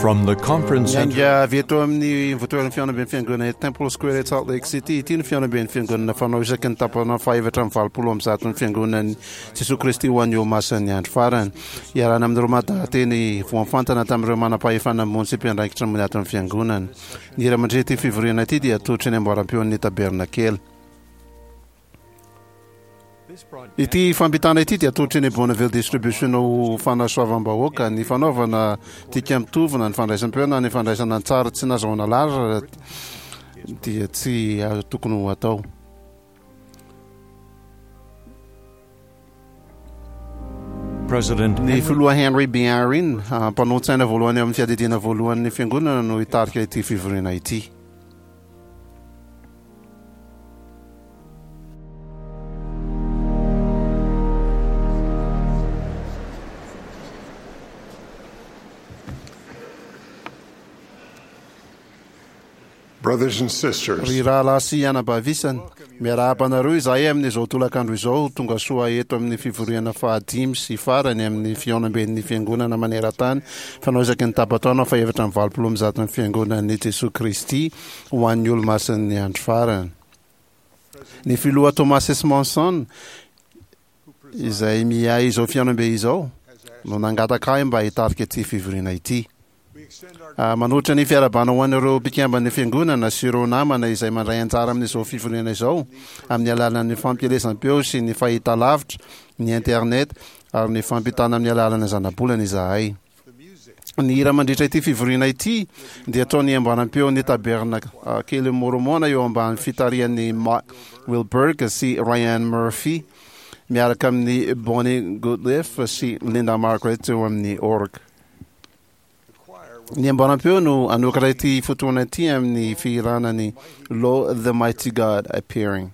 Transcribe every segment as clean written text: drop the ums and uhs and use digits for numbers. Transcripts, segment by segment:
From the conference center. Niainga avy eto amin'ny ivontoeran'ny fihaonamben'ny fiangonana eto Temple Square eto Salt Lake City ity ny fihaonamben'ny fiangonana fanao isaky ny tapana fahaefatra amby 180 ny fiangonan'i Jesoa Kristy ho an'ny Olomasin'ny Andro Farany. Iarahana amin'ireo madahateny voafantana tamin'ireo manam-pahefana ambony sy mpiandraikitra ambony ato amin'ny fiangonana. Ny hira mandritra ity fivoriana ity dia atolotry ny amboaram-peon'ny Tabernakely. Ity fampitana ity dia atolotry ny Bonneville Distribution ho fanasoavam-bahoaka. Ny fanaovana dika mitovy na ny fandraisam-peo na ny fandraisana an-tsary tsy nazahoana alalana dia tsy tokony ho atao. Ny Filoha Henry B. Eyring, mpanolotsaina voalohany ao amin'ny Fiadidiana Voalohan'ny Fiangonana no hitarika ity fivoriana ity. Brothers and sisters, Ry rahalahy sy anabavy isany, miarahaba anareo izahay amin'izao tolakandro izao, tonga soa eto amin'ny fivoriana fahadimy sy farany amin'ny fihaonamben'ny Fiangonana maneran-tany fanao isaky ny tapa-taona fahefatra amby 180 ny Fiangonan'i Jesoa Kristy ho an'ny Olomasin'ny Andro Farany. Ny Filoha Thomas S. Monson, izay miahy izao fihaonambe izao, no nangataka ahy mba hitarika ity fivoriana ity. Manolotra ny fiarahabana ho an'ireo mpikamban'ny Fiangonana sy ireo namana izay mandray anjara amin'izao fivoriana izao amin'ny alalan'ny fampielezam-peo sy ny fahitalavitra, ny internet ary ny fampitana amin'ny alalan'ny zanabolana izahay. Ny hira mandritra ity fivoriana ity dia ataon'ny ambaram-peon'ny Tabernakelin'i Môrmôna eo ambany fitarihan'i Mark Wilberg sy Ryan Murphy miaraka amin'i Bonnie Goodleaf sy Linda Margaret eo amin'ny orgue. Ny ambaram-peo no hanokatra ity fotoana ity amin'ny fihirana ny Lo the Mighty God Appearing.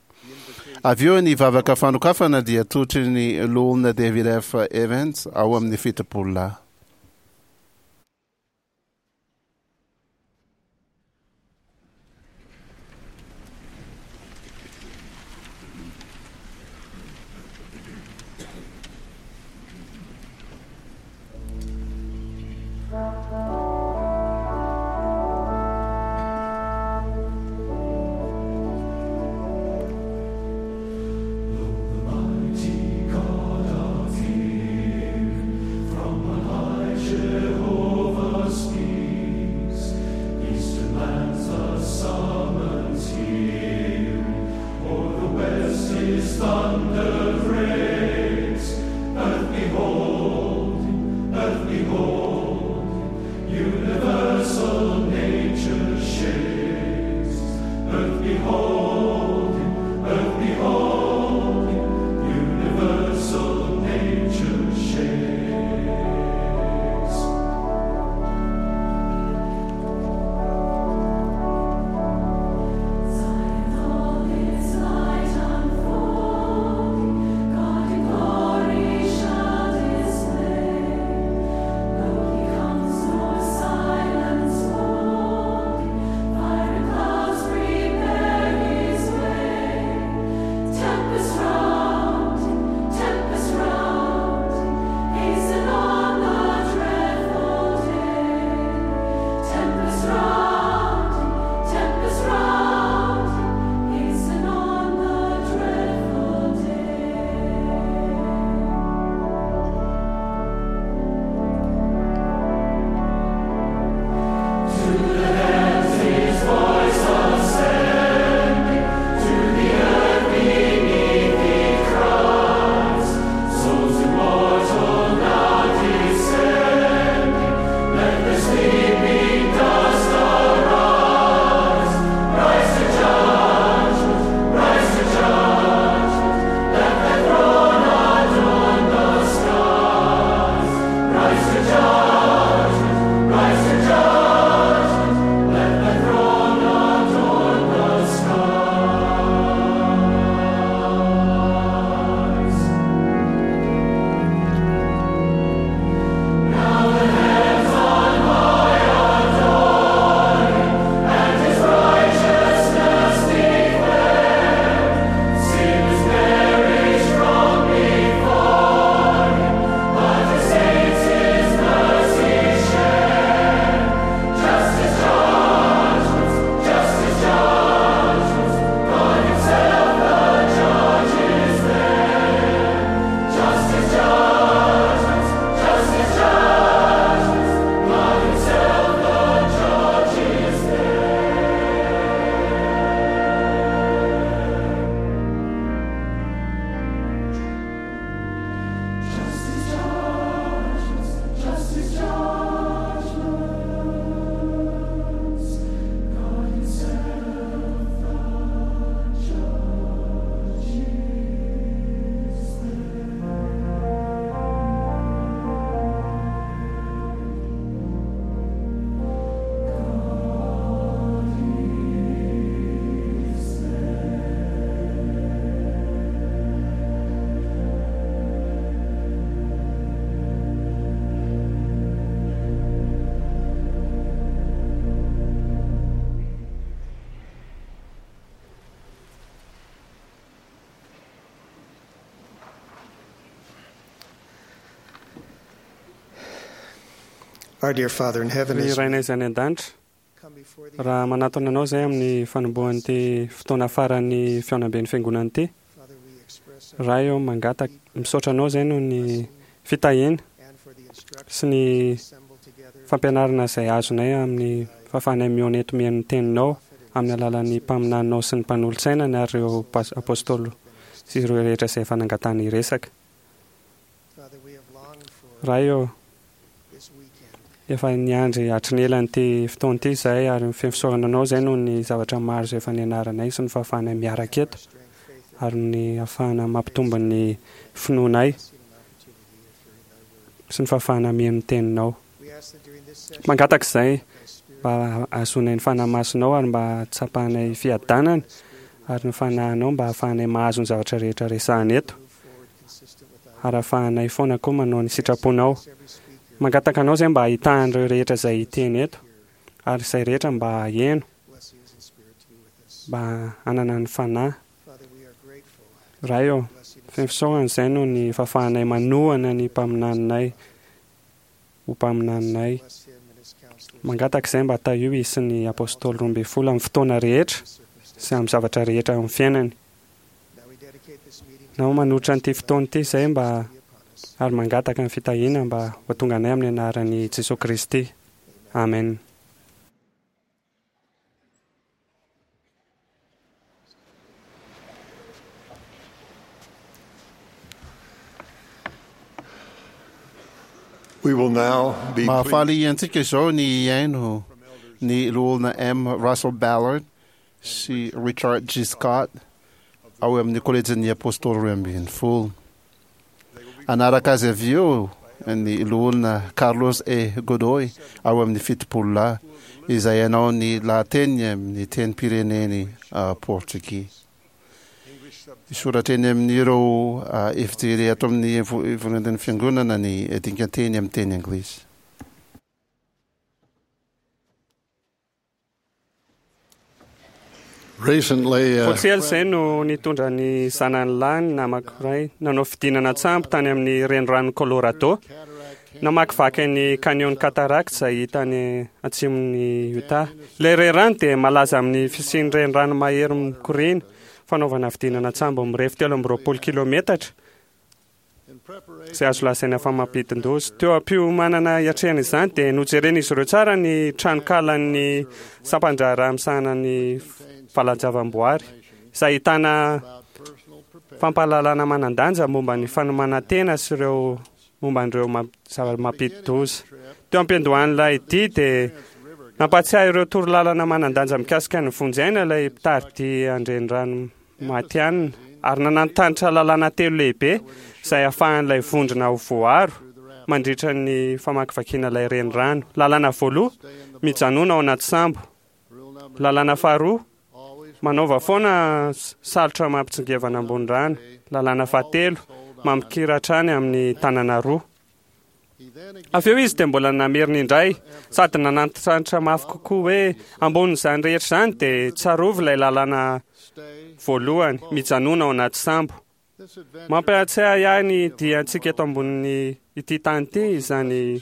Avy eo ny vavaka fanokafana dia totry ny Loholona David F. Evans ao amin'ny 70 lahy. Our dear Father in heaven, Ry as Rainay izay any an-danitra, come before thee, raha manatona anao izay amin'ny fanombohan'ity fotoana faran'ny fihaonamben'ny fiangonana ity, Father, we express our Ray ô, mangataka, misaotra anao izay noho ny fitahiana and for the instruction sy ny assembled together fampianarana izay azonay amin'ny fahafahanay mihaona eto mihaino ny teninao amin'ny alalan'ny mpaminaninao sy ny mpanolotsainany ary ireo pas- apôstôly sy ireo rehetra izay efa nangatahana hiresaka. Father, we have longed for Ray ô, this weekend. efa niandry hatry ny ela an'ity fotoana ity izahay ary feno fisaorana anao izay noho ny zavatra maro izay efa nianaranay sy ny fahafahanay miaraka eto Strength, faith, ary ny ahafahana mampitombo ny finoanay and an opportunity of hearing thy word. sy ny fahafahana mihaino ny teninao. We ask that during this session, Mangataka izay thy spirit mba hahazoanay ny fanahy masinao ary mba hatsapanay fiadanana ary ny fanahinao mba hahafahanay mahazo ny zavatra rehetra resahana eto move forward consistent with thy ary hahafahanay foana koa manao ny sitraponao. every speaker Mangataka anao izay mba hahitahan'ireo rehetra izay hiteny eto ary izay rehetra mba haheno blessings and spirit to be with us. mba hanana ny fanahy. Father, we are grateful. Ray ô, Blessing feno fisaorana izay noho ny fahafahanay manohana ny mpaminaninay ho mpaminaninay. bless him and his counselors Mangataka izay mba tahio izy sy ny apôstôly 12 amin'ny fotoana rehetra sy amin'ny zavatra rehetra amin'ny fiainany. Now we dedicate this meeting Na manolotra an'ity fotoana ity izay mba to be upon us. ary mangataka ny fitahiana mba ho tonga anay amin'ny anaran'i Jesoa Kristy. Amen. We will now be pleased Mahafaly antsika izao ny hihaino ny loholona M. Russell Ballard sy Richard G. Scott ao amin'ny kolejin'ny apôstôly 12. Anaraka azy avy eo ny loholona Carlos E. Godoy ao amin'ny 70 lahy izay hanao ny lahateny amin'ny tenim-pireneny portugais. Misoratra eny amin'ireo efijery ato amin'ny volan'ny fiangonana ny dingan-teny amin'ny teny anglisy. Recently, Vao tsy ela izay no nitondra ny zanany lahy ny namako iray nanao fidinana an-tsambo tany amin'ny renirano Colorado. Namakivaky ny Canyon Cataract izay hita any atsimon'i Utah. Ilay renirano dia malaza amin'ny fisian'ny renirano mahery mikoriana, fanaovana fidinana an-tsambo mirefy 23 kilometatra izay azo lazaina fa mampidin-doza. Teo am-piomanana hiatrehana izany dia nojeren'izy ireo tsara ny tranonkalan'ny sampan-draharaha misahana ny valan-javaboary izay ahitana fampahalalana manan-danja momba ny fanomanan-tena sy ireo momba an'ireo zava-mampidi-doza. Teo am-piandohan'ilay dia dia nampahatsiahy ireo torolalana manan-danja mikasika ny vonjy aina ilay mpitari-dia an-drenirano matihanina ary nanantanitra lalàna telo lehibe izay ahafahan'ilay vondrona ho voaro mandritra ny famakivakiana ilay renirano. Lalàna voaloha, mijanona ao anaty sambo. Lalàna faharoa, manaova foana salotra mampitsingevana ambony rano. Lalàna fahatelo, mampikira hatrany amin'ny tanana roa. Avy eo izy dia mbola namerina indray sady nanantitrantitra mafy kokoa hoe ambonin'izany rehetra izany dia tsarovy ilay lalàna voalohany, mijanona ao anaty sambo. Mampahatsiahy ahy ny diantsika eto ambonin'ny ity tany ity izany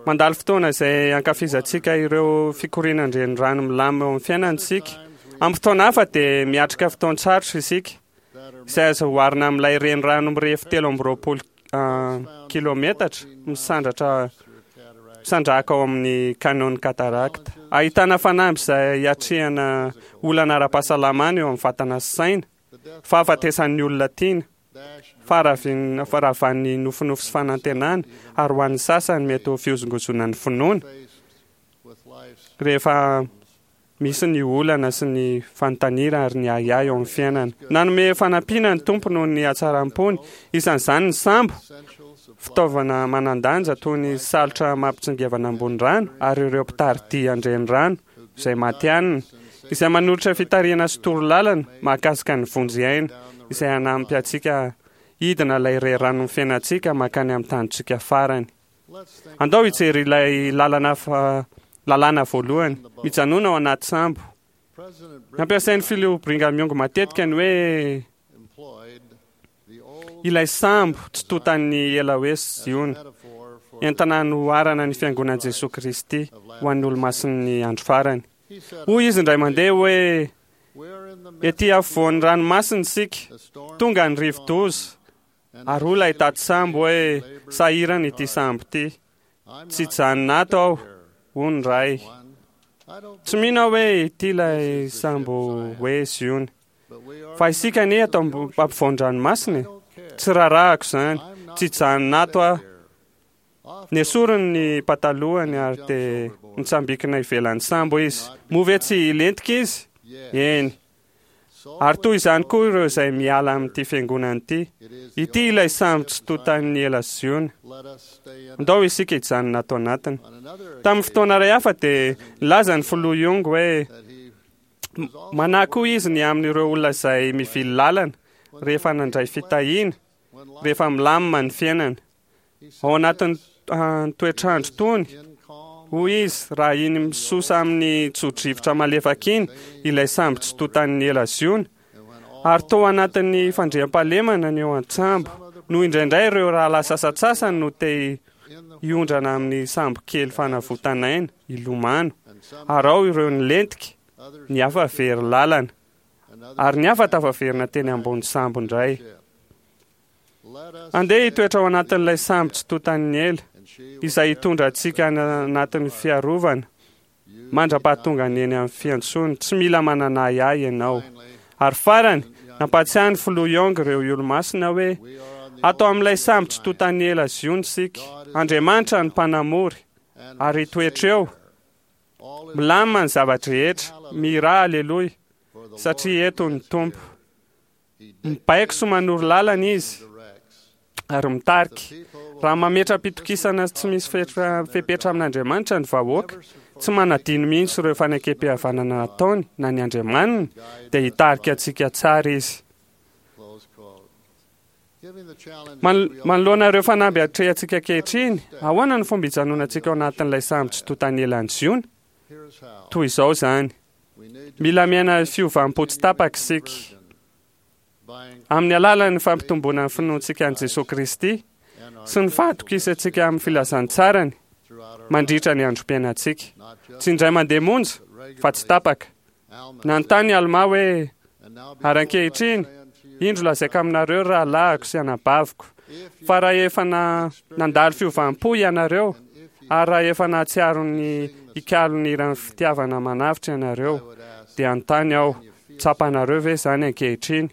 mandalo fotoana izay ankafizantsika ireo fikorianan-drenirano milamina eo amin'ny fiainantsika. Amin'ny fotoana hafa dia miatrika fotoan-tsarotra isika izay azo oharina amin'ilay renirano mirefy 23 kilometatra misandratra misandrahaka ao amin'ny Canyon Cataract. Ahitana fanamby izay hiatrehana olana ara-pahasalamana eo amin'ny vatana sy saina, fahafatesan'ny olona tiana, faharavin- faharavan'ny nofinofy sy fanantenana, ary ho an'ny sasany mety ho fihozongozonan'ny finoana rehefa misy ny olana sy ny fanontaniana ary ny ahiahy eo amin'ny fiainana. Nanome fanampiana ny Tompo noho ny hatsaram-pony, isan'izany ny sambo, fitaovana manan-danja toy ny salotra mampitsingevana ambony rano ary ireo mpitari-dia an-drenirano izay matihanina, izay manolotra fitarihana sy torolalana mahakasika ny vonjy aina, izay hanampy antsika hidina ilay reranon'ny fiainantsika mankany amin'ny tanjontsika farany. Andao hijery ilay lalana fa lalàna voalohany, mijanona ao anaty sambo. Nampiasain'ny filoha Brigham Young matetika ny hoe ilay sambo tsy tontan'ny ela hoe Ziona. entana hanoharana ny Fiangonan'i Jesoa Kristy ho an'ny Olomasin'ny andro farany. Hoy izy indray mandeha hoe, Ety afovoan'ny ranomasina isika, tonga ny rivo-doza, ary hoy ilay tati-sambo hoe, Sahirana ity sambo ity. Tsy hijanona ato aho, hoy ny ray. Tsy mino aho hoe ity ilay sambo hoe Ziona. Fa isika anie ato ampovoan-dranomasina e! Tsy raharahako izany. Tsy hijanona ato aho. Nesoriny ny patalohany ary dia nitsambikina ivelan'ny sambo izy. Moa ve tsy hilentika izy? Eny. Ary toy izany koa ireo izay miala amin'ity fiangonana ity. Ity ilay sambo tsy tontan'ny ela Ziona. Ndao isika hijanona ato anatiny. Tamin'ny fotoana iray hafa dia nilaza ny filoha Young hoe manahy koa izy ny amin'ireo olona izay mivily lalana rehefa nandray fitahiana, rehefa milamina ny fiainana. Ao anatin'ny toetr'andro tony, hoy izy, raha iny misosa amin'ny tso-drivotra malefaka iny ilay sambo tsy tontan'ny ela Ziona, ary tao anatin'ny fandriampahalemana ny eo an-tsambo, no indraindray ireo rahalahy sasantsasany no te hiondrana amin'ny sambo kely fanavotan'aina, hilomano, ary ao ireo nilentika, ny hafa very lalana, ary ny hafa tafaverina teny ambony sambo indray. Andeha hitoetra ao anatin'ilay sambo tsy tontan'ny ela, izay hitondra antsika any anatin'ny fiarovana, mandra-pahatonga ny eny amin'ny fiantsoany. Tsy mila manana ahiahy ianao. Ary farany, nampahatsiahy ny Filoha Young ireo Olomasina hoe, Ato amin'ilay sambo tsy tontan'ny ela Ziona isika. Andriamanitra no Mpanamory, ary hitoetra eo. Milamina ny zava-drehetra. Mihirà Aleloia, satria eto ny Tompo. Mibaiko sy manoro lalana izy ary mitarika. Raha mametra-pitokisana tsy misy fepetra amin'Andriamanitra ny vahoaka, tsy manadino mihitsy ireo fanekempihavanana nataony na ny Andriamaniny, dia hitarika antsika tsara izy. Manoloana ireo fanamby atrehantsika ankehitriny, ahoana no fomba hijanonantsika ao anatin'ilay sambo tsy tontan'ny elan'i Ziona? Toy izao izany. Mila miaina fiovam-po tsy tapaka isika. Amin'ny alalan'ny fampitomboana ny finoantsika an'i Jesoa Kristy sy ny fahatokisantsika amin'ny filazantsarany mandritra ny androm-piainantsika. Tsy indray mandeha monja, fa tsy tapaka. Nanontany i Almà hoe, Ary ankehitriny, indro lazaiko aminareo ry rahalahiko sy anabaviko, fa raha efa nandalo fiovam-po ianareo, ary raha efa nahatsiaro ny hikalo ny hiran'ny fitiavana manavotra ianareo, dia hanontany aho, tsapanareo ve izany ankehitriny?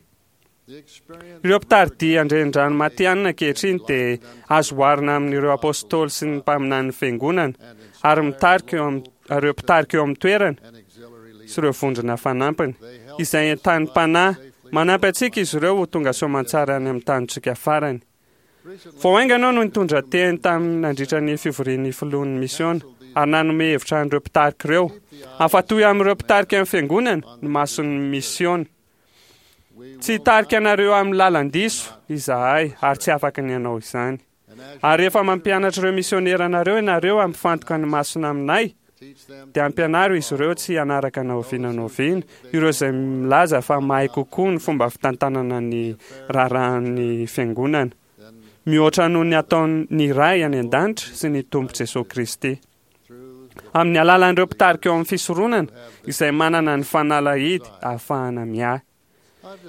Ireo mpitari-dia an-drenirano matihanina ankehitriny dia azo oharina amin'ireo apostoly sy ny mpaminanin'ny Fiangonana, ary mitarika eo amin'ny, ireo mpitarika eo amin'ny toerana sy ireo vondrona fanampiny, izay entanim-panahy. Manampy antsika izy ireo ho tonga soamantsara any amin'ny tanintsika farany. Vao haingana aho no nitondra teny tamin'ny nandritra ny fivorian'ny filohan'ny misiona ary nanome hevitra an'ireo mpitarika ireo. Afa-toy amin'ireo mpitarika ny fiangonana ny mason'ny misiona. Tsy hitarika anareo amin'ny lalan-diso izahay ary tsy afaka ny hanao izany. Ary rehefa mampianatra ireo misionera anareo ianareo hampifantoka ny masona aminay, dia ampianaro izy ireo tsy hanaraka na oviana na oviana ireo izay milaza fa mahay kokoa ny fomba fitantanana ny raharahan'ny Fiangonana mihoatra noho ny ataon'ny Ray any An-danitra sy ny Tompo Jesoa Kristy. Amin'ny alalan'ireo mpitarika eo amin'ny fisoronana izay manana ny fanalahidy ahafahana miahy.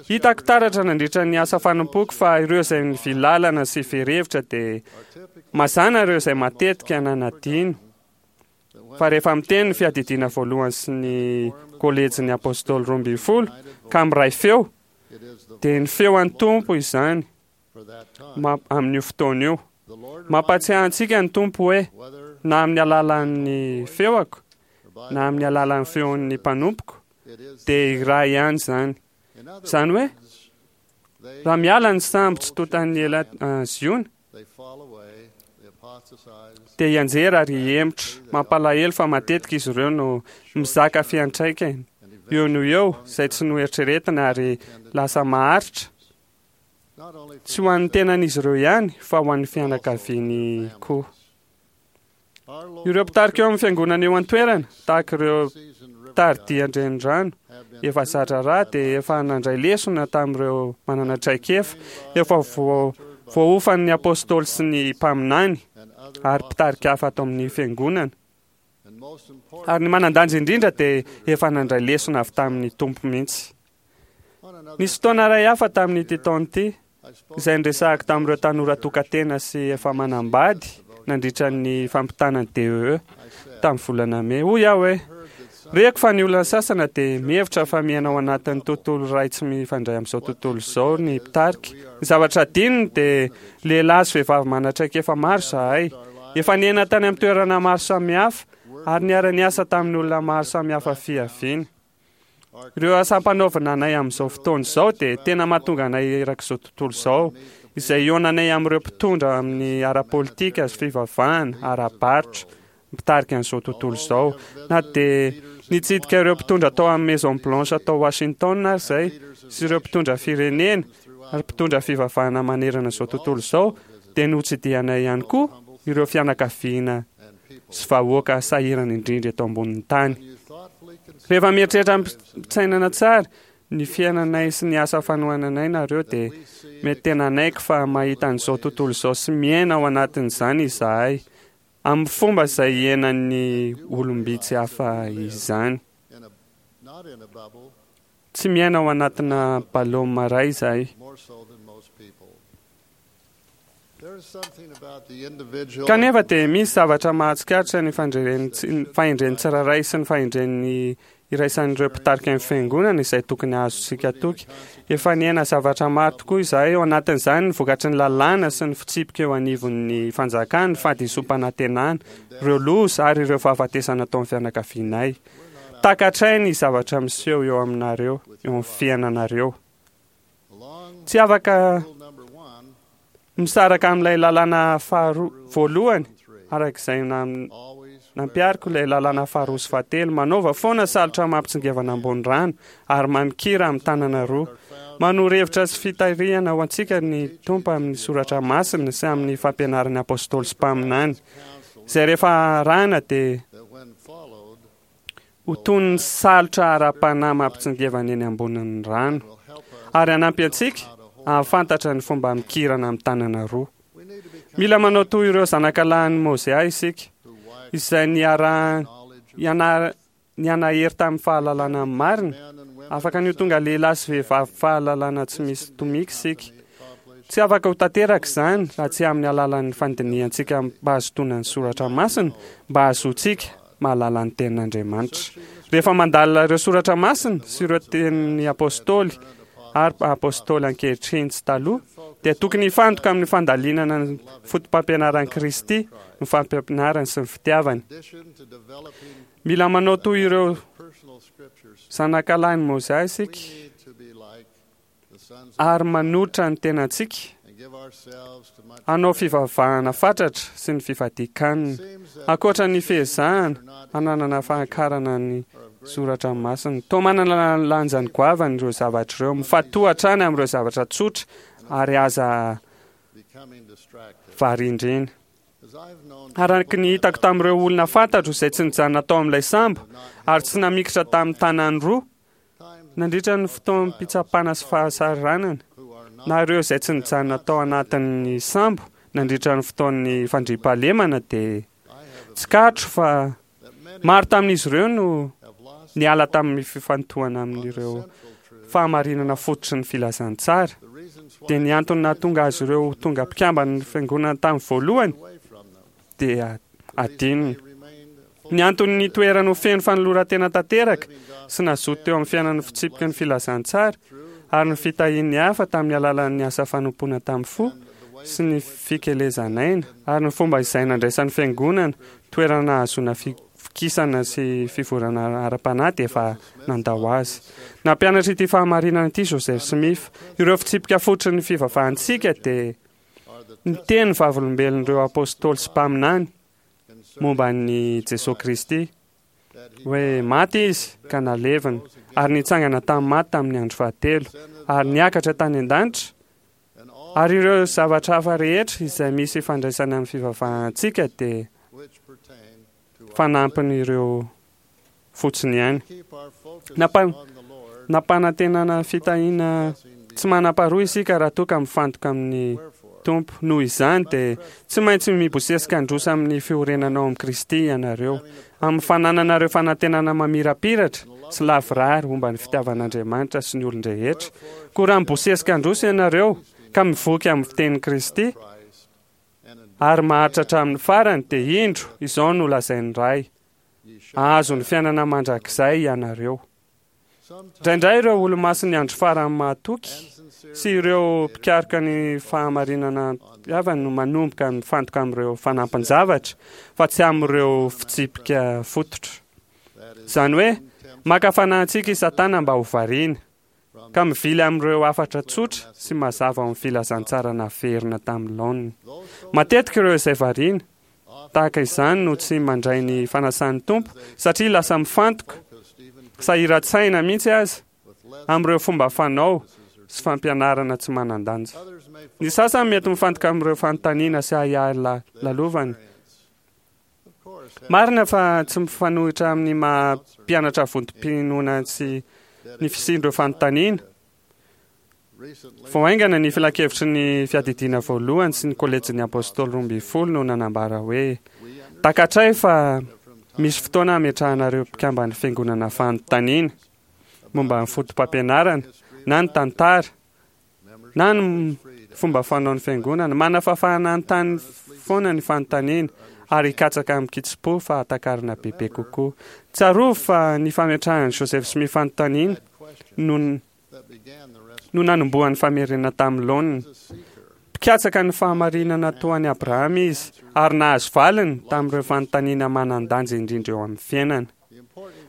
Hitako taratra nandritra ny asa fanompoako fa ireo izay nivily lalana sy very hevitra dia mazàna ireo izay matetika nanadino fa rehefa miteny ny fiadidiana voalohany sy ny kolejin'ny Apôstôly 12 ka miray feo dia ny feo an'ny Tompo izany amin'io fotoana io. Mampahatsiahy antsika ny Tompo hoe, na amin'ny alalan'ny feoako, na amin'ny alalan'ny feon'ny mpanompoko, dia iray ihany izany. Izany hoe, raha miala ny sambo tsy tontan'ny ela Ziona, dia hianjera ary hihemotra. Mampalahelo fa matetika izy ireo no mizaka fiantraikany eo no eo izay tsy noeritreretina ary lasa maharitra. Tsy ho an'ny tenan'izy ireo ihany fa ho an'ny fianakaviany koa. Ireo mpitarika eo amin'ny fiangonana eo an-toerana, tahaka ireo mpitari-dia an-drenirano efa zatra-raha dia efa nandray lesona tamin'ireo manana traikefa efa voaofan'ny apostoly sy ny mpaminany. ary mpitarika hafa ato amin'ny fiangonana. Ary ny manan-danja indrindra dia efa nandray lesona avy tamin'ny Tompo mihitsy. Nisy fotoana iray hafa tamin'ity taona ity izay niresahako tamin'ireo tanora tokan-tena sy efa manambady nandritra ny fampitana ny DEE tamin'ny volana mey. Hoy aho hoe, Reko fa ny olona sasana dia mihevitra fa miaina ao anatin'ny tontolo iray tsy mifandray amin'izao tontolo izao ny mpitarika. Ny zavatra adinony dia lehilahy sy vehivavy manan-traikefa maro izahay. Efa niaina tany amin'ny toerana maro samihafa ary niara-niasa tamin'ny olona maro samihafa fiaviana. Ireo asa ampanaovina anay amin'izao fotoana izao dia tena mahatonga anay erak'izao tontolo izao, izay hihaonanay amin'ireo mpitondra amin'ny ara-politika sy fivavahana, ara-barotra, mpitarika an'izao tontolo izao. Na dia nitsidika ireo mpitondra tao amin'ny Maison Blanche tao Washington ary izay, sy ireo mpitondra firenena ary mpitondra fivavahana manerana izao tontolo izao, dia notsidihanay ihany koa ireo fianakaviana sy vahoaka sahirana indrindra eto ambonin'ny tany. Rehefa mieritreritra amim-pitsainana tsara ny fiainanay sy ny asa fanohananay nareo dia mety tena hanaiky fa mahita an'izao tontolo izao sy miaina ao anatin'izany izahay amin'ny fomba izay iainan'ny olom-bitsy hafa izany. Tsy miaina ao anatina baloma iray izahay. Kanefa dia misy zavatra mahatsikaritra ny fahendren'ny tsirairay sy ny fahendren'ny iraisan'ireo mpitarika ny fiangonana izay tokony hahazotsika toky. Efa niaina zavatra maro tokoa izahay, ao anatin'izany ny vokatry ny lalàna sy ny fitsipika eo anivon'ny fanjakana, ny fahadisoam-panantenana, ireo loza ary ireo fahafatesana tao amin'ny fianakavianay. Takatray ny zavatra miseho eo aminareo, eo amin'ny fiainanareo. Tsy afaka misaraka amin'ilay lalàna faharoa voalohany araka izay nampihariko ilay lalàna faharoa sy fahatelo. Manaova foana salotra mampitsingevana ambony rano ary mamikira amin'ny tanana roa. Manoro hevitra sy fitarihana ho antsika ny Tompo amin'ny soratra masina sy amin'ny fampianaran'ny apôstôly sy mpaminany, izay rehefa arahina dia ho toy ny salotra ara-panahy mampitsingevana eny ambonin'ny rano, ary hanampy antsika hahafantatra ny fomba mikirana amin'ny tanana roa. Mila manao toy ireo zanakalahin'i Mozia isika, izay niara-nianahery tamin'ny fahalalana ny marina. Afaka ny ho tonga lehilahy sy vehivavy fahalalana tsy misy tomika isika. Tsy afaka ho tanteraka izany raha tsy amin'ny alalan'ny fandinihantsika amim-pahazotoana ny soratra masina mba hahazoantsika mahalala ny Tenin'Andriamanitra. Rehefa mandalina ireo soratra masina sy ireo tenin'ny Apôstôly ary Apôstôly ankehitriny sy taloha, dia tokony hifantoka amin'ny fandalinana ny fotopampianaran'i Kristy, ny fampianarany sy ny fitiavany. Mila manao toy ireo zanakalahin'i Mozia isika ary manotra ny tenantsika hanao fivavahana fatratra sy ny fifadian-kanina, ankoatra ny fiezahana hananana fahakarana ny soratra masina. Toa manana lanjany goavana ireo zavatra ireo. Mifantoha hatrany amin'ireo zavatra tsotra ary aza variandriana. Araka ny hitako tamin'ireo olona fantatro izay tsy nijanona tao amin'ilay sambo ary tsy namikitra tamin'ny tanany roa, Nandritra ny fotoam-pitsapana sy fahasahiranana, na ireo izay tsy nijanona tao anatin'ny sambo nandritra ny fotoan'ny fandriampahalemana dia tsikaritro fa maro tamin'izy ireo no niala tamin'ny fifantohana amin'ireo fahamarinana fototry ny filazantsara, dia ny antony nahatonga azy ireo ho tonga mpikamban'ny fiangonana tamin'ny voalohany dia adinony. Ny antony nitoerany ho feno fanoloran-tena tanteraka sy nazoto teo amin'ny fiainan'ny fitsipiky ny filazantsara ary ny fitahian'ny hafa tamin'ny alalan'ny asa fanompoana tamin'ny fo sy ny fikelezan'aina ary ny fomba izay nandraisan'ny fiangonana toerana nahazoana fikisana sy fivoarana ara-panahy dia efa nandao azy. Nampianatra ity fahamarinana ity Joseph Smith. Ireo fitsipika fototry ny fivavahantsika dia Ny teny vavolombelon'ireo apôstôly sy mpaminany momba an'i Jesoa Kristy, hoe maty Izy ka nalevina, ary nitsangana tamin'ny maty tamin'ny andro fahatelo, ary niakatra tany an-danitra, ary ireo zavatra hafa rehetra izay misy ifandraisany amin'ny fivavahantsika dia fanampin'ireo fotsiny ihany. Nampanantenana fitahiana tsy manam-paharoa isika raha toa ka mifantoka amin'ny. Tompo. Noho izany dia tsy maintsy mibosesika handroso amin'ny fiorenana ao amin'i Kristy ianareo, amin'ny fanananareo fanantenana mamirapiratra sy lavorary momba ny fitiavan'Andriamanitra sy ny olon-drehetra. Koa raha mibosesika handroso ianareo ka mivoky amin'ny fitenin'i Kristy ary maharitra hatramin'ny farany, dia indro, izao no lazain'ny Ray, Hahazo ny fiainana mandrakizay ianareo. Indraindray ireo olomasin'ny andro farany mahatoky sy ireo mpikaroka ny fahamarinana havany no manomboka mifantoka amin'ireo fanampin-javatra fa tsy amin'ireo fitsipika fototra. Izany hoe, maka fanahy antsika i Satana mba ho variana, ka mivily amin'ireo hafatra tsotra sy mazava ao amin'ny filazantsara naverina tamin'ny laoniny. Matetika ireo izay variana tahaka izany no tsy mandray ny fanasan'ny Tompo satria lasa mifantoka, sahiran-tsaina mihitsy aza, amin'ireo fomba fanao sy fampianarana tsy manan-danja. Ny sasany mety mifantoka amin'ireo fanontaniana sy ahiahy lalovany. Marina fa tsy mifanohitra amin'ny maha mpianatra vontom-pinoana sy ny fisian'ireo fanontaniana. Vao haingana ny Filankevitry ny Fiadidiana Voalohany sy ny Kolejin'ny Apôstôly Roambinifolo no nanambara hoe, Takatray fa misy fotoana hametrahanareo mpikamban'ny Fiangonana fanontaniana momba ny fotopampianarana, na ny tantara, na ny fomba fanaon'ny Fiangonana. Manana fahafahana hanontany foana ny fanontaniana ary hikatsaka amin-kitsim-po fahatakarana bebe kokoa. Tsarovy fa ny fametrahan'i Joseph Smith fanontaniana no no nanombohan'ny famerenana tamin'ny laoniny. Mpikatsaka ny fahamarinana toa an'i Abrahama izy, ary nahazo valiny tamin'ireo fanontaniana manan-danja indrindra eo amin'ny fiainana.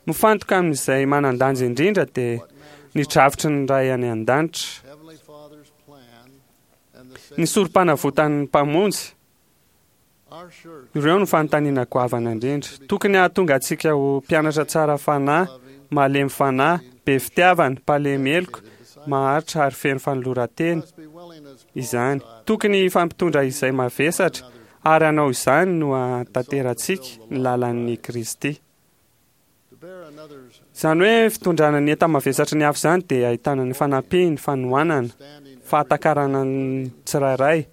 Mifantoka amin'izay manan-danja indrindra dia ny drafitry ny Ray any An-danitra, ny sorompanavotan'ny Mpamonjy, Ireo no fanontaniana goavana indrindra. Tokony hahatonga antsika ho mpianatra tsara fanahy, malemy fanahy, be fitiavana, mpalemy heloka, maharitra ary feno fanoloran-tena izany. Tokony hifampitondra izay mavesatra ary hanao izany no hahatanterahantsika ny lalan'i Kristy. Izany hoe fitondrana ny enta-mavesatry ny hafa izany dia ahitana ny fanampiany, fanohanana, fahatakarana ny tsirairay.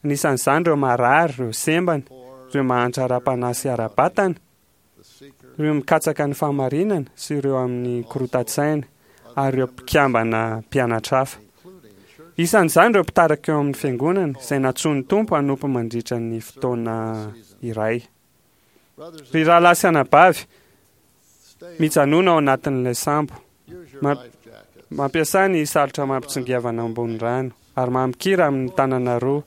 Anisan'izany ireo marary, ireo sembana, ireo mahantra ara-panahy sy ara-batana, ireo mikatsaka ny fahamarinana sy ireo amin'ny korotan-tsaina ary ireo mpikambana mpianatra hafa. Isan'izany ireo mpitarika eo amin'ny fiangonana izay nantsoin'ny Tompo hanompo mandritra ny fotoana iray. Ry rahalahy sy anabavy, mijanòna ao anatin'ilay sambo. Mampiasà ny salotra mampitsingevana ambony rano, ary mamikira amin'ny tanana roa.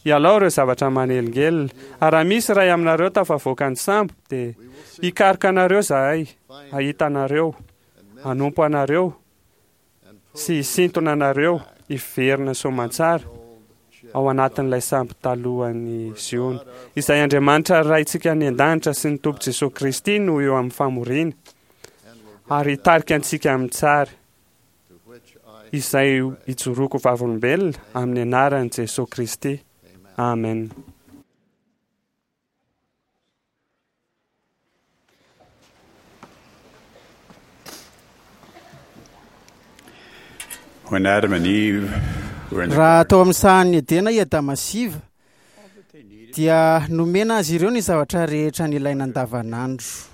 Ialao ireo zavatra manelingelina, ary raha misy iray aminareo tafavoaka ny sambo, dia hikaroka anareo izahay, hahita anareo, hanompo anareo, sy hisintona anareo hiverina soamantsara ao anatin'ilay sambo talohan'i Ziona, izay Andriamanitra Raintsika any an-danitra sy ny Tompo Jesoa Kristy no eo amin'ny famoriana ary hitarika antsika amin'ny tsara, izay ijoroako vavolombelona amin'ny anaran'i Jesoa Kristy. Amen. When Adam and Eve were in the Raha tao amin'ny sahan'i Edena i Adama sy Eva, dia nomena azy ireo ny zavatra rehetra nilaina andavanandro.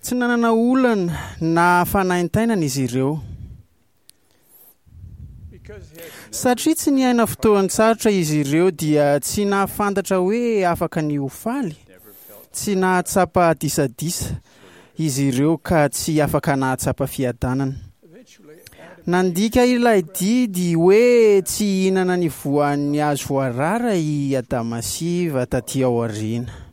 Tsy nanana olana na fanaintainana izy ireo. Satria tsy niaina fotoan-tsarotra izy ireo dia tsy nahafantatra hoe afaka ny ho faly, tsy nahatsapa disadisa izy ireo ka tsy afaka nahatsapa fiadanana. Nandika ilay didy hoe tsy hihinana ny voan'ny hazo voarara i Adama sy Eva taty aoriana.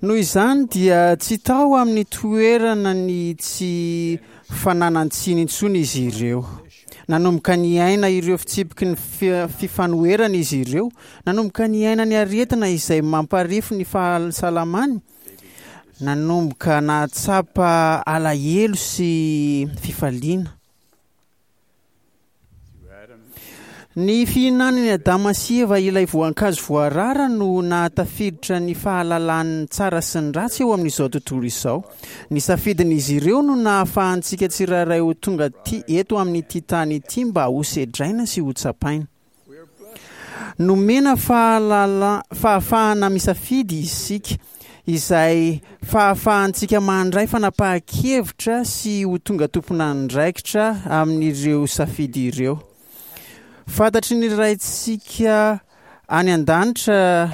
Noho izany dia tsy tao amin'ny toerana ny tsy fananan-tsiny intsony izy ireo. Nanomboka niaina ireo fitsipiky ny fifanoherana izy ireo, nanomboka niaina ny aretina izay mamparefo ny fahasalamany, nanomboka nahatsapa alahelo sy fifaliana. Ny fihinanan'i Adama sy Eva ilay voankazo voarara no nahatafiditra ny fahalalan'ny tsara sy ny ratsy eo amin'izao tontolo izao. Ny safidin'izy ireo no nahafahantsika tsirairay ho tonga aty eto amin'ity tany ity mba hosedraina sy hotsapaina. Nomena fahalala, fahafahana misafidy isika, izay fahafahantsika mandray fanapahan-kevitra sy ho tonga tompon'andraikitra amin'ireo safidy ireo. Fantatry ny Raintsika any an-danitra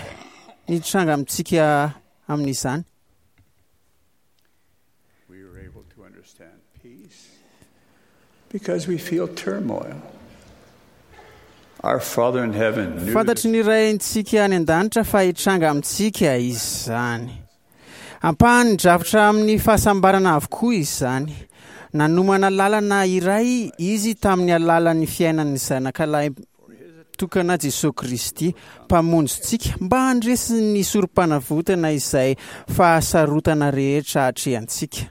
ny tranga amintsika amin'izany. We were able to understand peace because we feel turmoil. Our Father in heaven knew Fantatry ny Raintsika any an-danitra fa hitranga amintsika izany. Ampahan'ny drafitra amin'ny fahasambarana avokoa izany. Nanomana lalana iray Izy tamin'ny alalan'ny fiainan'ny Zanakalahy tokana Jesoa Kristy, Mpamonjintsika, mba handresy ny sorompanavotana izay fahasarotana rehetra atrehantsika.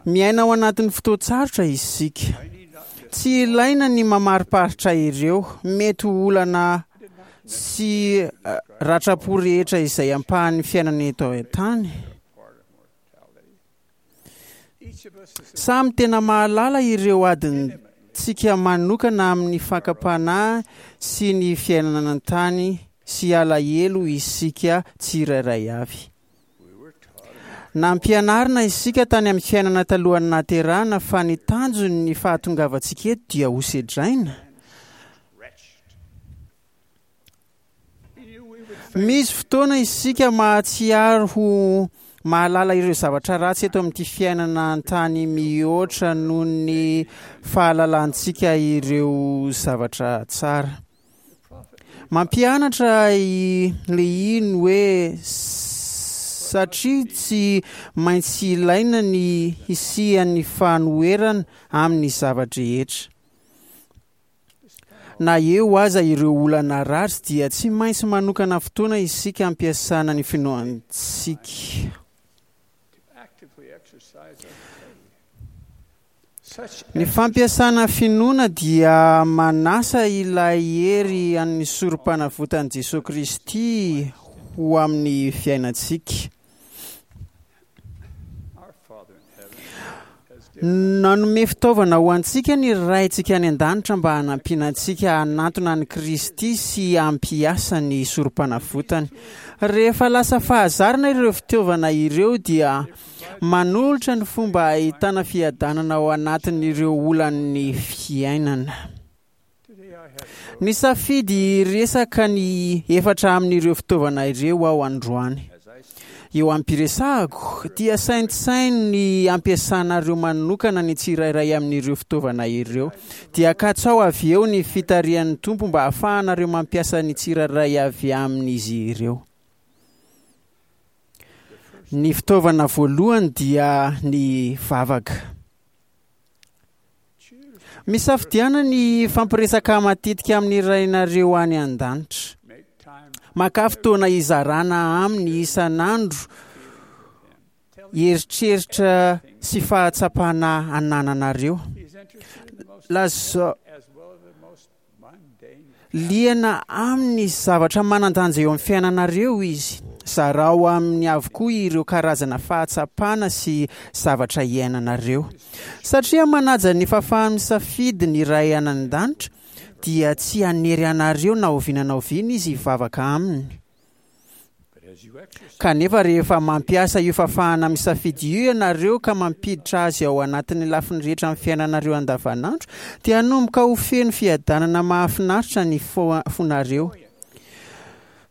Miaina ao anatin'ny fotoan-tsarotra isika. Tsy ilaina ny mamariparitra ireo mety ho olana sy eh, ratram-po rehetra izay ampahan'ny fiainana eto an-tany. Samy tena mahalala ireo adintsika manokana amin'ny fakam-panahy sy ny fiainana an-tany sy alahelo isika tsirairay avy. Nampianarina isika tany amin'ny fiainana talohan'ny nahaterahana fa ny tanjon'ny fahatongavantsika eto dia hosedraina. Misy fotoana isika mahatsiaro ho mahalala ireo zavatra ratsy eto amin'ity fiainana an-tany mihoatra noho ny fahalalantsika ireo zavatra tsara. Mampianatra i Lehia ny hoe satria tsy maintsy ilaina ny hisian'ny fanoherana amin'ny zava-drehetra. Na eo aza ireo olana ratsy dia tsy maintsy manokana fotoana isika hampiasana ny finoantsika. Ny fampiasana finoana dia manasa ilay hery an'ny sorom-panavotan'i Jesoa Kristy ho amin'ny fiainantsika. Nanome fitaovana ho antsika ny Raintsika any An-danitra mba hanampiana antsika hanantona an'i Kristy sy hampiasa ny Sorompanavotany. Rehefa lasa fahazarana ireo fitaovana ireo dia manolotra ny fomba hahitana fiadanana ao anatin'ireo olan'ny fiainana. Nisafidy hiresaka ny efatra amin'ireo fitaovana ireo aho androany. Eo am-piresahako, dia saintsaino ny hampiasanareo manokana ny tsirairay amin'ireo fitaovana ireo. Dia katsaho avy eo ny fitarihan'ny Tompo mba hahafahanareo mampiasa ny tsirairay avy amin'izy ireo. Ny fitaovana voalohany dia ny vavaka. Misafidiana ny hifampiresaka matetika amin'ny Rainareo any an-danitra. Makà fotoana hizarana aminy isan'andro eritreritra sy fahatsapana anananareo. Lazao Liana amin'ny zavatra manan-danja eo amin'ny fiainanareo izy. Zarao aminy avokoa ireo karazana fahatsapana sy zavatra iainanareo. Satria manaja ny fahafaha-misafidy ny Ray any An-danitra, dia tsy hanery anareo na oviana na oviana Izy hivavaka Aminy. Kanefa rehefa mampiasa io fahafahana misafidy io ianareo ka mampiditra azy ao anatin'ny lafiny rehetra amin'ny fiainanareo andavanandro, dia hanomboka ho feno fiadanana mahafinaritra ny fonareo.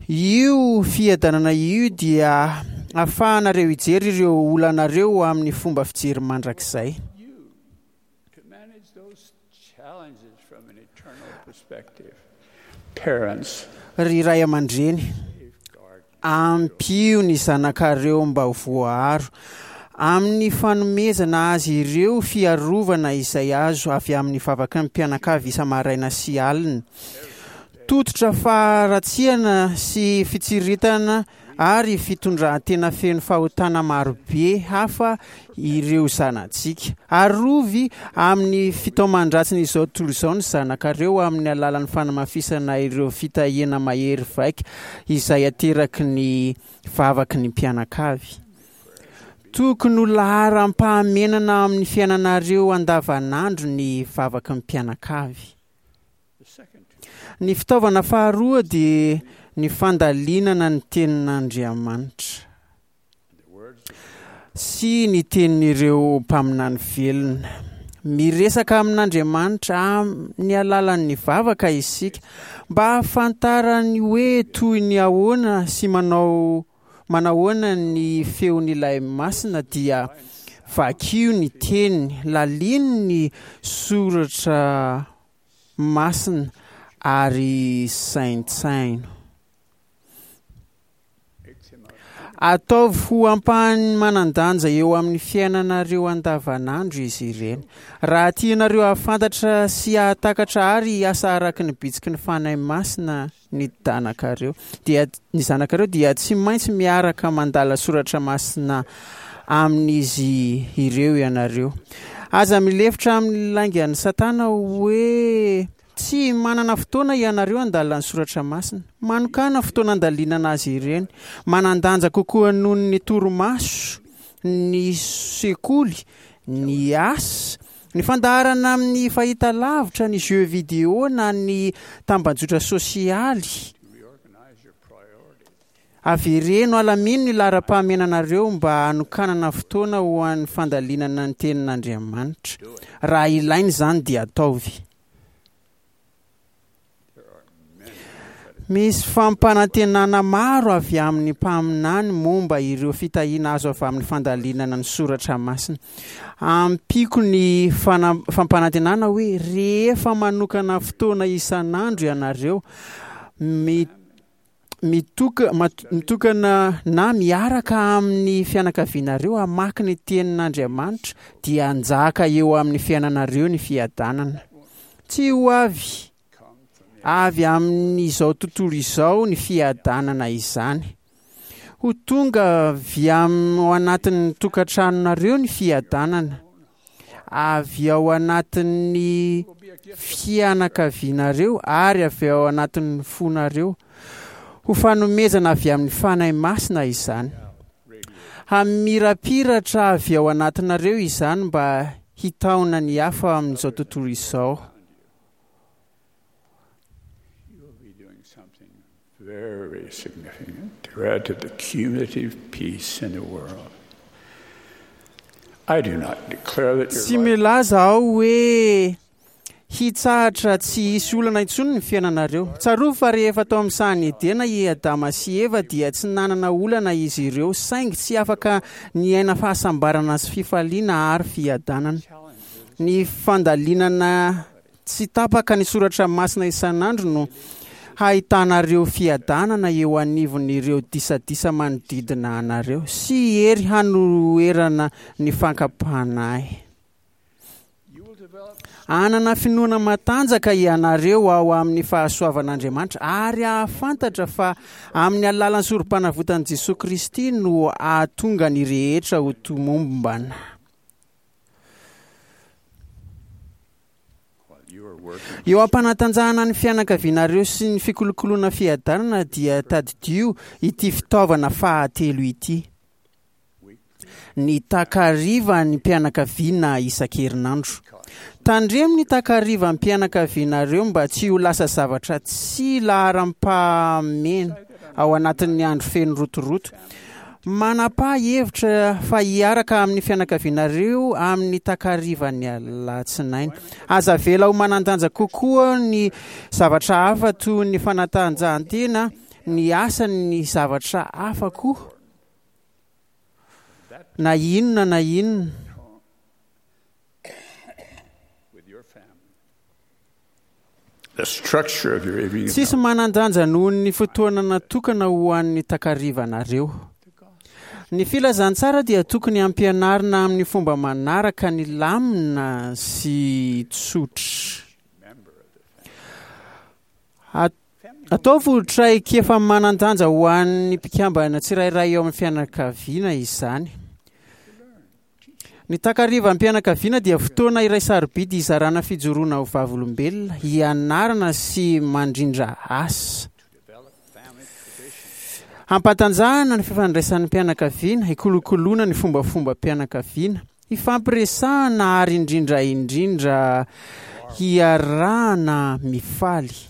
Io fiadanana io dia ahafahanareo hijery ireo olanareo amin'ny fomba fijery mandrakizay. Ry ray aman-dreny, ampio ny zanakareo mba ho voaaro amin'ny fanomezana azy ireo fiarovana izay azo avy amin'ny vavaky ny mpianakavy isa-maraina sy alina. Tototra faharatsiana sy fitsiriritana. ary fitondran-tena feno fahotana marobe hafa ireo zanatsika. Arovy amin'ny fitaoman-dratsin'izao tontolo izao ny zanakareo amin'ny alalan'ny fanamafisana ireo fitahiana mahery vaika izay ateraky ny vavaky ny mpianakavy. Tokony ho laharam-pahamenana amin'ny fiainanareo andavanandro ny vavaky ny mpianakavy. Ny fitaovana faharoa dia ny fandalinana ny tenin'Andriamanitra sy ny tenin'ireo mpaminany velona. Miresaka amin'Andriamanitra amin'ny alalan'ny vavaka isika mba hahafantarany hoe toy ny ahoana sy manao manahoana ny feon'ilay masina dia vakio ny teniny, lalino ny soratra masina ary saintsaino. Ataovy ho ampahany manan-danja eo amin'ny fiainanareo andavanandro izy ireny. Raha tianareo hahafantatra sy hahatakatra ary hiasa araka ny bitsiky ny Fanahy Masina ny danakareo, dia ny zanakareo dia tsy maintsy miaraka mandala soratra masina amin'izy ireo ianareo. Aza milefitra amin'ny laingan'i Satana hoe Tsy manana fotoana ianareo handalina ny soratra masina. Manokàna fotoana handalinana azy ireny. Manan-danja kokoa noho ny torimaso, ny sekoly, ny asa, ny fandaharana amin'ny fahitalavitra, ny jeux vidéo na ny tambajotra sosialy. Avereno alamino ny laharam-pahamenanareo mba hanokanana fotoana ho an'ny fandalinana ny Tenin'Andriamanitra. Raha ilaina izany dia ataovy. Misy fampanantenana maro avy amin'ny mpaminany momba ireo fitahiana azo avy amin'ny fandalinana ny soratra masina. Ampiako ny fampanantenana hoe rehefa manokana fotoana isan'andro ianareo, mitoka, mitokana na miaraka amin'ny fianakavianareo hamaky ny tenin'Andriamanitra dia hanjaka eo amin'ny fiainanareo ny fiadanana. Tsy ho avy avy amin'izao tontolo izao ny fiadanana izany. Ho tonga avy ao anatin'ny tokantranonareo ny fiadanana. Avy ao anatin'ny fianakavianareo ary avy ao anatin'ny fonareo. Ho fanomezana avy amin'ny Fanahy Masina izany. Hamirapiratra avy ao anatinareo izany mba hitaona ny hafa amin'izao tontolo izao. Very significant to add to the cumulative peace in the world. I do not declare that your Tsy milaza aho hoe hitsahatra tsy hisy olana intsony ny fiainanareo. Tsarovy fa rehefa tao amin'ny sahan'i Edena i Adama sy Eva dia tsy nanana olana izy ireo, saingy tsy afaka niaina fahasambarana sy fifaliana ary fiadanana. Ny fandalinana Tsy tapaka ny soratra masina isan'andro no hahitanareo fiadanana eo anivon'ireo disadisa manodidina anareo sy hery hanoherana ny fankam-panahy. Hanana finoana matanjaka ianareo ao amin'ny fahasoavan'Andriamanitra ary hahafantatra fa amin'ny alalan'ny sorom-panavotan'i Jesoa Kristy no hahatonga ny rehetra ho tomombana. Eo am-panatanjahana ny fianakavianareo sy ny fikolokoloana fiadanana dia tadidio ity fitaovana fahatelo ity. Ny takarivan'ny mpianakaviana isan-kerinandro. Tandremo ny takarivan'ny mpianakavianareo mba tsy ho lasa zavatra tsy laharam-pahamehana ao anatin'ny andro feno rotoroto. Manapaha hevitra fa hiaraka amin'ny fianakavianareo amin'ny takarivan'ny alatsinainy. Aza avela ho manan-danja kokoa ny zavatra hafa toy ny fanatanjahantena, ny asa, ny zavatra hafa koa, na inona na inona. Tsisy manan-danja noho ny fotoana natokana ho an'ny takarivanareo. Ny filazantsara dia tokony hampianarina amin'ny fomba manaraka ny lamina sy tsotra. Ataovy traikefa manan-danja ho an'ny mpikambana tsirairay eo amin'ny fianakaviana izany. Ny takarivam-pianakaviana dia fotoana iray sarobidy hizarana fijoroana ho vavolombelona, hianarana sy mandrindra asa. Hampatanjahana ny fifandraisan'ny mpianakaviana, hikolokoloana ny fombafombam-pianakaviana, hifampiresahana ary indrindra indrindra hiarahana mifaly.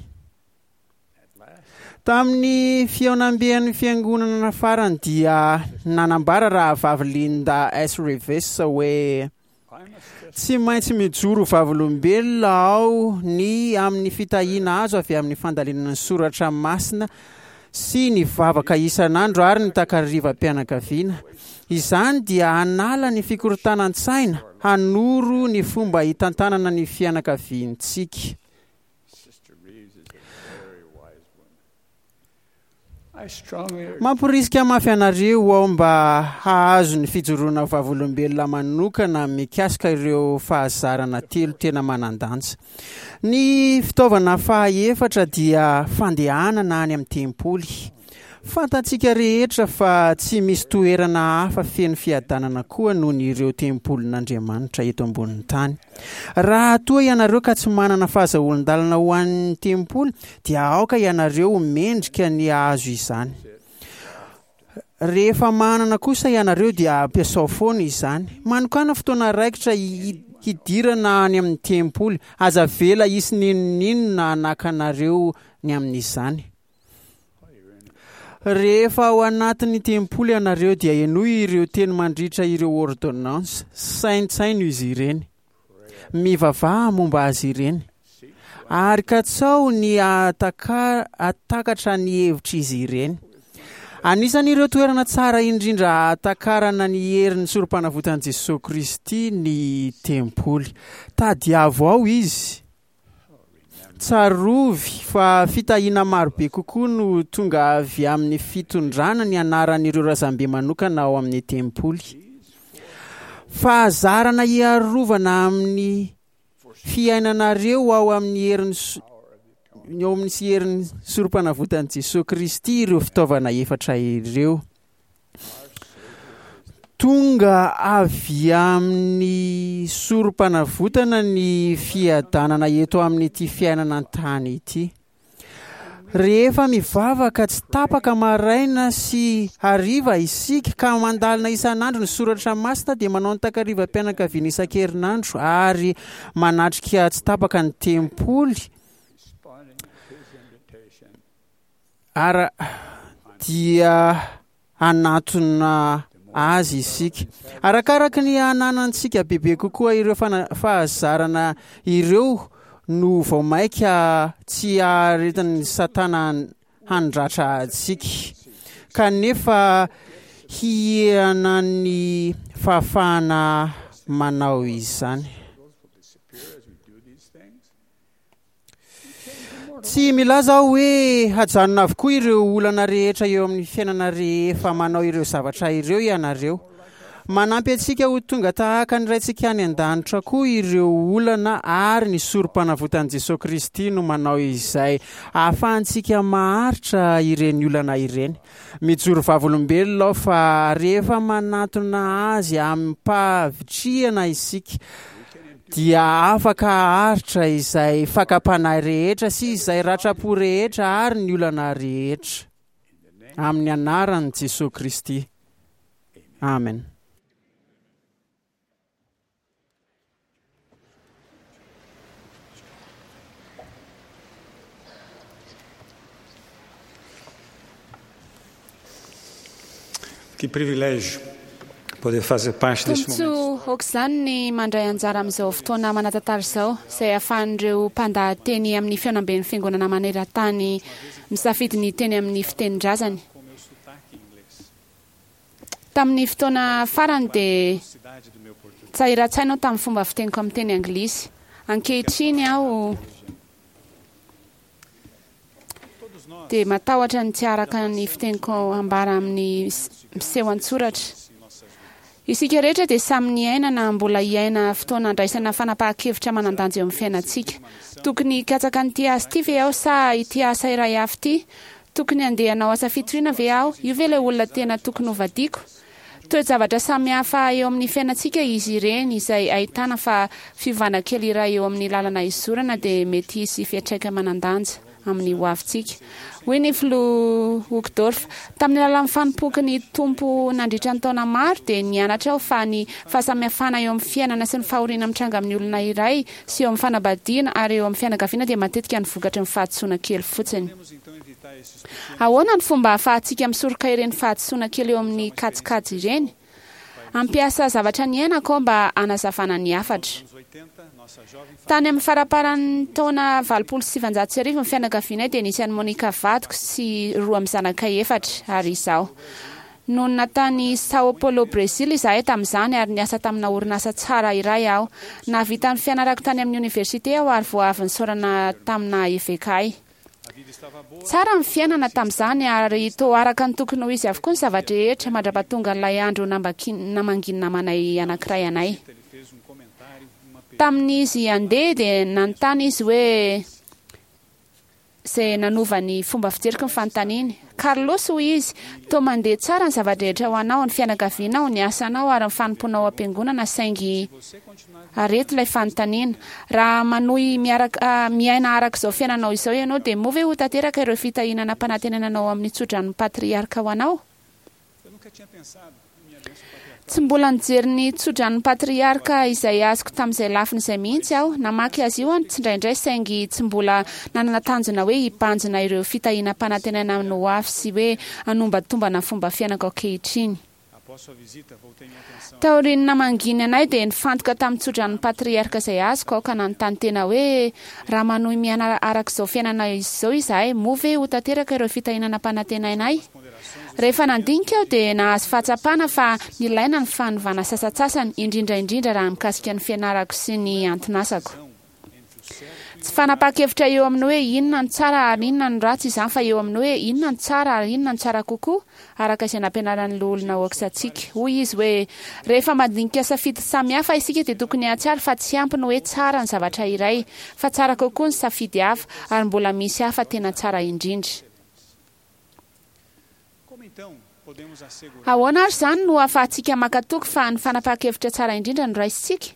Tamin'ny fihaonamben'ny fiangonana farany dia nanambara rahavavy Linda S. Reeves hoe tsy maintsy mijoro vavolombelona aho ny amin'ny fitahiana azo avy amin'ny fandalinana ny soratra masina sy ny vavaka isan'andro ary ny takarivam-pianakaviana. Izany dia hanala ny fikorontanan-tsaina, hanoro ny fomba hitantanana ny fianakaviantsika. Mamporisika mafy anareo aho mba hahazo ny fijoroana vavolombelona manokana mikasika ireo fahazarana telo tena manan-danja. Ny fitaovana fahaefatra dia fandehanana any amin'ny tempoly. Fantatsika rehetra fa tsy misy toerana hafa feno fiadanana koa noho ny ireo tempolin'Andriamanitra eto ambonin'ny tany. Raha toa ianareo ka tsy manana fahazahoan-dalana ho an'ny tempoly, dia aoka ianareo ho mendrika ny hahazo izany. Rehefa manana kosa ianareo dia ampiasao foana izany. Manokàna fotoana raikitra hidirana any amin'ny tempoly. Aza avela hisy n'inon'inona hanakanareo ny amin'izany. Rehefa ao anatin'ny tempoly ianareo dia henoy ireo teny mandritra ireo ôrdônansy, saintsaino izy ireny, mivavaha momba azy ireny, ary katsaho ny hahatakatra ny hevitr'izy ireny. Anisan'ireo toerana tsara indrindra hahatakarana ny herin'ny Sorompanavotan'i Jesoa Kristy ny tempoly. Tadiavo ao Izy. Tsarovy fa fitahiana marobe kokoa no tonga avy amin'ny fitondrana ny anaran'ireo razambe manokana ao amin'ny tempoly. Fahazarana hiarovana amin'ny fiainanareo ao amin'ny herin'ny ao amin'ny sy herin'ny Sorompanavotan'i Jesoa Kristy ireo fitaovana efatra ireo. Tonga avy amin'ny sorom-panavotana ny fiadanana eto amin'ity fiainana an-tany ity. Rehefa mivavaka tsy tapaka maraina sy hariva isika ka mandalina isan'andro ny soratra masina dia manao ny takarivam-pianakaviana isan-kerinandro ary manatrika tsy tapaka ny tempoly Ary dia hanatona azy isika. Arakaraka ny hananantsika bebe kokoa ireo fahazarana ireo no vao mainka tsy haharetan'i Satana handratra antsika, kanefa hihena ny fahafahana manao izany. Tsy milaza aho hoe hajanona avokoa ireo olana rehetra eo amin'ny fiainana rehefa manao ireo zavatra ireo ianareo. Manampy antsika ho tonga tahaka ny Raintsika any An-danitra koa ireo olana ary ny Sorompanavotan'i Jesoa Kristy no manao izay ahafahantsika maharitra ireny olana ireny. Mijoro vavolombelona aho fa rehefa manatona Azy amim-pahavitrihana isika, dia afaka haharitra izay fakam-panahy rehetra sy izay ratram-po rehetra ary ny olana rehetra. Amin'ny anaran'i Jesoa Kristy. Amen. Que privilégio poder fazer parte deste momento. Tombontsoa aok'izany ny mandray anjara amin'izao fotoana manan-tantara izao, izay ahafahan'ireo mpandahateny amin'ny fihaonamben'ny Fiangonana maneran-tany misafidy ny hiteny amin'ny fitenin-drazany. Tamin'ny fotoana farany dia tsahiran-tsaina aho tamin'ny fomba fiteniko amin'ny teny anglisy. Ankehitriny aho dia matahotra ny tsy haharaka ny fiteniko ambara amin'ny miseho an-tsoratra. Isika rehetra dia samy niaina na mbola hiaina fotoana andraisana fanapahan-kevitra manan-danja eo amin'ny fiainantsika. Tokony hikatsaka an'ity asa ity ve aho sa ity asa iray hafa ity? Tokony handeha hanao asa fitoriana ve aho? Io ve ilay olona tena tokony hovadiako? Toe-javatra samihafa eo amin'ny fiainantsika izy ireny izay ahitana fa fiovana kely iray eo amin'ny lalana izorana dia mety hisy fiantraika manan-danja amin'ny hoavintsika. Hoy ny Filoha Uchtdorf, Tamin'ny alalan'ny fanompoako ny Tompo nandritra ny taona maro dia nianatra aho fa ny fahasamihafana eo amin'ny fiainana sy ny fahoriana mitranga amin'ny olona iray sy eo amin'ny fanambadiana ary eo amin'ny fianakaviana dia matetika ny vokatry ny fahadisoana kely fotsiny. Ahoana ny fomba ahafahantsika misoroka ireny fahadisoana kely eo amin'ny kajikajy ireny? Hampiasa zavatra niainako aho mba hanazavana ny hafatra. Tany amin'ny faramparan'ny taona 1980 ny fianakavianay dia nisy an'i Monica vadiko sy roa amin'ny zanakay efatra ary izaho. Nonina tany São Paulo, Brezila izahay tamin'izany ary niasa tamina orinasa tsara iray aho. Nahavita ny fianarako tany amin'ny oniversite aho ary vao avy nisaorana tamina eveka ahy. Tsara ny fiainana tamin'izany ary toa araka ny tokony ho izy avokoa ny zava-drehetra mandra-pahatongan'ilay andro namangian'ny namanay anankiray anay. Tamin'izy handeha dia nanontany izy hoe izay nanova ny fomba fijeriko ny fanontaniany. Carlos, hoy izy, toa mandeha tsara ny zava-drehetra ho anao, ny fianakavianao, ny asanao ary ny fanompoanao ao am-piangonana saingy Ary eto ilay fanontaniana, raha manohy miaraka miaina araka izao fiainanao izao ianao dia moa ve ho tanteraka ireo fitahiana nampanantenaina anao amin'ny tsodranon'ny patriarka ho anao? Tsy mbola nijery ny tsodranon'ny patriarka izay azoko tamin'izay lafiny izay mihitsy aho. Namaky azy io aho tsindraindray saingy tsy mbola nanana tanjona hoe hibanjina ireo fitahiana ampanantenaina amin'ny ho avy sy hoe hanombatombana ny fomba fiainako ankehitriny. Taorian'ny namangiany anay dia nifantoka tamin'ny tsodranon'ny patriarka izay azoko aho ka nanontany tena hoe, Raha manohy miaina araka izao fiainana izao izahay, moa ve ho tanteraka ireo fitahiana nampanantenaina ahy? Rehefa nandinika aho dia nahazo fahatsapana fa nilaina ny fanovana sasantsasany, indrindra indrindra raha mikasika ny fianarako sy ny anton'asako. Tsy fanapahan-kevitra eo amin'ny hoe inona no tsara ary inona no ratsy izany fa eo amin'ny hoe inona no tsara ary inona no tsara kokoa, araka izay nampianaran'ny Loholona Oaks antsika. Hoy izy hoe, Rehefa mandinika safidy samihafa isika dia tokony hahatsiaro fa tsy ampy ny hoe tsara ny zavatra iray, fa tsara kokoa ny safidy hafa, ary mbola misy hafa tena tsara indrindra. Ahoana ary izany no ahafahantsika maka toky fa ny fanapahan-kevitra tsara indrindra no raisintsika?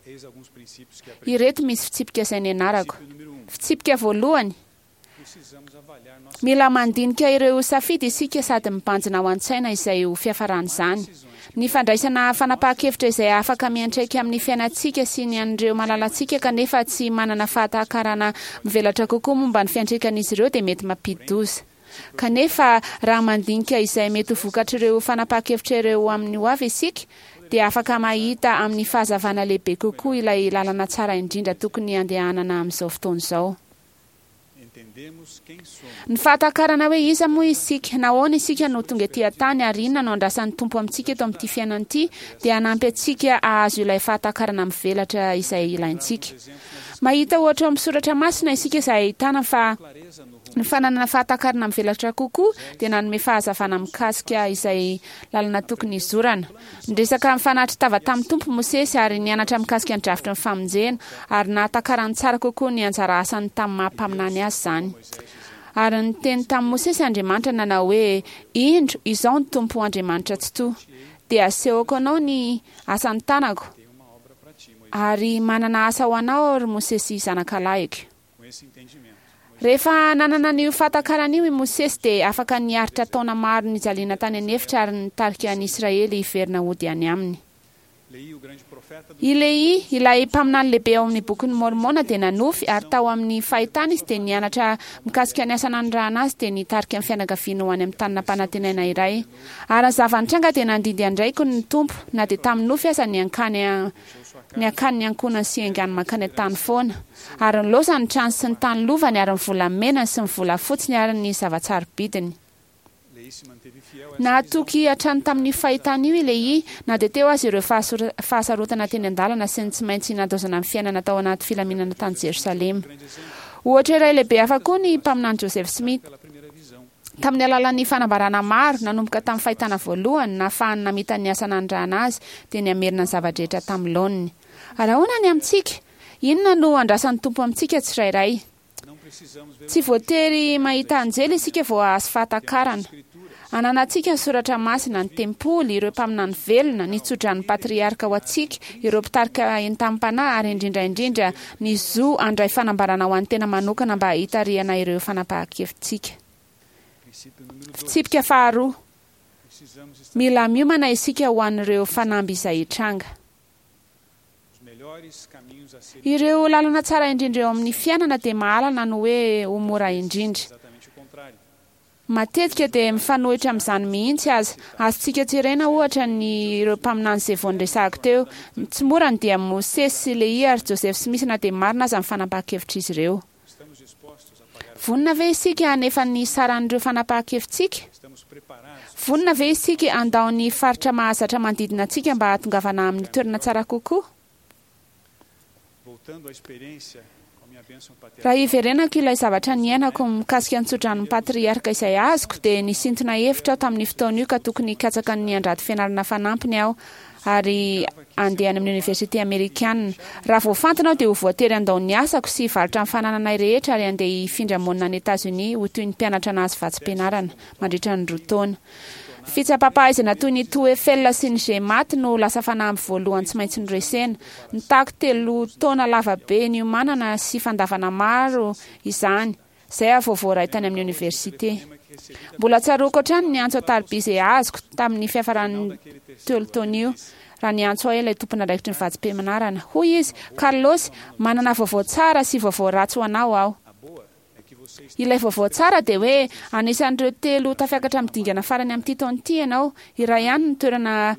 Ireto misy fitsipika izay nianarako. Fitsipika voalohany, Mila mandinika ireo safidy isika sady mibanjina ao an-tsaina izay ho fiafaran'izany. Ny fandraisana fanapahan-kevitra izay afaka miantraika amin'ny fiainantsika sy ny an'ireo malalantsika kanefa tsy manana fahatakarana mivelatra kokoa momba ny fiantraikan'izy ireo dia mety mampidi-doza. Kanefa, raha mandinika izay mety ho vokatr'ireo fanapahan-kevitra ireo amin'ny hoavy isika, dia afaka mahita amin'ny fahazavana lehibe kokoa ilay lalana tsara indrindra tokony handehanana amin'izao fotoana izao. Ny fahatakarana hoe iza moa isika, nahoana isika no tonga ety an-tany ary inona no andrasan'ny Tompo amintsika eto amin'ity fiainana ity dia hanampy antsika hahazo ilay fahatakarana mivelatra izay ilaintsika. Mahita ohatra ao amin'ny soratra masina isika izay ahitana fa Ny fananana fahatakarana mivelatra kokoa dia nanome fahazavana mikasika izay lalana tokony hizorana. Niresaka nifanatri-tava tamin'ny Tompo Mosesy ary nianatra mikasika ny drafitry ny famonjena, ary nahatakarany tsara kokoa ny anjara asany tamin'ny maha mpaminany azy izany. Ary niteny tamin'i Mosesy Andriamanitra nanao hoe, Indro, izao ny Tompo Andriamanitra Tsitoha. Dia asehoko anao ny asan'ny tanako, ary manana asa ho anao aho, ry Mosesy zanakalahiko. Rehefa nanana an'io fahatakarana io i Mosesy dia afaka niaritra taona maro nijaliana tany an'efitra ary nitarika an'i Israely hiverina hody any aminy. I Lehia, ilay mpaminany lehibe ao amin'ny Bokin'i Môrmôna dia nanofy ary tao amin'ny fahitana izy dia nianatra mikasika ny asa nanirahana azy dia nitarika ny fianakaviany ho any amin'ny tany nampanantenaina iray. Ary ny zava-nitranga dia nandidy an-draiko ny Tompo na dia tamin'ny nofy aza ny hankany ny hakany ny ankohonany sy haingany mankany an-tany foana. Ary nilaozany ny trano sy ny tany lovany ary ny volamenany sy ny volafotsiny ary ny zava-tsarobidiny. Nahatoky hatrany tamin'io fahitana io i Lehia, na dia teo aza ireo fahasarotana teny an-dalana sy ny tsy maintsy nandaozana ny fiainana tao anaty filaminana tany Jerosalema. Ohatra iray lehibe hafa koa ny mpaminany Joseph Smith. Tamin'ny alalan'ny fanambarana maro, nanomboka tamin'ny fahitana voalohany, nahafahany namita ny asa nanirahana azy, dia ny hamerina ny zava-drehetra tamin'ny laoniny. Ary ahoana ny amintsika? Inona no andrasan'ny Tompo amintsika tsirairay? Tsy voatery mahita anjely isika vao hahazo fahatakarana. Ananantsika ny soratra masina, ny tempoly, ireo mpaminany velona, ny tsodran'ny patriarka ho antsika, ireo mpitarika entam-panahy, ary indrindra indrindra ny zo handray fanambarana ho an'ny tena manokana mba hitarihana ireo fanapahan-kevitsika. Fitsipika faharoa, Mila miomana isika ho an'ireo fanamby izay hitranga. Ireo lalana tsara indrindra eo amin'ny fiainana dia mahalana ny hoe ho mora indrindra. Matetika dia mifanohitra amin'izany mihitsy aza. Azontsika jerena, ohatra, ny ireo mpaminany izay vao noresahako teo. Tsy mora ny dian'i Mosesy sy Lehia ary Joseph Smith na dia marina aza ny fanapahan-kevitr'izy ireo. Vonona ve isika hanefa ny saran'ireo fanapahan-kevitsika? Vonona ve isika handao ny faritra mahazatra manodidina antsika mba hahatongavana amin'ny toerana tsara kokoa? Raha hiverenako ilay zavatra niainako mikasika ny tsodranon'ny patriarka izay azoko, dia nisintona hevitra aho tamin'io fotoana io ka tokony hikatsaka ny handrato fianarana fanampiny aho ary handeha any amin'ny oniversite amerikana. Raha voafantina aho dia ho voatery handao ny asako sy hivarotra ny fanananay rehetra ary handeha hifindra monina any Etazonia ho toy ny mpianatra nahazo vatsim-pianarana mandritra ny roa taona. Fitsapam-pahaizana toy ny TOEFL sy ny GMAT no lasa fanamby voalohany tsy maintsy noresena. Nitaky telo taona lava be niomanana sy fandavana maro izany, izay aho vao voaray tany amin'ny oniversite. Mbola tsaroako hatrany ny antso an-tariby izay azoko tamin'ny fiafaran'ny telo taona io, raha niantso ahy ilay tompon'andraikitry ny vatsim-pianarana. Hoy izy, Carlos, manana vaovao tsara sy vaovao ratsy ho anao aho. Ilay vaovao tsara dia hoe anisan'ireo telo tafiakatra amin'ny dingana farany amin'ity taona ity ianao. Iray ihany ny toerana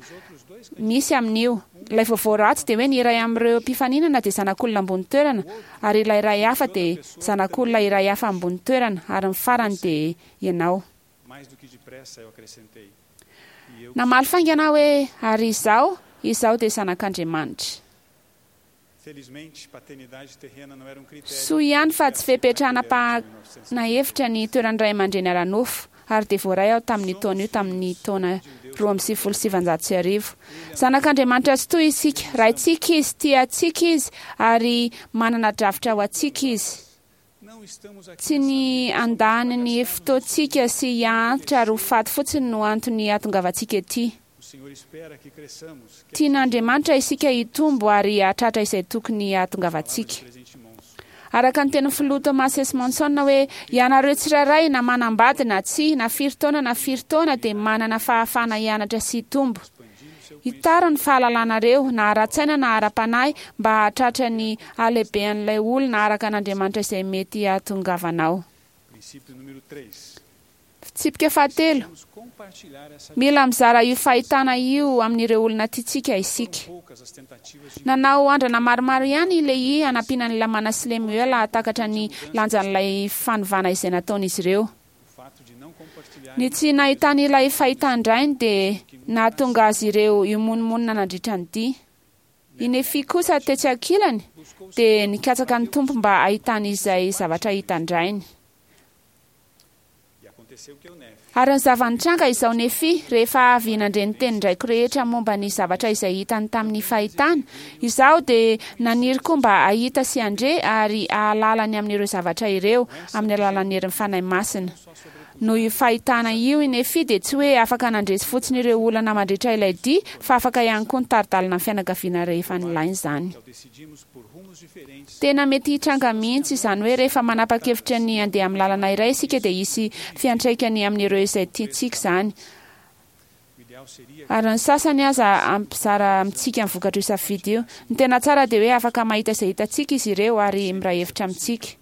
misy amin'io. Ilay vaovao ratsy dia hoe ny iray amin'ireo mpifaninana dia zanak'olona ambony toerana ary ilay iray hafa dia zanak'olona iray hafa ambony toerana ary ny farany dia ianao. Namaly faingana aho hoe, Ary izaho? Izaho dia zanak'Andriamanitra. Soa ihany fa tsy fepetra hanapahana hevitra ny toeran'ny ray aman-dreny ara-nofo, ary dia voaray aho tamin'io taona io tamin'ny taona 1992. Zanak'Andriamanitra tsitoha isika, Raintsika Izy, tia antsika Izy, ary manana drafitra ho antsika Izy. Tsy ny handany ny fotoantsika sy hiantitra ary ho faty fotsiny no antony hahatongavantsika ety. Tian'Andriamanitra isika hitombo ary hahatratra izay tokony hahatongavantsika. Araka ny tenin'ny Filoha Thomas S. Monson hoe, Ianareo tsirairay, na manambady na tsia, na firy taona na firy taona, dia manana fahafahana hianatra sy hitombo. Hitaro ny fahalalanareo, na ara-tsaina na ara-panahy, mba hahatratra ny halehibean'ilay olona araka an'Andriamanitra izay mety hahatongavanao. Fitsipika fahatelo, Mila mizara io fahitana io amin'ireo olona tiantsika isika. Nanao andrana maromaro ihany i Lehia hanampiana an'i Lamana sy Lemoela hahatakatra ny lanjan'ilay fanovana izay nataon'izy ireo. Ny tsy nahitany ilay fahitan-drainy dia nahatonga azy ireo himonomonona nandritra ny dia. I Nefia kosa tetsy ankilany dia nikatsaka ny Tompo mba hahitany izay zavatra hitan-drainy. Ary ny zava-nitranga izao Nefia, rehefa avy nandre ny tenin-draiko rehetra momba ny zavatra izay hitany tamin'ny fahitana, izaho dia naniry koa mba hahita sy handre ary hahalala ny amin'ireo zavatra ireo amin'ny alalan'ny herin'ny Fanahy Masina. Noho io fahitana io i Nefia dia tsy hoe afaka nandresy fotsiny ireo olana mandritra ilay dia fa afaka ihany koa nitari-dalana ny fianakaviana rehefa nilaina izany. Tena mety hitranga mihitsy izany hoe rehefa manapa-kevitra ny handeha amin'ny lalana iray isika dia hisy fiantraikany amin'ireo izay tiantsika izany, ary ny sasany aza hampizara amintsika ny vokatr'io safidy io. Ny tena tsara dia hoe afaka mahita izay hitantsika izy ireo ary miray hevitra amintsika.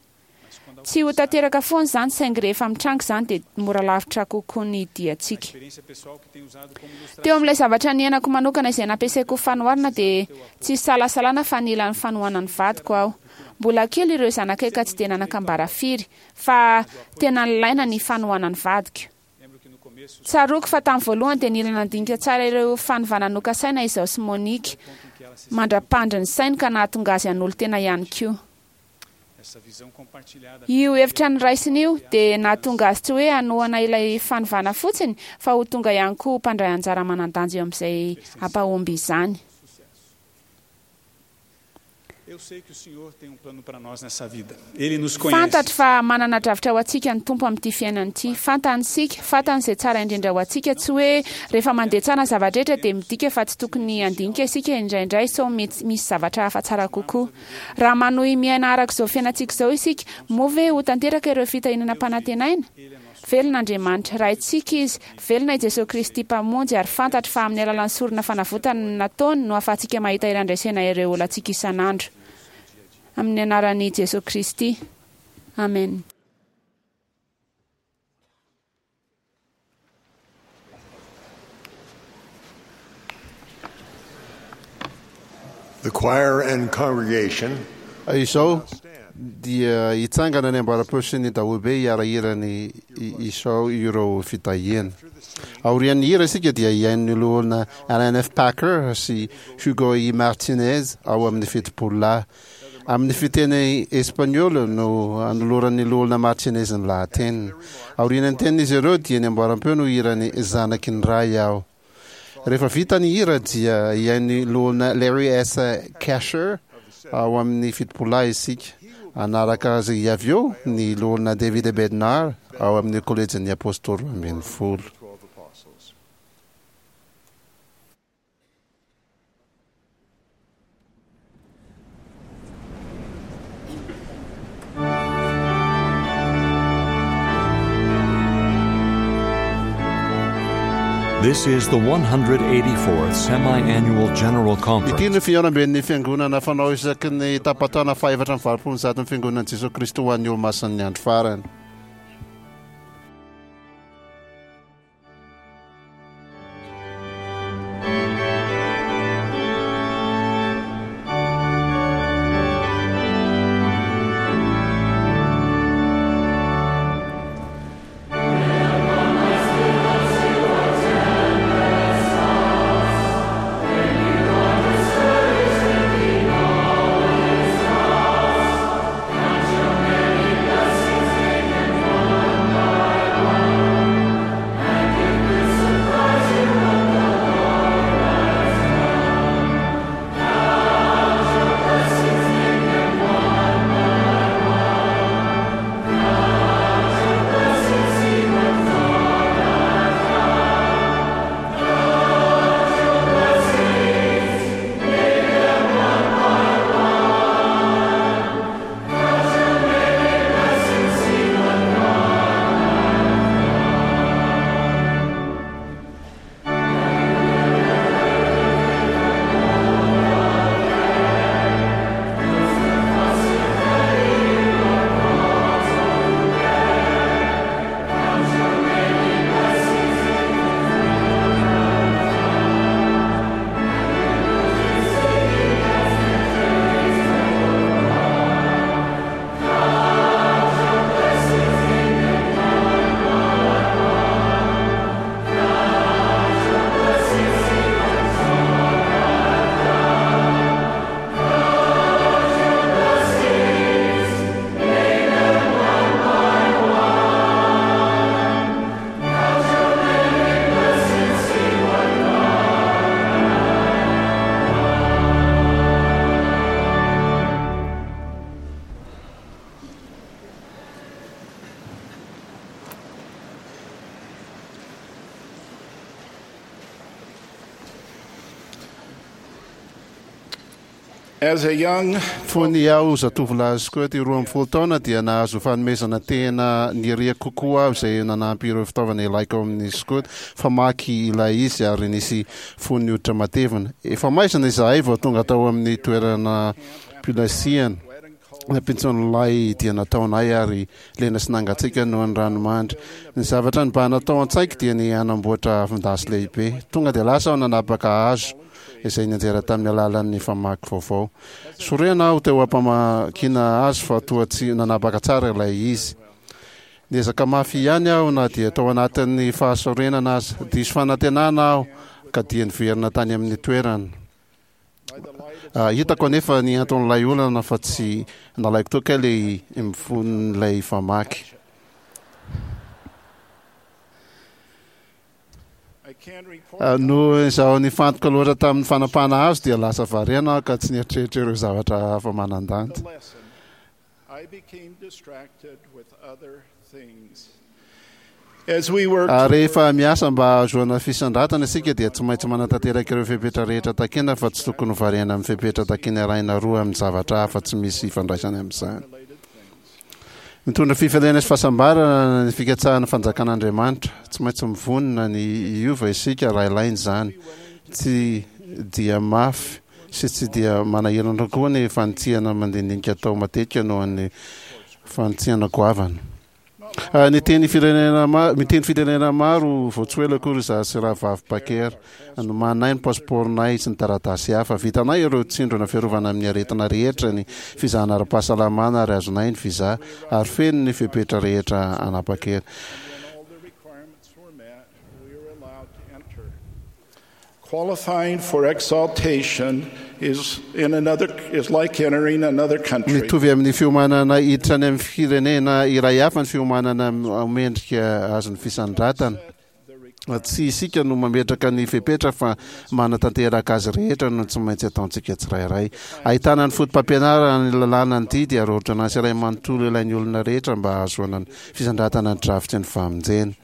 Tsy ho tanteraka foana izany, saingy rehefa mitranga izany dia mora lavitra kokoa ny diantsika. Teo amin'ilay zavatra niainako manokana izay nampiasaiko ho fanoharana dia tsy isalasalana fa nila ny fanohanan'ny vadiko aho. Mbola kely ireo zanakay ka tsy dia nanan-kambara firy, fa tena nilaina ny fanohanan'ny vadiko. Tsaroako fa tamin'ny voalohany dia nila nandinika tsara ireo fanovana nokasaina izaho sy Monique, mandra-pandry ny sainy ka nahatonga azy hanolo-tena ihany koa. Io hevitra noraisiny io dia nahatonga azy tsy hoe hanohana ilay fanovana fotsiny fa ho tonga ihany koa ho mpandray anjara manan-danja eo amin'izay hampahomby izany. Fantatro fa manana drafitra ho antsika ny Tompo amin'ity fiainana ity. Fantany isika, fantany izay tsara indrindra ho antsika. Tsy hoe rehefa mandeha tsara ny zava-drehetra dia midika fa tsy tokony handinika isika indraindray sao mety misy zavatra hafa tsara kokoa. Raha manohy miaina araka izao fiainantsika izao isika, moa ve ho tanteraka ireo fitahiana nampanantenaina? Velona Andriamanitra. Raintsika Izy. Velona i Jesoa Kristy Mpamonjy, ary fantatro fa amin'ny alalan'ny sorona fanavotana nataony no ahafahantsika mahita hery handresena ireo olantsika isan'andro. Amin'ny anaran'i Jesoa Kristy. Amen. The choir and congregation Izao dia hitsangana ny amboaram-peo sy ny daholobe hiara-hira ny Isao ireo fitahiana. Aorian'ny hira isika dia hihaino ny loholona Alan F. Packer sy Hugo E. Martinez ao amin'ny Fitopololahy. Amin'ny fiteny espaniola no anoloran'ny loholona Martinez ny lahateniny. Aorian'ny tenin'izy ireo dia ny amboaram-peo no hira ny Zanaky ny Ray aho. Rehefa vita ny hira dia hihaino ny Loholona Larry S. Kasher ao amin'ny Fitopololahy isika. Hanaraka azy avy eo ny Loholona David A. Bednar ao amin'ny Kolejin'ny Apôstôly Roambinifolo. This is the 184th Semi-Annual General Conference. Ity no fihaonamben'ny Fiangonana fanao isaky ny tapa-taona faha-184 ny Fiangonan'i Jesoa Kristy ho an'ny Olomasin'ny Andro Farany. As a young Fony aho zatovolahy skoto 12 taona dia nahazo fanomezana tena niriako kokoa aho izay nanampy ireo fitaovana ilaiko ao amin'ny skoto. Famaky ilay izy ary nisy fonony hoditra matevina. Efa maizina izahay vao tonga tao amin'ny toerana pilasiana. Nampintson'ilay dia nataonay ary lena sy nangatsiaka noho ny ranomandry. Ny zavatra nibahana tao an-tsaiko dia ny hanamboatra afon-dasy lehibe. Tonga dia lasa aho nanapaka hazo izay nianjera tamin'ny alalan'ny famaky vaovao. Sorena aho teo am-pamakiana azy fa toa tsy nanapaka tsara ilay izy. Niezaka mafy ihany aho na dia tao anatin'ny fahasorenana aza. Diso fanantenana aho ka dia niverina tany amin'ny toerana. Hitako anefa ny anton'ilay olana fa tsy nalaiko teo kay ilay mifon'ilay famaky. Noho izaho nifantoka loatra tamin'ny fanapahana hazo dia lasa variana aho ka tsy nieritreritra ireo zavatra hafa manan-danja. Rehefa miasa mba hahazoana fisandratana isika dia tsy maintsy manatanteraka ireo fepetra rehetra takina fa tsy tokony ho variana amin'ny fepetra takina iray na roa amin'ny zavatra hafa tsy misy ifandraisany amin'izany. Mitondra fifaliana sy fahasambarana ny fikatsahana ny fanjakan'Andriamanitra. Tsy maintsy mivonona ny hiova isika raha ilaina izany. Tsy dia mafy sy tsy dia manahirana koa ny fanitsiana mandinidinika atao matetika noho ny fanitsiana goavana. Niteny firenena miteny firenena maro vao tsy ho ela akory izaho sy Rahavavy Packer. Nomaninay ny pasipaoronay sy ny taratasy hafa. Vitanay ireo tsindrona fiarovana amin'ny aretina rehetra, ny fizahana ara-pahasalamana ary azonay ny visa, ary feno ny fepetra rehetra hanapa-kery. Qualifying for exaltation is in another is like entering another country. Mitovy amin'ny fiomanana hiditra any amin'ny firenena iray hafa ny fiomanana ho mendrika azon'ny fisandratana. Tsy isika no mametraka ny fepetra fa manatanteraka azy rehetra no tsy maintsy ataontsika tsirairay. Ahitana ny fotopampianarana, ny lalàna, ny didy ary ôrdônansy iray manontolo ilain'ny olona rehetra mba hahazoana ny fisandratana ny drafitry ny famonjena.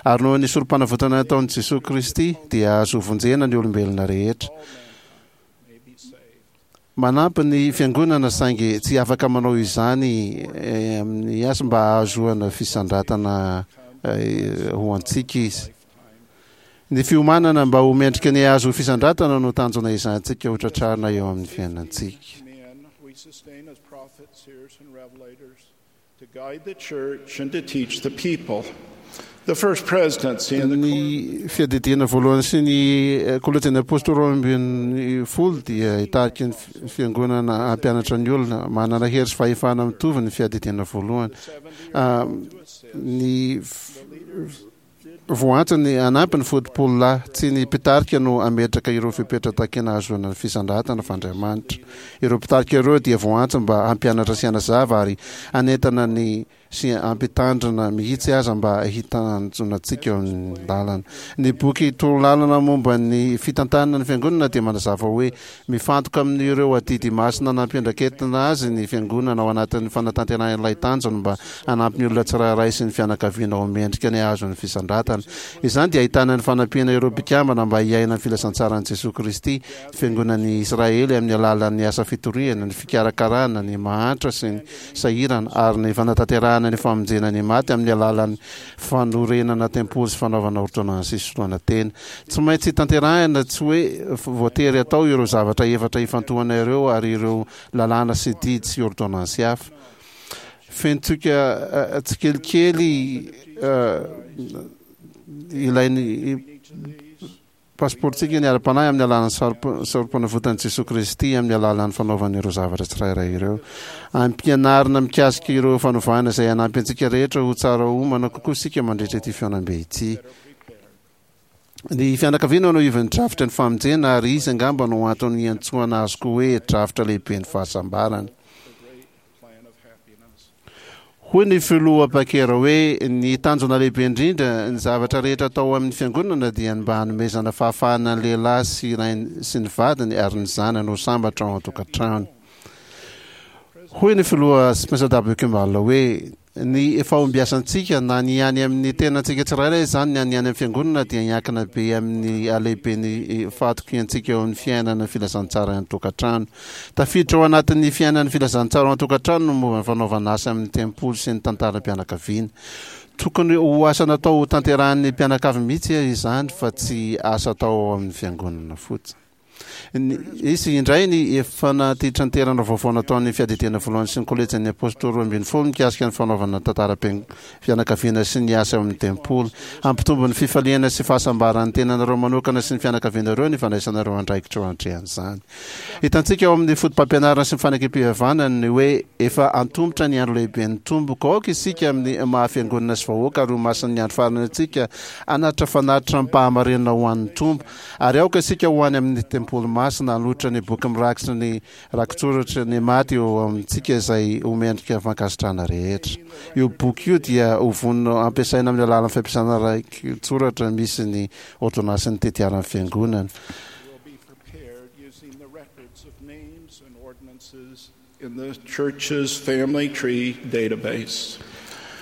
Ary noho ny sorompanavotana nataon'i Jesoa Kristy dia azo vonjena ny olombelona rehetra. Manampy ny Fiangonana saingy tsy afaka manao izany amin'ny asa mba hahazoana fisandratana ho antsika izy. Ny fiomanana mba ho mendrika ny hahazo fisandratana no tanjona ezahantsika ho tratrarina eo amin'ny fiainantsika. To guide the church and to teach the people. The first presidency and the Ny fiadidiana voalohany sy ny kolejin'ny apostoly 12 dia hitarika ny fiangonana hampianatra ny olona. Manana hery sy fahefana mitovy ny fiadidiana voalohany. Ny Voaantso ny hanampy ny fotopololahy. Tsy ny mpitarika no hametraka ireo fepetra takina hahazoana ny fisandratana fa Andriamanitra. Ireo mpitarika ireo dia voaantso mba hampianatra sy hanazava ary hanentana ny sy hampitandrina mihitsy aza mba hitanjona antsika eo amin'ny lalana. Ny boky Torolalana momba ny fitantanana ny Fiangonana dia manazava hoe Mifantoka amin'ireo adidy masina nampiandraiketina azy ny Fiangonana ao anatin'ny fanatanterahana ilay tanjony mba hanampy ny olona tsirairay sy ny fianakaviana ho mendrika ny hahazo ny fisandratana. Izany dia ahitana ny fanampiana ireo mpikambana mba hiaina ny filazantsaran'i Jesoa Kristy, ny Fiangonan'i Israely amin'ny alalan'ny asa fitoriana, ny fikarakarana ny mahantra sy ny sahirana ary ny fanatanterahana ny famonjena ny maty amin'ny alalan'ny fanorenana tempoly sy fanaovana ôrdônansy hisoloana tena. Tsy maintsy tanterahina, tsy hoe voatery atao ireo zavatra efatra ifantohana ireo ary ireo lalàna sy didy sy ôrdônansy hafa. Fenontsika tsikelikely ilain'ny pasipaorontsika ny ara-panahy amin'ny alalan'ny sarom-panavotan'i Jesoa Kristy amin'ny alalan'ny fanaovana ireo zavatra tsirairay ireo. Ampianarina mikasika ireo fanovana izay hanampy antsika rehetra ho tsara omana kokoa isika mandritra ity fihaonambe ity. Ny fianakaviana no ivon'ny drafitra ny famonjena ary izy angamba no antony iantsoana azy koa hoe drafitra lehiben'ny fahasambarana. Hoy ny filoha Packer hoe ny tanjona lehibe indrindra ny zavatra rehetra atao amin'ny fiangonana dia ny mba hanomezana fahafahana ny lehilahy sy rainy sy ny vadiny ary ny zanany ho sambatra ao an-tokantrano. Hoy ny filoha Spencer W. Kimball hoe Ny fahombiazantsika, na ny any amin'ny tenantsika tsirairay izany na ny any amin'ny Fiangonana, dia hiankina be amin'ny halehiben'ny fahatokiantsika eo amin'ny fiainana ny filazantsara any an-tokantrano. Tafiditra ao anatin'ny fiainan'ny filazantsara ao an-tokantrano ny momba ny fanaovana asa amin'ny tempoly sy ny tantaram-pianakaviana. Tokony ho asa natao hotanterahin'ny mpianakavy mihitsy izany fa tsy asa atao ao amin'ny Fiangonana fotsiny. Nisy indray ny fanatitranterana vaovao nataon'ny Fiadidiana Voalohany sy ny Kolejin'ny Apôstôly 12 mikasika ny fanaovana tantaram-pianakaviana sy ny asa ao amin'ny tempoly. Hampitombo ny fifaliana sy fahasambaran'ny tenanareo manokana sy ny fianakavianareo ny fandraisanareo andraikitra eo anatrehan'izany. Hitantsika ao amin'ny fotopampianarana sy ny fanekem-pihavanana ny hoe efa antomotra ny andro lehiben'ny Tompo. Koa aoka isika amin'ny maha fiangonana sy vahoaka ary ho masin'ny andro farany antsika hanatitra fanatitra amim-pahamarinana ho an'ny Tompo. Ary aoka isika ho any amin'ny tempoly Olomasina hanolotra ny boky mirakitra ny rakitsoratra ny maty eo amintsika izay ho mendrika fankasitrahana rehetra. Io boky io dia ho vonona ampiasaina amin'ny alalan'ny fampiasana rakitsoratra misy ny ôrdônansin'ny tetiaran'ny Fiangonana.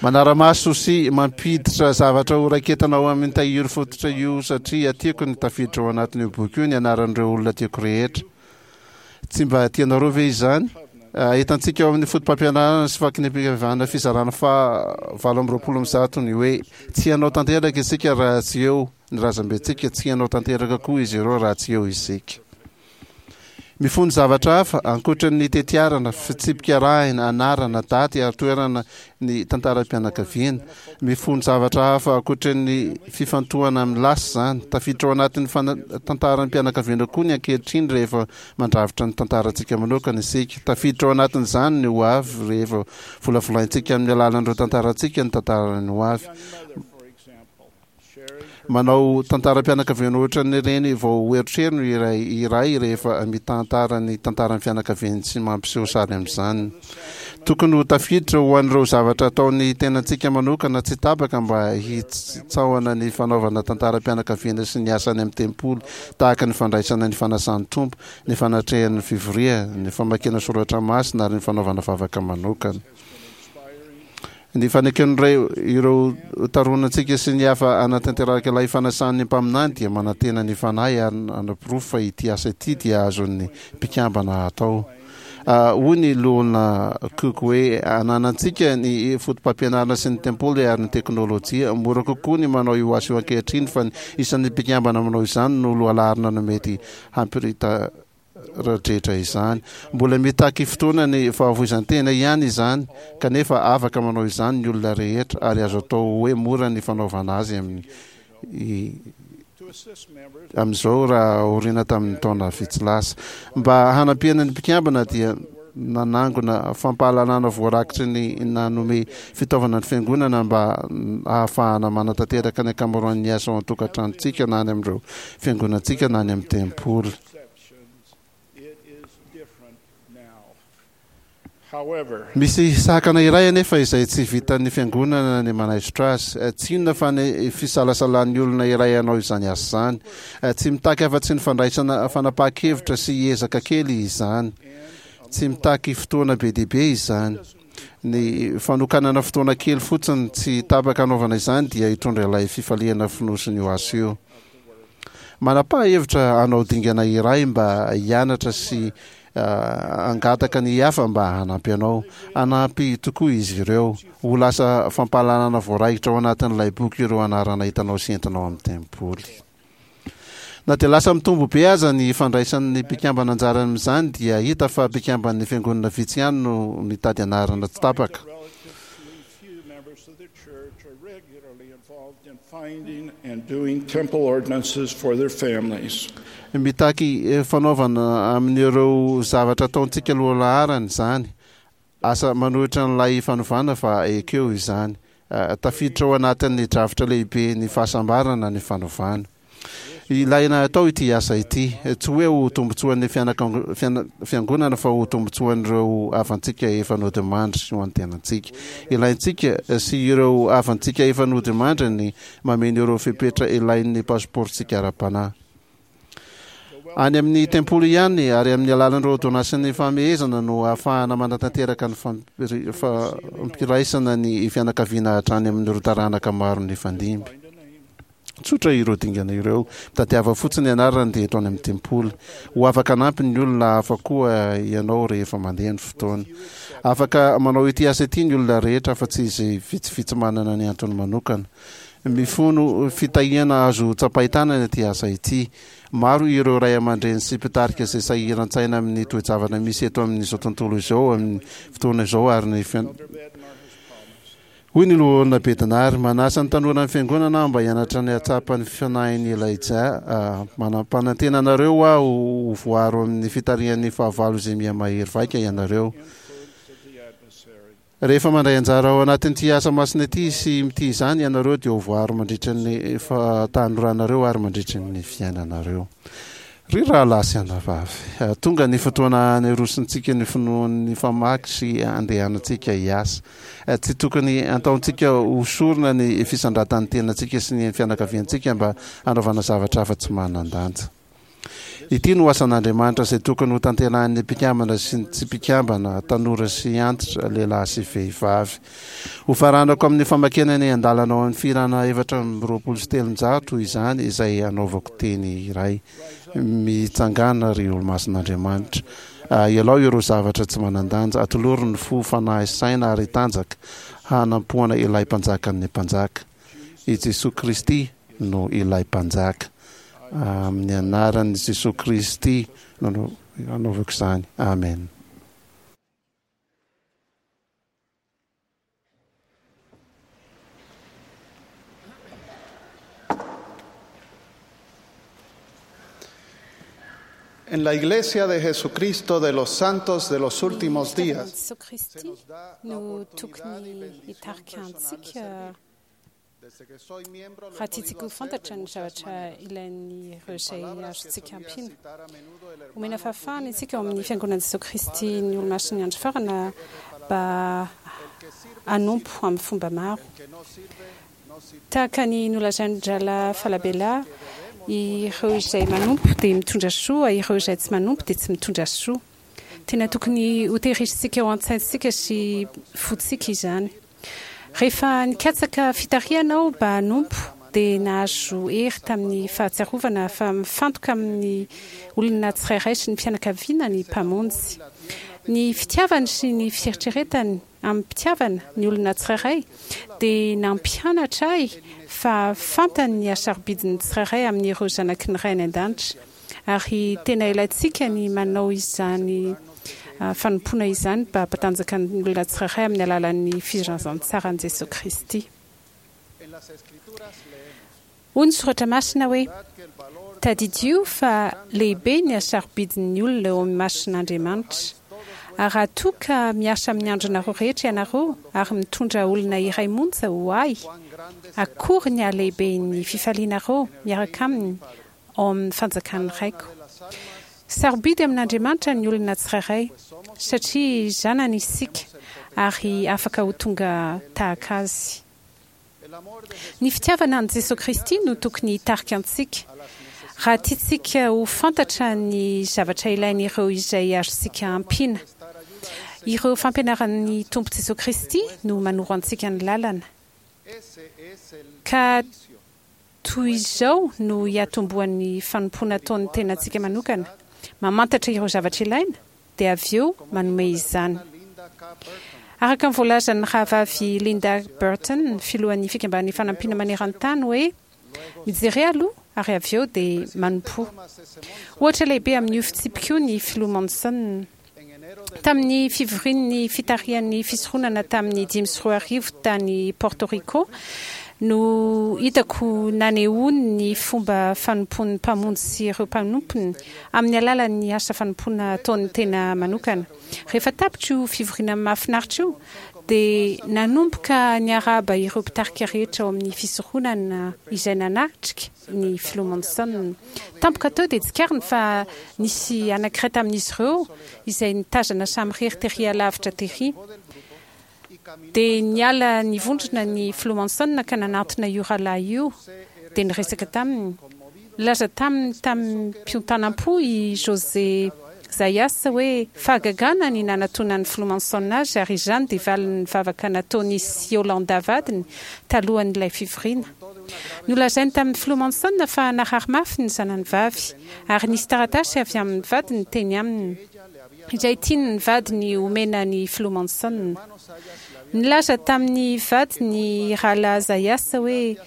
Manara-maso sy mampiditra zavatra ho raiketana ao amin'ny tahiry fototra io satria tiako ny tafiditra ao anatin'io boky io ny anaran'ireo olona tiako rehetra. Tsy mba tianareo ve izany? Hitantsika ao amin'ny fotopampianarana sy fakinam-pivavahana fizarana faha 128 ny hoe tsy hanao tanteraka isika raha tsy eo ny razambentsika, tsy hanao tanteraka koa izy ireo raha tsy eo isika. Mifono zavatra hafa, ankoatra ny tetiarana, fitsipika arahina, anarana, daty ary toerana ny tantaram-pianakaviana. Mifono zavatra hafa ankoatra ny fifantohana amin'ny lasa izany. Tafiditra ao anatin'ny tantaram-pianakaviana koa ny ankehitriny rehefa mandrafitra ny tantarantsika manokana isika. Tafiditra ao anatin'izany ny ho avy rehefa volavolaintsika amin'ny alalan'ireo tantarantsika ny tantaran'ny ho avy. Manao tantaram-pianakaviana ohatran'ireny vao erotrerony iray iray rehefa mitantara ny tantaran'ny fianakaviany tsy mampiseho sary amin'izany. Tokony ho tafiditra ho an'ireo zavatra ataon'ny tenantsika manokana tsy tapaka mba hitsaohana ny fanaovana tantaram-pianakaviana sy ny asa any amin'ny tempoly tahaka ny fandraisana ny fanasan'ny Tompo, ny fanatrehan'ny fivoriana, ny famakiana soratra masina ary ny fanaovana vavaka manokana. Ny faneken'ny ireo taronantsika sy ny hafa hanatanteraka ilay fanasan'ny mpaminany dia manantena ny Fanahy ary hanaporofo fa ity asa ity dia azon'ny mpikambana atao. Hoy ny Loholona Cook hoe, Ananantsika ny fotopampianarana sy ny tempoly ary ny teknolojia. Mora kokoa ny manao io asa io ankehitriny fa ny isan'ny mpikambana manao izany no lohalaharana no mety hampirita radretra izany. Mbola mitaky fotoana ny fahafoizan-tena ihany izany, kanefa afaka manao izany ny olona rehetra ary azo atao hoe mora ny fanaovana azy amin'ny amin'izao raha aoriana tamin'ny taona vitsy lasa. Mba hanampiana ny mpikambana dia nanangona fampahalalana voarakitry ny nanome fitaovana ny fiangonana mba hahafahana manatanteraka ny ankamaroan'ny asa ao an-tokantranontsika na any amin'ireo fiangonantsika na any amin'ny tempoly. Misy sakana iray anefa izay tsy vitan'ny fiangonana ny manaisotra azy. Tsy inona fa ny fisalasalan'ny olona iray hanao izany asa izany. Tsy mitaky afa-tsy ny fandraisana fanapahan-kevitra sy ezaka kely izany. Tsy mitaky fotoana be dia be izany. Ny fanokanana fotoana kely fotsiny tsy tapaka hanaovana izany dia hitondra ilay fifaliana fonosin'io asa io. Manapaha hevitra hanao dingana iray mba hianatra sy hangataka ny hafa mba hanampy anao. Hanampy tokoa izy ireo. Ho lasa fampahalalana voaraikitra ao anatin'ilay boky ireo anarana hitanao sy entinao amin'ny tempoly. Na dia lasa mitombo be aza ny fandraisan'ny mpikambana anjara amin'izany dia hita fa mpikamban'ny fiangonana vitsy ihany no mitady anarana tsy tapaka. Mitaky fanaovana amin'ireo zavatra ataontsika lohalaharana izany. Asa manohitra an'ilay fanovana fa ekeo izany. Tafiditra ao anatin'ny drafitra lehibe ny fahasambarana ny fanovana. Ilaina atao ity asa ity, tsy hoe ho tombontsoan'ny fiangonana fa ho tombontsoan'ireo havantsika efa nodimandry sy ho an'ny tenantsika. Ilaintsika sy ireo havantsika efa nodimandry ny mameno ireo fepetra ilain'ny pasipaorontsika ara-panahy. Any amin'ny tempoly ihany ary amin'ny alalan'ireo ôrdônansin'ny fahamehezana no ahafahana manatanteraka ny fampiraisana ny fianakaviana hatrany amin'ireo taranaka maro nifandimby. Tsotra ireo dingana ireo. Mitadiava fotsiny anarany dia eto any amin'ny tempoly. Ho afaka hanampy ny olona hafa koa ianao rehefa mandeha ny fotoana. Afaka manao ity asa ity ny olona rehetra afa-tsy izay vitsivitsy manana ny antony manokana. Mifono fitahiana azo tsapain-tanana ity asa ity. Maro ireo ray aman-dreny sy mpitarika izay sahiran-tsaina amin'ny toe-javatra misy eto amin'izao tontolo izao amin'ny fotoana izao ary ny Hoy ny Loholona Bednar, Manasa ny tanoran'ny Fiangonana aho mba hianatra ny hahatsapa ny fanahin'i Elijah. Manam-panantena anareo aho ho voaro amin'ny fitarihan'ny fahavalo izay miha-mahery vaika ianareo. Rehefa mandray anjara ao anatin'ity asa masina ity sy mitia izany ianareo dia ho voaro mandritra ny fahatanoranareo ary mandritra ny fiainanareo. Ry rahalahy sy anabavy, tonga ny fotoana hanerosintsika ny finoan'ny famaky sy handehanantsika hiasa. Tsy tokony hataontsika ho sorona ny fisandratan'ny tenantsika sy ny fianakaviantsika mba hanaovana zavatra hafa tsy manan-danja. Ity no asan'Andriamanitra izay tokony hotanterahin'ny mpikambana sy ny tsy mpikambana, tanora sy antitra, lehilahy sy vehivavy. Hofaranako amin'ny famakiana ny andalana ao amin'ny Fihirana 324 izany izay hanaovako teny iray. Mitsangàna, ry olomasin'Andriamanitra. Ialao ireo zavatra tsy manan-danja. Atolory ny fo, fanahy, saina ary tanjaka hanampoana ilay Mpanjakan'ny mpanjaka. I Jesoa Kristy no ilay Mpanjaka. Amin'ny anaran'i Jesoa Kristy no anaovako izany. Amen. En la Iglesia de Jesucristo de los Santos de los Últimos Ny fitiavana Días an'i Jesoa Kristy no tokony hitarika antsika raha tiantsika ho fantatra ny zavatra ilain'ireo izay azontsika ampiana. Omena fahafahana isika ao amin'ny Fiangonan'i Jesoa Kristy ny Olomasin'ny Andro Farana mba hanompo amin'ny fomba maro. Tahaka ny nolazain-dRahalahy Falabella, ireo izay manompo dia mitondra soa, ireo izay tsy manompo dia tsy mitondra soa. Tena tokony hotehirizintsika ao an-tsaintsika sy fontsika izany. Rehefa nikatsaka fitarihana aho mba hanompo, dia nahazo hery tamin'ny fahatsiarovana fa mifantoka amin'ny olona tsirairay sy ny fianakaviana ny Mpamonjy. Ny fitiavany sy ny fieritreretany amim-pitiavana ny olona tsirairay dia nampianatra ahy fa fantany ny hasarobidin'ny tsirairay amin'ireo zanaky ny Ray any An-danitra ary tena ilaintsika ny manao izany fanompoana izany mba hampatanjaka ny olona tsirairay amin'ny alalan'ny filazantsaran'i Jesoa Kristy. Hoy ny Soratra Masina hoe, Tadidio fa lehibe ny hasarobidin'ny olona eo amin'ny mason'Andriamanitra. Ary raha toa ka miasa amin'ny andronareo rehetra ianareo ary mitondra olona iray monja ho Ahy, akory ny halehiben'ny fifalianareo miaraka aminy ao amin'ny fanjakan'ny Raiko. Sarobidy amin'Andriamanitra ny olona tsirairay, satria zanany isika ary afaka ho tonga tahaka Azy. Ny fitiavana an'i Jesoa Kristy no tokony hitarika antsika. Raha tiantsika ho fantatra ny zavatra ilain'ireo izay azontsika ampiana. Ireo fampianaran'ny Tompo Jesoa Kristy no manoro antsika ny lalana. Ka Toy izao no hiatombohan'ny fanompoana ataon'ny tenantsika manokana, mamantatra ireo zavatra ilaina, dia avy eo manome izany. Araka ny voalazan'ny Rahavavy Linda Burton, filohan'ny Fikambanan'ny Fanampiana Maneran-tany hoe, Mijere aloha ary avy eo dia manompoa. Ohatra lehibe amin'io fitsipika io ny Filoha Monson. Tamin'ny fivorian'ny fitarihan'ny fisoronana tamin'ny 2005 tany Porto Rico no hitako nanehoany ny fomba fanompoan'ny Mpamonjy sy ireo mpanompony amin'ny alalan'ny asa fanompoana ataon'ny tena manokana. Rehefa tapitra io fivoriana mahafinaritra io dia nanomboka niarahaba ireo mpitarika rehetra ao amin'ny fisoronana izay nanatrika ny Filoha Monson. Tampoka teo dia tsikariny fa nisy anankiray tamin'izy ireo izay nitazana samirery tery alavitra tery. Dia niala nivondrona ny Filoha Monson ka nanantona io rahalahy io dia niresaka taminy. Nilaza taminy tamim-piontanam-po i José Zayas hoe fahagagana ny nanatonan'ny Filoha Monson azy ary izany dia valin'ny vavaka nataon'i sy Yolanda vadiny talohan'ilay fivoriana. Nolazainy tamin'ny Filoha Monson fa narary mafy ny zanany vavy ary nisy taratasy avy amin'ny vadiny teny aminy izay tian'ny vadiny homena ny Filoha Monson. Nilaza tamin'ny vadiny Rahalahy Zayas hoe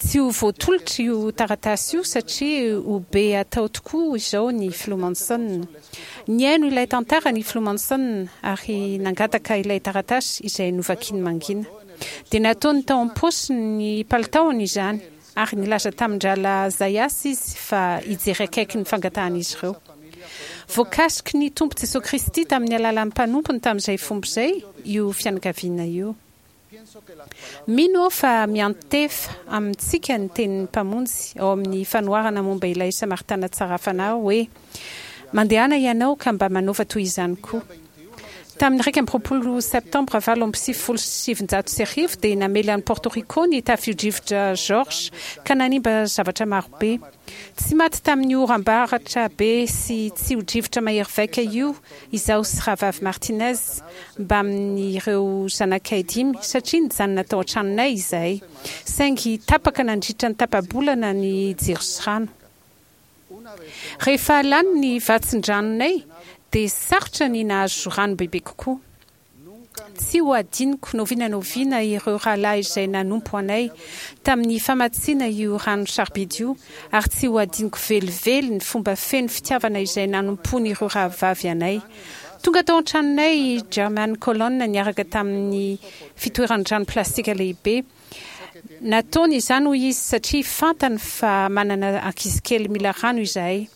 Tsy ho voatolotra io taratasy io satria ho be atao tokoa izao ny Filoha Monson. Nihaino ilay tantara ny Filoha Monson ary nangataka ilay taratasy izay novakiany mangina. Dia nataony tao am-paosiny ny palitaony izany ary nilaza tamin-dRahalahy Zayas izy fa hijery akaiky ny fangatahan'izy ireo. Voakasiky ny Tompo Jesoa Kristy tamin'ny alalan'ny mpanompony tamin'izay fomba izay io fianakaviana io. Mino aho fa miantefa amintsika ny tenin'ny Mpamonjy ao amin'ny fanoharana momba ilay Samaritana tsara fanahy hoe, Mandehana ianao ka mba manaova toy izany koa. Tamin'ny 21 Septambra 1998 dia namely an'i Porto Rico ny tafio-drivotra Georges ka nanimba zavatra marobe. Tsy maty tamin'io oram-baratra be sy tsio-drivotra mahery vaika io izaho sy Rahavavy Martinez mbamin'ireo zanakay dimy satria nijanona tao an-tranonay izahay. Saingy tapaka nandritra ny tapa-bolana ny jiro sy rano. Rehefa lany ny vatsin-dranonay dia sarotra ny nahazo rano bebe kokoa. Tsy ho adinoko n'oviana n'oviana ireo rahalahy izay nanompo anay tamin'ny famatsiana io rano sarobidy io ary tsy ho adinoko velively ny fomba feno fitiavana izay nanompoan'ireo rahavavy anay. Tonga tao an-tranonay i German Colon niaraka tamin'ny fitoeran-drano plastika lehibe. Nataony izany, hoy izy, satria fantany fa manana ankizikely mila rano izahay.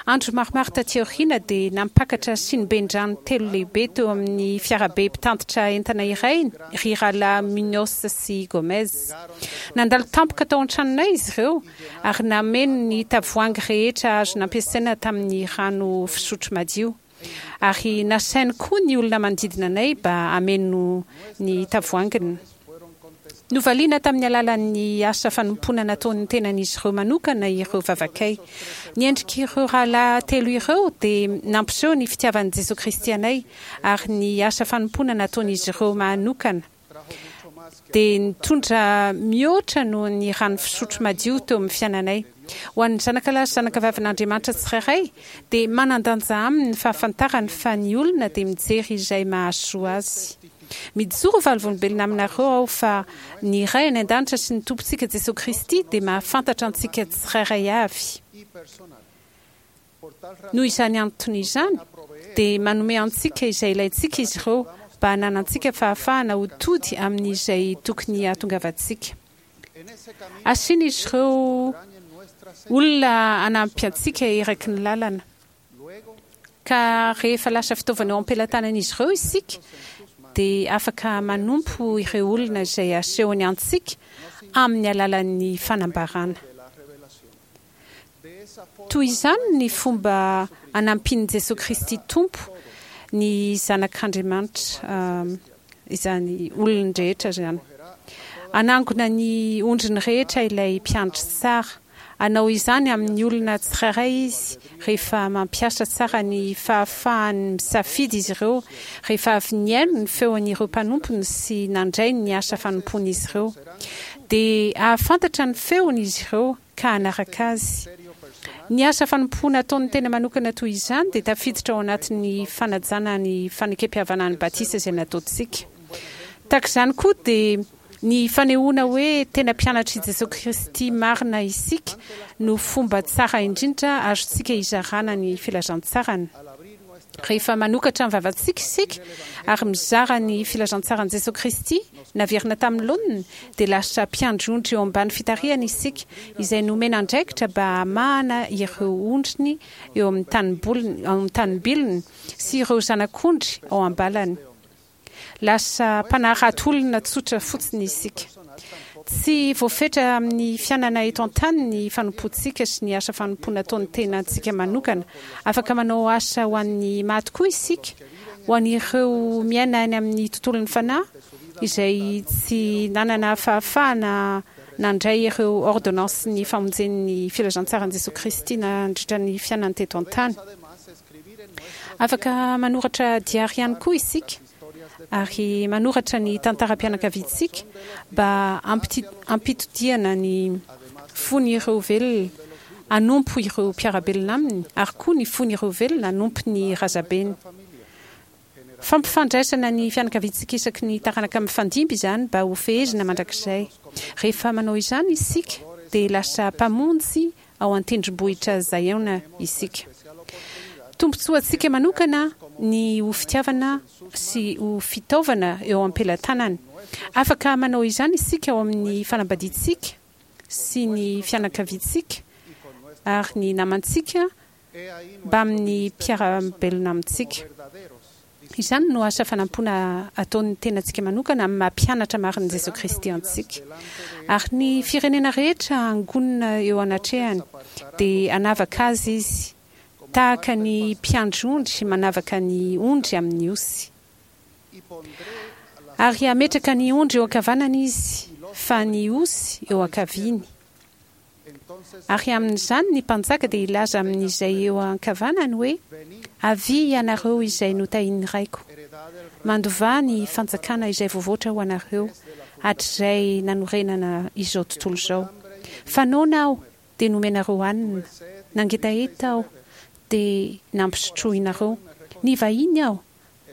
Andro maromaro taty aoriana dia nampakatra siniben-drano telo lehibe teo amin'ny fiarabe mpitantitra entana iray ry Rahalahy Muñoz sy Gómez. Nandalo tampoka tao an-tranonay izy ireo ary nameno ny tavoahangy rehetra azo nampiasaina tamin'ny rano fisotro madio. Ary nasainy koa ny olona manodidina anay mba hameno ny tavoahanginy. Novaliana tamin'ny alalan'ny asa fanompoana nataon'ny tenan'izy ireo manokana ireo vavakay. Ny endrik'ireo rahalahy telo ireo dia nampiseho ny fitiavan'i Jesoa Kristy anay, ary ny asa fanompoana nataon'izy ireo manokana dia nitondra mihoatra noho ny rano fisotro madio teo amin'ny fiainanay. Ho an'ny zanakalahy sy zanakavavin'Andriamanitra tsirairay dia manan-danja aminy ny fahafantarany fa ny olona dia mijery izay mahasoa azy. Mijoro ho vavolombelona aminareo aho fa ny Ray any An-danitra sy ny Tompontsika Jesoa Kristy dia mahafantatra antsika tsirairay avy. Noho izany antony izany, dia manome antsika izay ilaintsika izy ireo mba hananantsika fahafahana ho tody amin'izay tokony hahatongavantsika. Asian'izy ireo olona hanampy antsika eraky ny lalana. Ka rehefa lasa fitaovana eo am-pelatanan'izy ireo isika, dia afaka manompo ireo olona izay asehony antsika amin'ny alalan'ny fanambarana. Toy izany ny fomba anampian'i Jesoa Kristy Tompo ny zanak'Andriamanitra, izany olon-drehetra izany. Hanangona ny ondriny rehetra ilay mpiandry tsara. Hanao izany amin'ny olona tsirairay izy rehefa mampiasa tsara ny fahafahany misafidy izy ireo, rehefa avy nihaino ny feon'ireo mpanompony sy nandray ny asa fanompoan'izy ireo. Dia hahafantatra ny feony izy ireo ka hanaraka azy. Ny asa fanompoana ataon'ny tena manokana toy izany dia tafiditra ao anatin'ny fanajana ny fanekempihavanan'ny batisa izay nataontsika. Tahaka izany koa dia ny fanehoana hoe tena mpianatr'i Jesoa Kristy marina isika no fomba tsara indrindra azontsika hizarana ny filazantsarany. Rehefa manokatra ny vavantsika isika ary mizara ny filazantsaran'i Jesoa Kristy naverina tamin'ny laoniny, dia lasa mpiandry ondry eo ambany fitarihany isika, izay nomena andraikitra mba hamahana ireo ondriny eo amin'ny tanimboliny, ao amin'ny tanimbilony, sy ireo zanak'ondry ao am-balany. Lasa mpanarato olona tsotra fotsiny isika. Tsy voafetra amin'ny fiainana eto an-tany ny fanompoantsika sy ny asa fanompoana ataon'ny tenantsika manokana. Afaka manao asa ho an'ny maty koa isika, ho an'ireo miaina any amin'ny tontolon'ny fanahy izay tsy nanana fahafahana nandray ireo ôrdônansin'ny famonjen'ny filazantsaran'i Jesoa Kristy nandritra ny fiainany teto an-tany. Afaka manoratra diary ihany koa isika ary manoratra ny tantaram-pianakaviantsika mba hampitodihana ny fon'ireo velona hanompo ireo mpiara-belona aminy ary koa ny fon'ireo velona hanompo ny razabeny. Fampifandraisana ny fianakaviantsika isaky ny taranaka mifandimby izany mba ho fehezina mandrakizay. Rehefa manao izany isika dia lasa mpamonjy ao an-tendrombohitra Ziona isika. Tombontsoantsika manokana ny ho fitiavana sy ho fitaovana eo am-pelatanany. Afaka manao izany isika ao amin'ny fanambadiantsika sy ny fianakaviantsika ary ny namantsika mbamin'ny mpiara-belona amintsika. Izany no asa fanampoana ataon'ny tenantsika manokana amin'ny maha mpianatra marin'i Jesoa Kristy antsika. Ary ny firenena rehetra hangonina eo anatrehany, dia hanavaka azy Izy, tahaka ny mpiandry ondry manavaka ny ondry amin'ny osy. Ary hametraka ny ondry eo ankavanany Izy, fa ny osy eo ankaviany. Ary amin'izany ny mpanjaka dia hilaza amin'izay eo ankavanany hoe, Avia ianareo izay notahin'ny Raiko, mandovà ny fanjakana izay voavoatra ho anareo hatrizay nanorenana izao tontolo izao. Fa noana Aho, dia nomenareo hanina, nangetaheta Aho, dia nampisotroinareo, nivahiny Aho,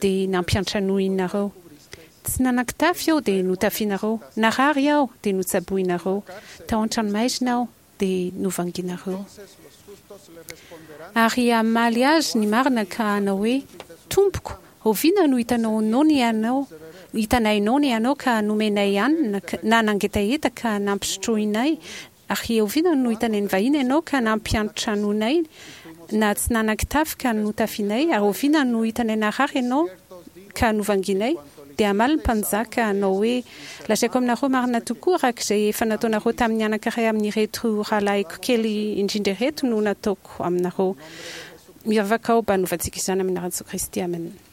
dia nampiantranoinareo. Tsy nanan-kitafy aho dia notafianareo, narary aho dia notsaboinareo, tao an-tranomaizina aho dia novanginareo. Ary hamaly azy ny marina ka hanao hoe, Tompoko, oviana no hitanao noana ianao, hitanay noana ianao ka nomenay hanina, na nangetaheta ka nampisotroinay, Ary oviana no hitanay nivahiny ianao ka nampiantranoinay, na tsy nanan-kitafy ka notafianay? Ary oviana no hitanay narary ianao ka novangianay? Dia hamaly ny mpanjaka hanao hoe, Lazaiko aminareo marina tokoa, araka izay efa nataonareo tamin'ny anankiray amin'ireto rahalahiko kely indrindra ireto no nataoko aminareo. Mivavaka aho mba hanovantsika izany amin'ny anaran'i Jesoa Kristy. Amena.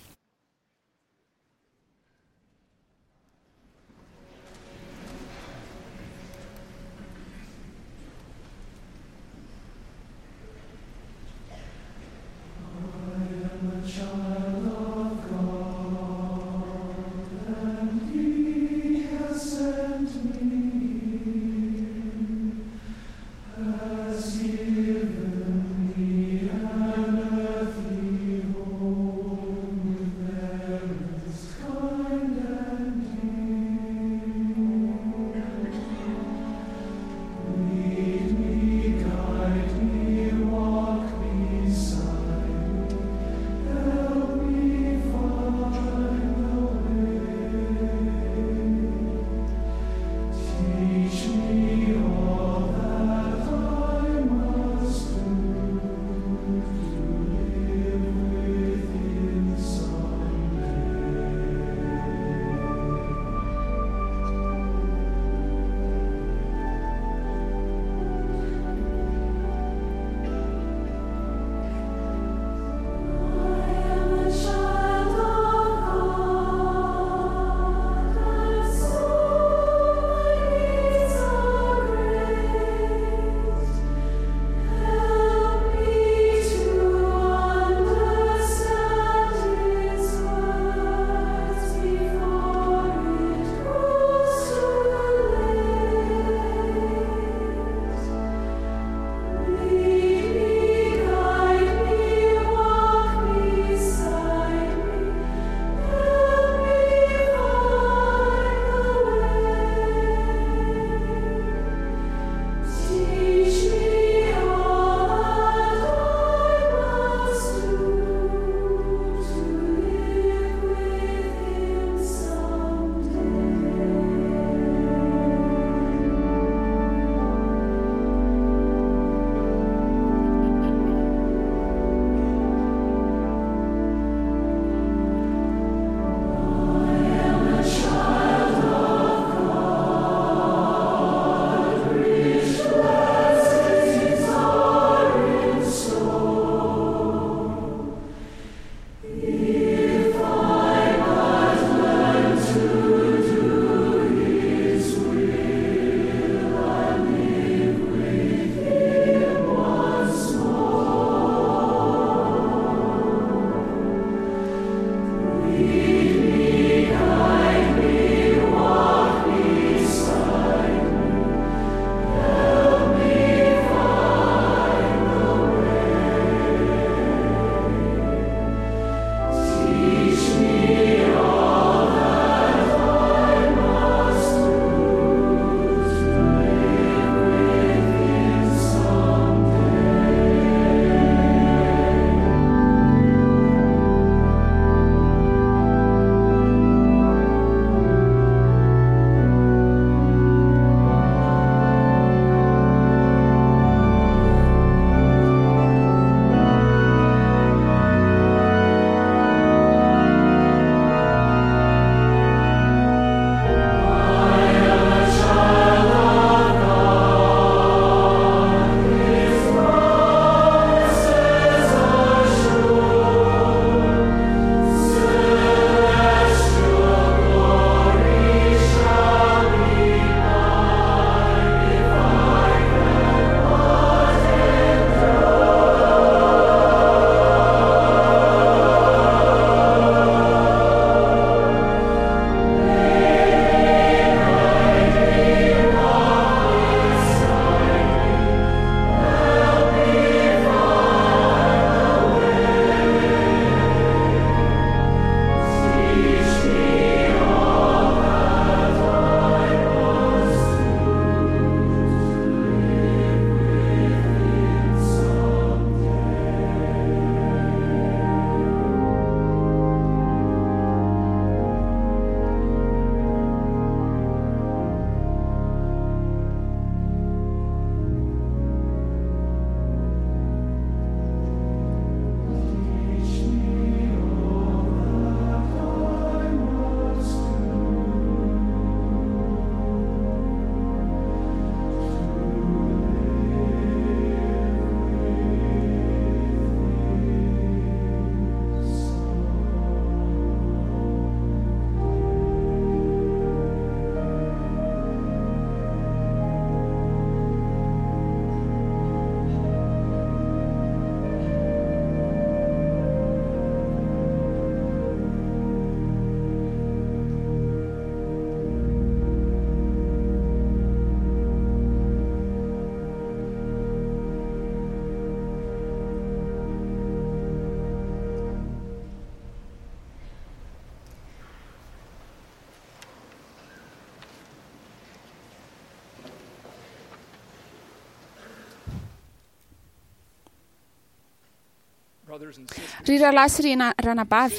Ry rahalahy sy ry ranabavy,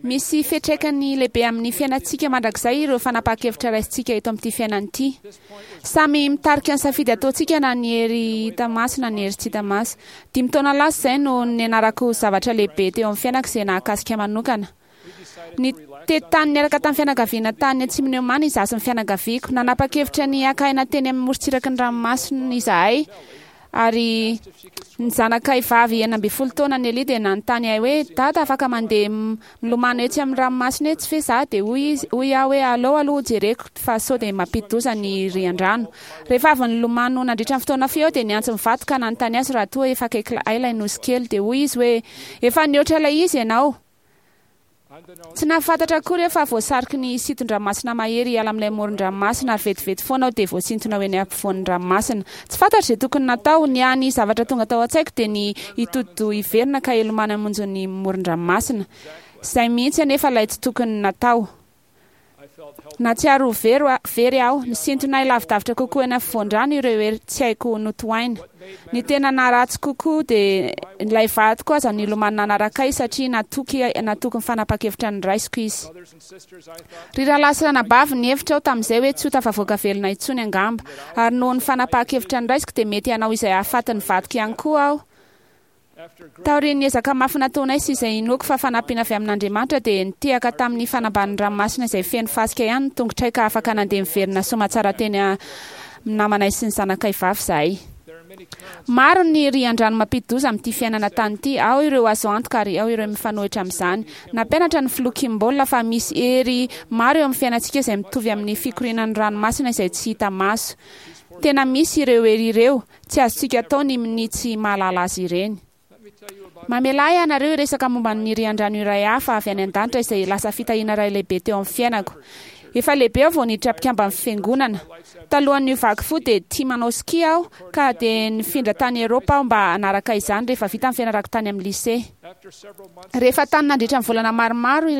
misy fiantraikany lehibe amin'ny fiainantsika mandrakizay ireo fanapahan-kevitra raisintsika eto amin'ity fiainana ity. Samy mitarika ny safidy ataontsika na ny hery hita maso na ny hery tsy hita maso. Dimy taona lasa izay no nianarako zavatra lehibe teo amin'ny fiainako izay nahakasika manokana. Nitety tany niaraka tamin'ny fianakaviana tany atsimon'i Oman izaho sy ny fianakaviako. Nanapa-kevitra ny haka aina teny amin'ny morontsiraky ny ranomasina izahay, ary ny zanakay vavy 16 taona, Nellie, dia nanontany ahy hoe, Dada, afaka mandeha milomano etsy amin'ny ranomasina etsy ve izaho? Dia hoy izy, hoy aho hoe, Aleo aloha hojereko fa sao dia mampidi-doza ny rian-drano. Rehefa avy nilomano nandritra ny fotoana fohy aho dia niantso ny vadiko ka nanontany azy raha toa efa akaiky ahy ilay nosy kely. Dia hoy izy hoe, Efa nihoatra ilay izy ianao. Tsy nahafantatra akory aho fa voasariky ny sinton-dranomasina mahery hiala amin'ilay moron-dranomasina ary vetivety foana aho dia voasintona ho eny ampovoan'ny ranomasina. Tsy fantatro izay tokony natao. Ny hany zavatra tonga tao an-tsaiko dia ny hitodi-doha hiverina ka hilomano hamonjy ny moron-dranomasina. Izay mihitsy anefa ilay tsy tokony natao. Nahatsiaro ho very very aho. Nisintona ahy lavidavitra kokoa eny afovoan-drano ireo hery tsy haiko notohaina. Ny tena naharatsy kokoa dia ilay vadiko aza nilomano nanaraka ahy satria natoky natoky ny fanapahan-kevitra noraisiko izy. Ry rahalahy sy ranabavy, nihevitra aho tamin'izay hoe tsy ho tafavoaka velona intsony angamba. Ary noho ny fanapahan-kevitra noraisiko dia mety hanao izay hahafaty ny vadiko ihany koa aho. Taorian'ny ezaka mafy nataonay sy izay inoako fa fanampiana avy amin'Andriamanitra dia nitehaka tamin'ny fanambanin'ny ranomasina izay feno fasika ihany ny tongotray ka afaka nandeha niverina soamatsara teny amin'ny namanay sy ny zanakay vavy izahay. Maro ny rian-drano mampidi-doza amin'ity fiainana tany ity, ao ireo azo antoka ary ao ireo mifanohitra amin'izany. Nampianatra ny Filoha Kimball fa misy hery maro eo amin'ny fiainantsika izay mitovy amin'ny fikorianan'ny ranomasina izay tsy hita maso. Tena misy ireo hery ireo, Tsy azontsika atao ny minia tsy mahalala azy ireny. Mamelà ahy ianareo hiresaka momba ny rian-drano iray hafa avy any an-danitra izay lasa fitahiana iray lehibe teo amin'ny fiainako. Efa lehibe aho vao niditra mpikamban'ny Fiangonana. Talohan'ny niovako fo dia tia manao ski aho, ka dia nifindra tany Eropa aho mba hanaraka izany rehefa vita ny fianarako tany amin'ny lycée. Rehefa tany nandritra ny volana maromaro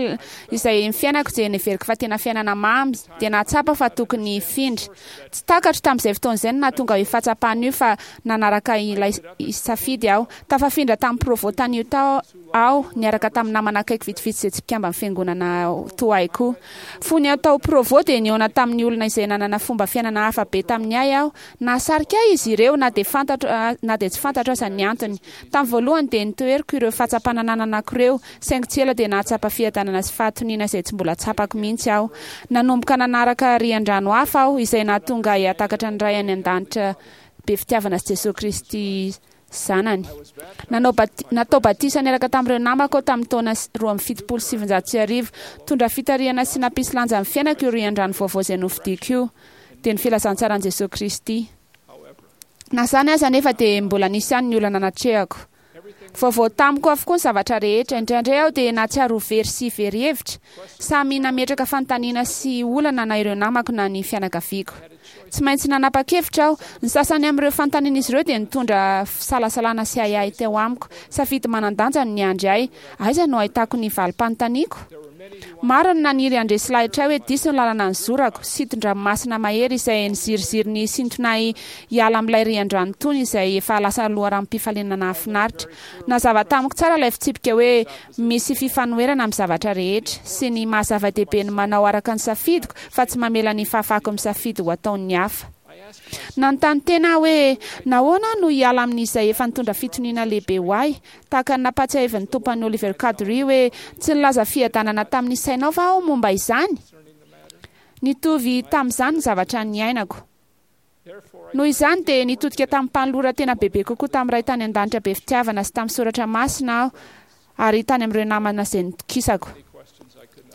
izay ny fiainako dia neveriko fa tena fiainana mamy, dia nahatsapa fa tokony hifindra. Tsy takatro tamin'izay fotoana izay ny nahatonga io fahatsapana io fa nanaraka ilay safidy aho. Tafafindra tamin'ny Provo tany Utah aho niaraka tamin'ny namana akaiky vitsivitsy izay tsy mpikamban'ny fiangonana toa ahy koa. Fony aho tao Provo dia nihaona tamin'ny olona izay nanana fomba fiainana hafa be tamin'ny ahy aho. Nahasarika ahy izy ireo na dia fantatro na dia tsy fantatro aza ny antony. Tamin'ny voalohany dia notoheriko ireo fahatsapana nananako ireo, saingy tsy ela dia nahatsapa fiadanana sy fahatoniana izay tsy mbola tsapako mihitsy aho. Nanomboka nanaraka rian-drano hafa aho, izay nahatonga ahy hahatakatra ny Ray any An-danitra be fitiavana sy Jesoa Kristy Zanany. Nanao bati-, natao batisa niaraka tamin'ireo namako aho tamin'ny taona 1972. Nitondra fitarihana sy nampisy lanja ny fiainako io rian-drano vaovao izay nofidiko io, dia ny filazantsaran'i Jesoa Kristy. Na izany aza anefa dia mbola nisy ihany ny olana natrehako. Vaovao tamiko avokoa ny zavatra rehetra. Indraindray aho dia nahatsiaro ho very sy very hevitra. Samy nametraka fanontaniana sy olana na ireo namako na ny fianakaviako. Tsy maintsy nanapa-kevitra aho. Ny sasany amin'ireo fanontanian'izy ireo dia nitondra fisalasalana sy ahiahy teo amiko. Safidy manan-danja no niandry ahy. Aiza no ahitako ny valim-panontaniako? Maro ny naniry handresy lahitra ahy hoe diso ny lalana nizorako, sinton-dranomasina mahery izay niziriziry ny hisintona ahy hiala amin'ilay rian-drano tony izay efa lasa loharanom-pifaliana nahafinaritra. Nazava tamiko tsara ilay fitsipika hoe misy fifanoherana amin'ny zavatra rehetra, sy ny maha-zava-dehibe ny manao araka ny safidiko fa tsy mamela ny fahafahako misafidy ho ataon'ny hafa. Nanontany tena aho hoe, 'Nahoana aho no hiala amin'izay efa nitondra fitoniana lehibe ho ahy? Tahaka ny nampahatsiahivin'ny Tompo an'i Oliver Cowdery hoe, Tsy nilaza fiadanana tamin'ny sainao va aho momba izany? Nitovy tamin'izany ny zavatra niainako. Noho izany dia nitodika tamim-panoloran-tena bebe kokoa tamin'ny Ray tany An-danitra be fitiavana sy tamin'ny soratra masina aho ary tany amin'ireo namana izay nitokisako.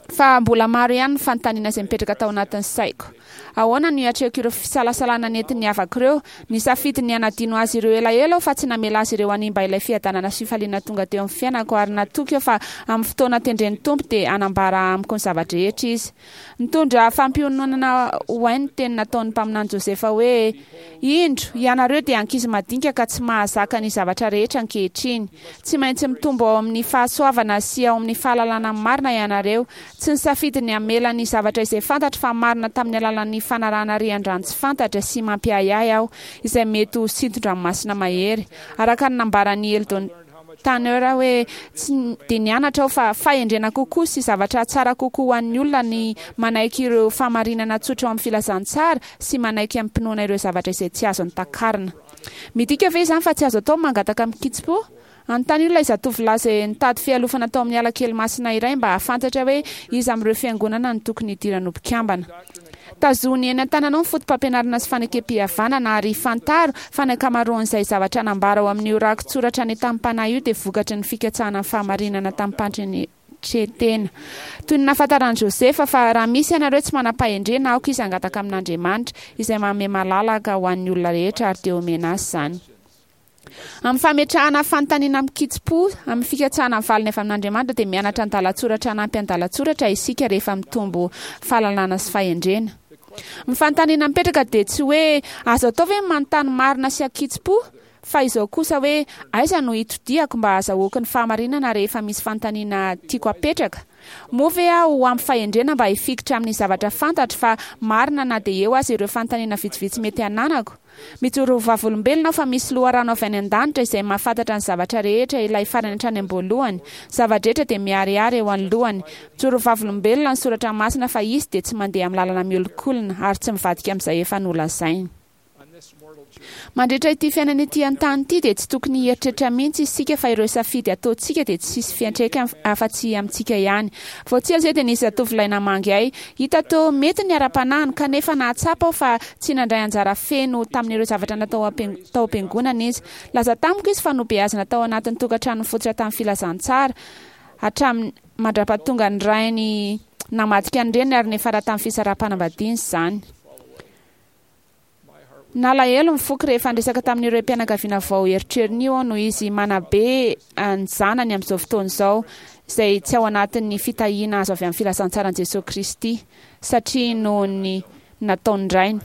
Fa mbola maro ihany ny fanontaniana izay mipetraka tao anatin'ny saiko. Ahoana no hiatrehako ireo fisalasalana nentin'ny havako ireo? Nisafidy ny hanadino azy ireo elaela aho fa tsy namela azy ireo hanimba ilay fiadanana sy fifaliana tonga teo amin'ny fiainako ary natoky aho fa amin'ny fotoana tendren'ny Tompo dia hanambara amiko ny zava-drehetra Izy. Nitondra fampiononana ho ahy ny teny nataon'ny mpaminany Josefa hoe, Indro, ianareo dia ankizy madinika ka tsy mahazaka ny zavatra rehetra ankehitriny. Tsy maintsy mitombo ao amin'ny fahasoavana sy ao amin'ny fahalalana ny marina ianareo. Tsy nisafidy ny hamela ny zavatra izay fantatro fa marina tamin'ny alalan'ny fanarahana rian-drano tsy fantatra sy mampiahiahy aho, izay mety ho sinton-dranomasina mahery. Araka ny nambaran'i Eldon. Tanner hoe, Tsy dia nianatra aho fa fahendrena kokoa sy zavatra tsara kokoa ho an'ny olona ny manaiky ireo fahamarinana tsotra ao amin'ny filazantsara sy manaiky amim-pinoana ireo zavatra izay tsy azony takarina. Midika ve izany fa tsy azo atao ny mangataka amin-kitsim-po? Anontanio ilay zatovolahy izay nitady fialofana tao amin'ny ala kely masina iray mba hahafantatra hoe iza amin'ireo fiangonana no tokony hidirany ho mpikambana. Tazony eny an-tananao ny fotopampianarana sy fanekempihavanana ary fantaro fa ny ankamaroan'izay zavatra nambara ao amin'io rakitsoratra nentanam-panahy io dia vokatry ny fikatsahana ny fahamarinana tamim-pandretren-tena. Toy ny nahafantaran'i Josefa fa raha misy ianareo tsy manam-pahendrena, aoka izy hangataka amin'Andriamanitra, izay manome malalaka ho an'ny olona rehetra, ary dia homena azy izany. Amin'ny fametrahana fanontaniana amin-kitsim-po, amin'ny fikatsahana ny valiny avy amin'Andriamanitra, dia mianatra andalan-tsoratra hanampy andalan-tsoratra isika rehefa mitombo fahalalana sy fahendrena. Ny fanontaniana mipetraka dia tsy hoe azo atao ve ny manontany marina sy an-kitsim-po, fa izao kosa hoe aiza no hitodihako mba hahazahoako ny fahamarinana rehefa misy fanontaniana tiako hapetraka? Moa ve aho ho ampy fahendrena mba hifikitra amin'ny zavatra fantatro fa marina na dia eo aza ireo fanontaniana vitsivitsy mety hananako? Mijoro ho vavolombelona aho fa misy loharano avy any an-danitra izay mahafantatra ny zavatra rehetra, ilay farany hatrany am-boalohany. Zava-drehetra dia miharihary eo anoloany. Mijoro ho vavolombelona ny Soratra Masina fa Izy dia tsy mandeha amin'ny lalana miolikolina ary tsy mivadika amin'izay efa nolazainy. Mandritra ity fiainana ety an-tany ity dia tsy tokony hieritreritra mihitsy isika fa ireo safidy ataontsika dia tsy hisy fiantraikany afa-tsy amintsika ihany. Vao tsy ela izay dia nisy zatovolahy namangy ahy. Hita toa mety ny ara-panahiny, kanefa nahatsapa aho fa tsy nandray anjara feno tamin'ireo zavatra natao tao am-piangonana izy. Nilaza tamiko izy fa nobeazina tao anatin'ny tokantrano nifototra tamin'ny filazantsara, hatramin'ny mandra-pahatonga ny rainy namadika ny reniny ary niafara tamin'ny fisaraham-panambadiana izany. Nalahelo ny foko rehefa niresaka tamin'ireo raim-pianakaviana vao erotrerony io aho noho izy manabe ny zanany amin'izao fotoana izao, izay tsy ao anatin'ny fitahiana azo avy amin'ny filazantsaran'i Jesoa Kristy, satria noho ny nataon'ny rainy.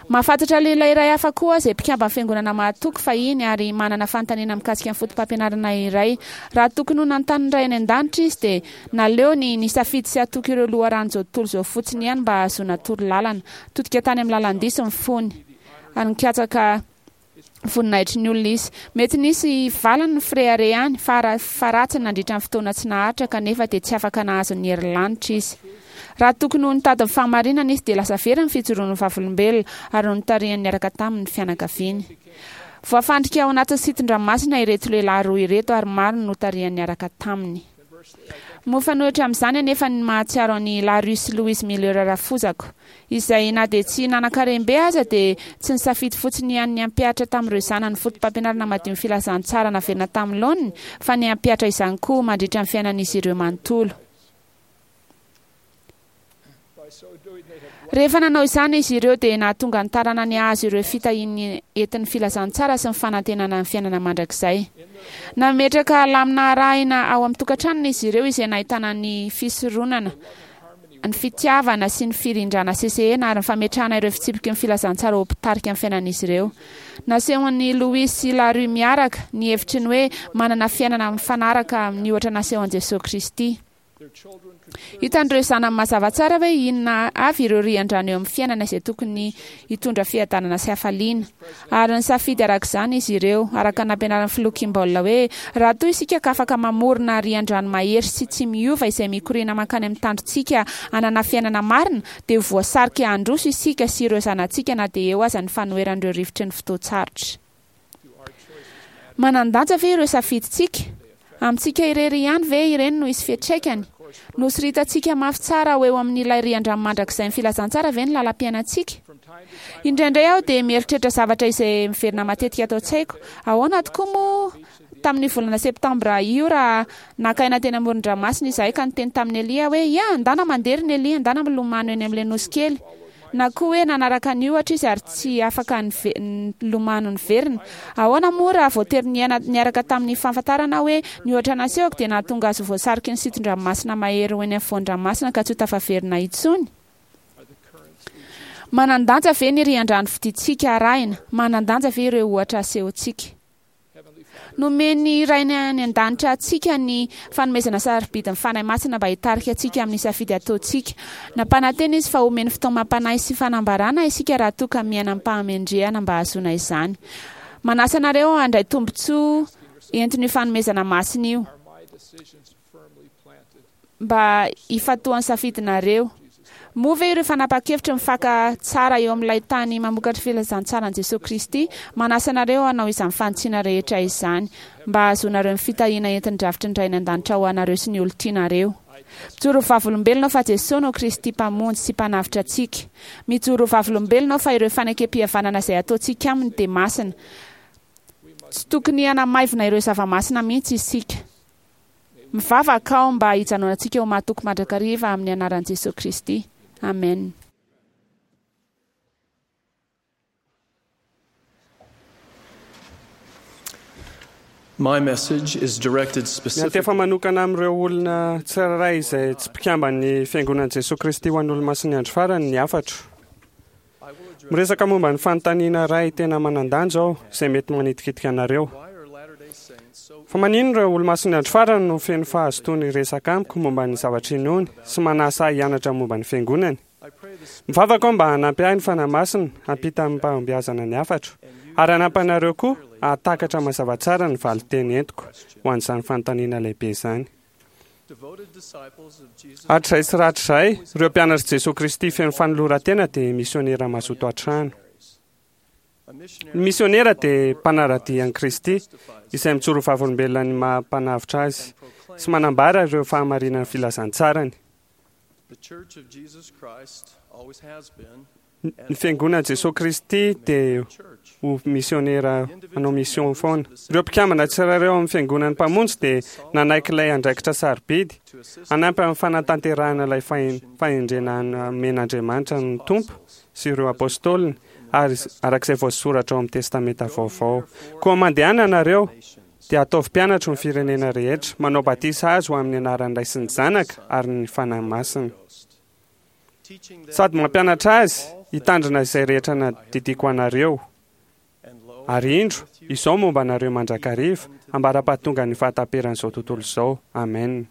Mahafantatra lehilahy iray hafa koa aho izay mpikamban'ny Fiangonana mahatoky fahiny ary manana fanontaniana mikasika ny fotopampianarana iray. Raha tokony ho nanontany ny Ray any An-danitra izy dia naleony nisafidy sy hatoky ireo loharanon'izao tontolo izao fotsiny ihany mba hahazoana torolalana. Nitodika tany amin'ny lalan-diso ny fony, ary nikatsaka voninahitry ny olona izy. Mety nisy valiny ny fireharehany, fara faharatsiny nandritra ny fotoana tsy naharitra, kanefa dia tsy afaka nahazo ny herin'ny lanitra izy. Raha tokony ho nitady ny fahamarinana izy, dia lasa very ny fijoroany ho vavolombelona, ary notarihany niaraka taminy ny fianakaviany. Voafandrika ao anatin'ny sitin-dranomasina ireto lehilahy roa ireto, ary maro no notarihany niaraka taminy. Mifanohitra amin'izany anefa ny mahatsiaro an'i Larry sy Louise Miller rafozako, izay na dia tsy nanan-karem-be aza dia tsy nisafidy fotsiny ihany ny hampihatra tamin'ireo zanany fotopampianarana madio ny filazantsara naverina tamin'ny laoniny fa ny hampihatra izany koa mandritra ny fiainan'izy ireo manontolo. Rehefa nanao izany izy ireo dia nahatonga ny taranany hahazo ireo fitahian'ny entin'ny filazantsara sy ny fanantenana ny fiainana mandrakizay. Nametraka lamina arahina ao amin'ny tokantranony izy ireo izay nahitana ny fisoronana, ny fitiavana sy ny firindrana sesehena ary ny fametrahana ireo fitsipiky ny filazantsara ho mpitarika ny fiainan'izy ireo. Nasehon'i Louis sy Larry miaraka ny hevitry ny hoe manana fiainana mifanaraka amin'ny ohatra nasehon'i Jesoa Kristy. Hitan'ireo zanany mazava tsara hoe inona avy ireo rian-drano eo amin'ny fiainana izay tokony hitondra fiadanana sy hafaliana. Ary nisafidy araka izany izy ireo, araka ny nampianarin'ny Filoha Kimball hoe, Raha toa isika ka afaka mamorona rian-drano mahery sy tsy miova izay mikoriana mankany amin'ny tandrotsika hanana fiainana marina, dia ho voasarika handroso isika sy ireo zanatsika na dia eo aza ny fanoheran'ireo rivotry ny fotoan-tsarotra. Manan-danja ve ireo safidintsika? Amintsika irery ihany ve ireny no hisy fiantraikany? Nosoritantsika mafy tsara ho eo amin'ilay rian-drano mandrakizain'ny filazantsara ve ny lalam-piainantsika? Indraindray aho dia mieritreritra zavatra izay miverina matetika ato an-tsaiko. Ahoana tokoa moa tamin'io volana septambra io raha naka aina teny amoron-dranomasina izahay ka niteny tamin'i Elia hoe, Ia, andana mandeha ry Nelly, andana milomano eny amin'ilay nosy kely. Na koa hoe nanaraka ny ohatra izy ary tsy afaka nilomano niverina. Ahoana moa raha voatery niaina niaraka tamin'ny fahafantarana aho hoe ny ohatra nasehoko dia nahatonga azy ho voasariky ny sinton-dranomasina mahery ho eny afovoan-dranomasina ka tsy ho tafaverina intsony? Manan-danja ve ny rian-drano fidintsika arahina? Manan-danja ve ireo ohatra asehontsika? Nomen'ny Rainy any An-danitra antsika ny fanomezana sarobidy ny Fanahy Masina mba hitarika antsika amin'ny safidy ataontsika. Nampanantena Izy fa homeny fitaomam-panahy sy fanambarana isika raha toa ka miaina amim-pahamendrehana mba hahazoana izany. Manasa anareo handray tombontsoa. Entin'io fanomezana masina io mba hifantohan'ny safidinareo. Moa ve ireo fanapahan-kevitra mifaka tsara eo amin'ilay tany mamokatra filazantsaran'i Jesoa Kristy manasa anareo hanao izany fanitsiana rehetra izany mba hahazoanareo ny fitahiana entin'ny drafitry ny Ray any An-danitra ho anareo sy ny olon-tianareo? Mijoro ho vavolombelona aho fa Jesoa no Kristy Mpamonjy sy Mpanavotra antsika. Mijoro ho vavolombelona aho fa ireo fanekempihavanana izay ataontsika Aminy dia masina. Tsy tokony hanamaivina ireo zava-masina mihitsy isika. Mivavaka aho mba hijanonantsika ho mahatoky mandrakariva amin'ny anaran'i Jesoa Kristy. Amen. My message is directed Miantefa specifically manokana amin'ireo olona tsirairay izay tsy mpikamban'ny Fiangonan'i Jesoa Kristy ho an'ny Olomasin'ny Andro Farany ny hafatro. Miresaka momba ny fanontaniana iray tena manan-danja aho izay mety manitikitika anareo. Fa maninona ireo Olomasin'ny Andro Farany no feno fahazotoana hiresaka amiko momba ny zavatra inoany sy manasa ahy hianatra momba ny Fiangonany? Mivavaka aho mba hanampy ahy ny Fanahy Masina hampita amim-pahombiazana ny hafatro, ary hanampy anareo koa hahatakatra mazava tsara ny valin-teny entiko ho an'izany fanontaniana lehibe izany. Hatrizay sy rahatrizay, ireo mpianatr'i Jesoa Kristy feno fanoloran-tena dia misionera mazoto hatrany. Ny misionera dia mpanara-dia an'i Kristy, izay mijoro ho vavolombelona ny maha-mpanavotra azy sy manambara ireo fahamarinan'ny filazantsarany. Ny Fiangonan'i Jesoa Kristy dia ho misionera hanao mission foana. Ireo mpikambana tsirairay ao amin'ny Fiangonan'ny Mpamonjy dia nanaiky ilay andraikitra sarobidy hanampy amin'ny fanatanterahana ilay fahendrena nomen'Andriamanitra ny Tompo sy ireo Apôstôliny ary araka izay voasoratra ao amin'ny Testamenta Vaovao. Koa mandehana ianareo dia ataovy mpianatro ny firenena rehetra, manao batisa azy ho amin'ny anaran'ny Ray sy ny Zanaka ary ny Fanahy Masina. Sady mampianatra azy hitandrina izay rehetra nadidiako anareo. Ary indro, izao momba anareo mandrakariva, ambara-pahatongan'ny fahataperan'izao tontolo izao. Amen.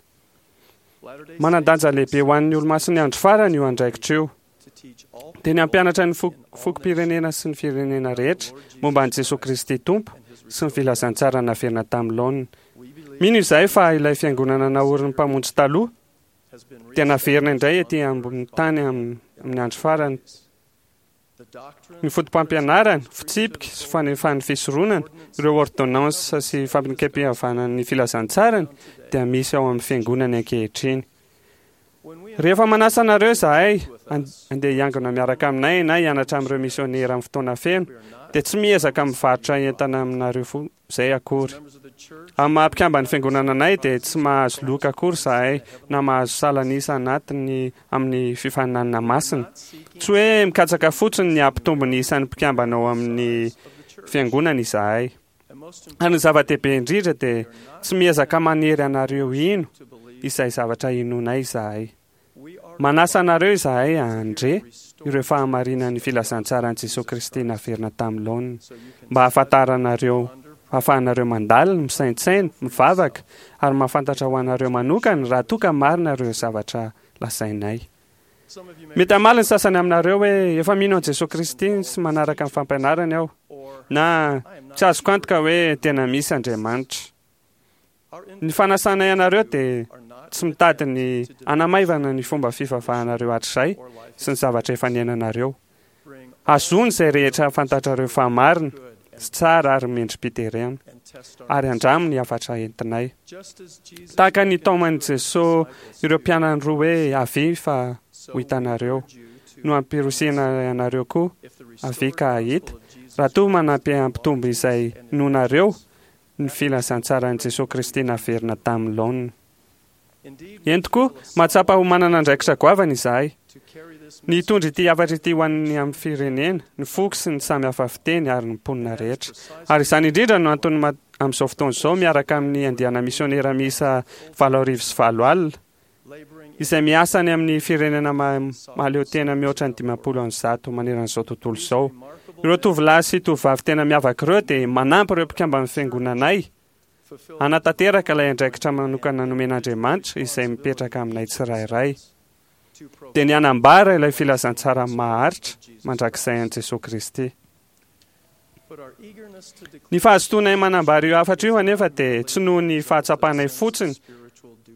Manan-danja lehibe ho an'ny Olomasin'ny Andro Farany io andraikitra io. Dia ny hampianatra ny fokom-pirenena sy ny firenena rehetra momba an'i Jesoa Kristy Tompo sy ny filazantsara naverina tamin'ny laoniny. Mino izahay fa ilay Fiangonana naorin'ny Mpamonjy taloha dia naverina indray ety ambonin'ny tany amin'ny andro farany. Ny fotopampianarana, fitsipika sy fanefan'ny fisoronana, ireo ôrdônansa sy fampinekem-pihavanan'ny filazantsarany dia misy ao amin'ny Fiangonany ankehitriny. Rehefa manasa anareo izahay handeha hiangona miaraka aminay na hianatra amin'ireo misiônera amin'ny fotoana feno, dia tsy miezaka mivarotra entana aminareo izay akory. Amin'ny maha mpikamban'ny Fiangonana anay dia tsy mahazo loka akory izahay na mahazo salan'isa anatiny amin'ny fifaninanana masina. Tsy hoe mikatsaka fotsiny ny hampitombo ny isan'ny mpikambana ao amin'ny Fiangonana izahay. Ary ny zava-dehibe indrindra dia tsy miezaka manery anareo hino izay zavatra inoanay izahay. Manasa anareo izahay handre ireo fahamarinan'ny filazantsaran'i Jesoa Kristy naverina tamin'ny laoniny, mba hahafantaranareo, hahafahanareo mandalina, misaintsaina, mivavaka, ary mahafantatra ho anareo manokana raha toa ka marina ireo zavatra lazainay. Mety hamaly ny sasany aminareo hoe, Efa mino an'i Jesoa Kristy sy manaraka ny fampianarany aho, na Tsy azoko antoka hoe tena misy Andriamanitra. Ny fanasanay anareo dia tsy mitady ny hanamaivana ny fomba fivavahanareo hatrizay sy ny zavatra efa niainanareo. Hazony izay rehetra fantatrareo fa marina sy tsara ary mendri-piderena, ary andramo ny hafatra entinay. Tahaka ny nitaoman'i Jesoa ireo mpianany roa hoe avia fa ho hitanareo, no ampirosihina anareo koa avia ka hahita, raha toa manampy hampitombo izay inoanareo ny filazantsaran'i Jesoa Kristy naverina tamin'ny laoniny. Eny tokoa, mahatsapa ho manana andraikitra goavana izahay. Ny hitondra ity hafatra ity ho an'ny amin'ny firenena, ny foko sy ny samy hafa fiteny ary ny mponina rehetra. Ary izany indrindra no antony amin'izao fotoana izao miaraka amin'ny andiana misionera miisa 8008, izay miasa any amin'ny firenena mahaleo tena mihoatra ny 150 manerana izao tontolo izao. Ireo tovolahy sy tovovavy tena miavaka ireo dia manampy ireo mpikamban'ny fiangonanay hanatanteraka ilay andraikitra manokana nomen'Andriamanitra izay mipetraka aminay tsirairay, dia ny hanambara ilay filazantsara maharitra mandrakizay an'i Jesoa Kristy. Ny fahazotoanay manambara io hafatra io anefa dia tsy noho ny fahatsapanay fotsiny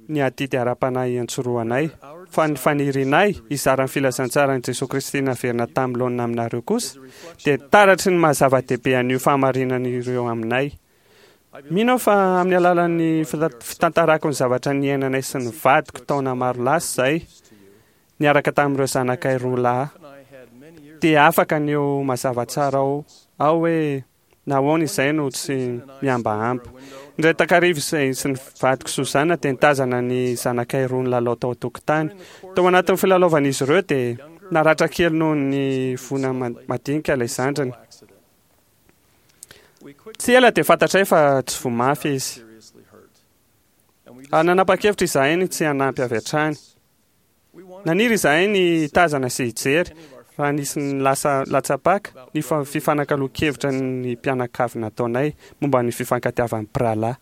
ny adidy ara-panahy iantsorohanay, fa ny fanirianay hizara ny filazantsaran'i Jesoa Kristy naverina tamin'ny laonina aminareo kosa dia taratry ny maha zava-dehibe an'io fahamarinana ireo aminay. Mino aho fa amin'ny alalan'ny fitantarako ny zavatra niainanay sy ny vadiko taona maro lasa izay, niaraka tamin'ireo zanakay roa lahy, dia afaka ny ho mazava tsara ao aho hoe nahoana izay no tsy mihambahamba. Indray takariva izay sy ny vadiko Suzanne dia nitazana ny zanakay roa nilalao tao an-tokotany. Tao anatin'ny filalaovan'izy ireo dia naratra kely noho ny voana madinika ilay zandriny. Tsy ela dia fantatray fa tsy voa mafy izy. Ary nanapa-kevitra izahay ny tsy hanampy avy hatrany. Naniry izahay ny hitazana sy hijery, raha nisy ny lasa latsa-paka, ny fifanakaloan-kevitra ny mpianakavy nataonay momba ny fifankatiavan'ny mpirahalahy.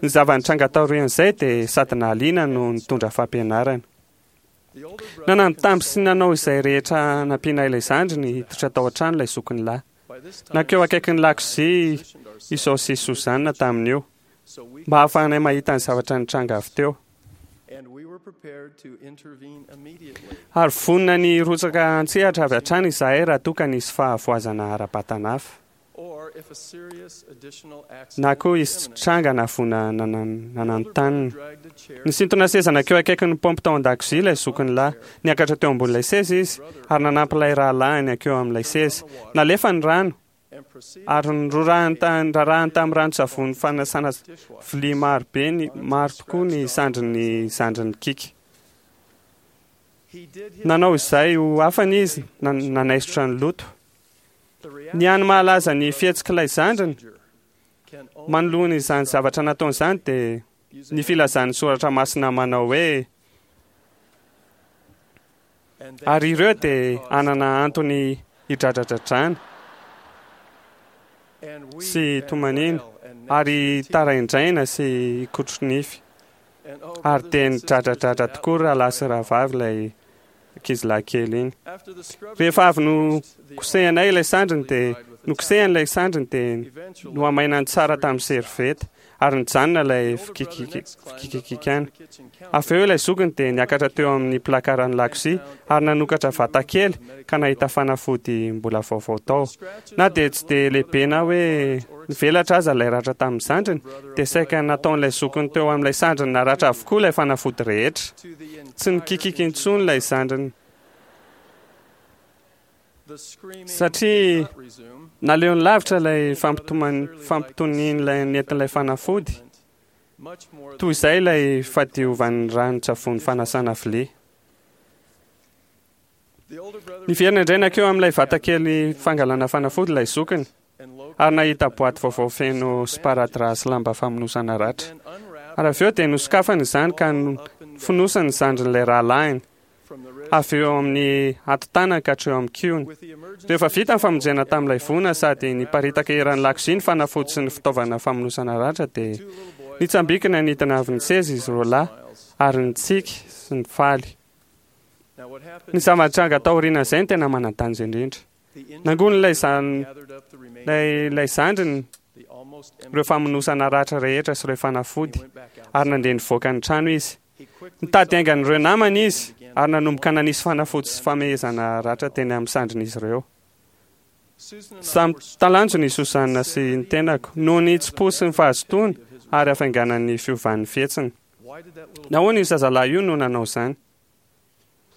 Ny zava-nitranga taorian'izay dia sady nahaliana no nitondra fampianarana. Nanambitamby sy nanao izay rehetra hanampiana ilay zandriny hiditra tao an-trano ilay zokiny lahy. Nankeo akaikin'ny lakozia izao sy Suzanne tamin'io, mba hahafahanay mahita ny zavatra nitranga avy teo. Ary vonona ny hirotsaka an-tsehatra avy hatrany izahay raha toa ka nisy fahavoazana ara-batana hafa, na koa hisy tranga na voina nananontanona. Nisintona seza nankeo akaikin'ny paompy tao an-dakozia ilay zokiny lahy. Niakatra teo ambonin'ilay seza izy ary nanampy ilay rahalahiny hankeo amin'ilay seza. Nalefa ny rano ary norarahiny tamin'ny ranon-tsavony fanasana vilia maro be ny maro tokoa ny sandrin'ny zandriny Kika. Nanao izay ho afany izy nanaisotra ny loto. Ny hany mahalaza ny fihetsik'ilay zandriny manoloana izany zavatra nataony izany dia ny filazan'ny soratra masina manao hoe ary ireo dia hanana antony hidradradradrana sy hitomaniana ary hitaraindraina sy hikotro-nify. Ary dia nidradradradra tokoa rahalahy sy rahavavy ilay ankizilahy kely iny. Rehefa avy nokosehanay ilay sandriny dia nokosehany ilay sandriny dia nohamainany tsara tamin'ny servieta ary nijanona ilay fikikikikana. Avy eo ilay zokiny dia niakatra teo amin'ny plakaran'ny lakozia ary nanokatra vata kely ka nahita fanafody mbola vaovao tao. Na dia tsy dia lehibe na hoe nivelatra aza ilay ratra tamin'ny zandriny, dia saika nataon'ilay zokiny teo amin'ilay sandriny naratra avokoa ilay fanafody rehetra. Tsy nikikiky intsony ilay zandriny satria naleony lavitra ilay fampitonian'ilay nentin'ilay fanafody toy izay ilay fadiovan'ny ranon-tsavony fanasana vilia. Niverina indray nankeo amin'ilay vatakely fangalana fanafody ilay zokiny ary nahita boaty vaovao feno sparadrap sy lamba famonosana ratra. Ary avy eo dia nosokafany izany ka nofonosany ny zandrin'ilay rahalahiny, avy eo amin'ny hatotanany ka hatreo amin'ny kihony. Rehefa vita ny famonjena tamin'ilay voina sady niparitaka eran'ny lakozia ny fanafody sy ny fitaovana famonosana ratra dia nitsambikina nidina avy ny seza izy roalahy ary nitsiky sy nifaly. Ny zava-nitranga taorian'izay no tena manan-danja indrindra. Nangonin'ilay ilay zandriny ireo famonosana ratra rehetra sy ireo fanafody ary nandeha nivoaka ny trano izy. Nitady haingan'ireo namany izy ary nanomboka nanisy fanafody sy famehezana ratra teny amin'ny sandrin'izy ireo. Samy talanjona i Susanna sy ny tenako noho ny hitsim-po sy ny fahazotoany ary hafainganan'ny fiovan'ny fihetsiny. Nahoana io zazalahy io no nanao izany?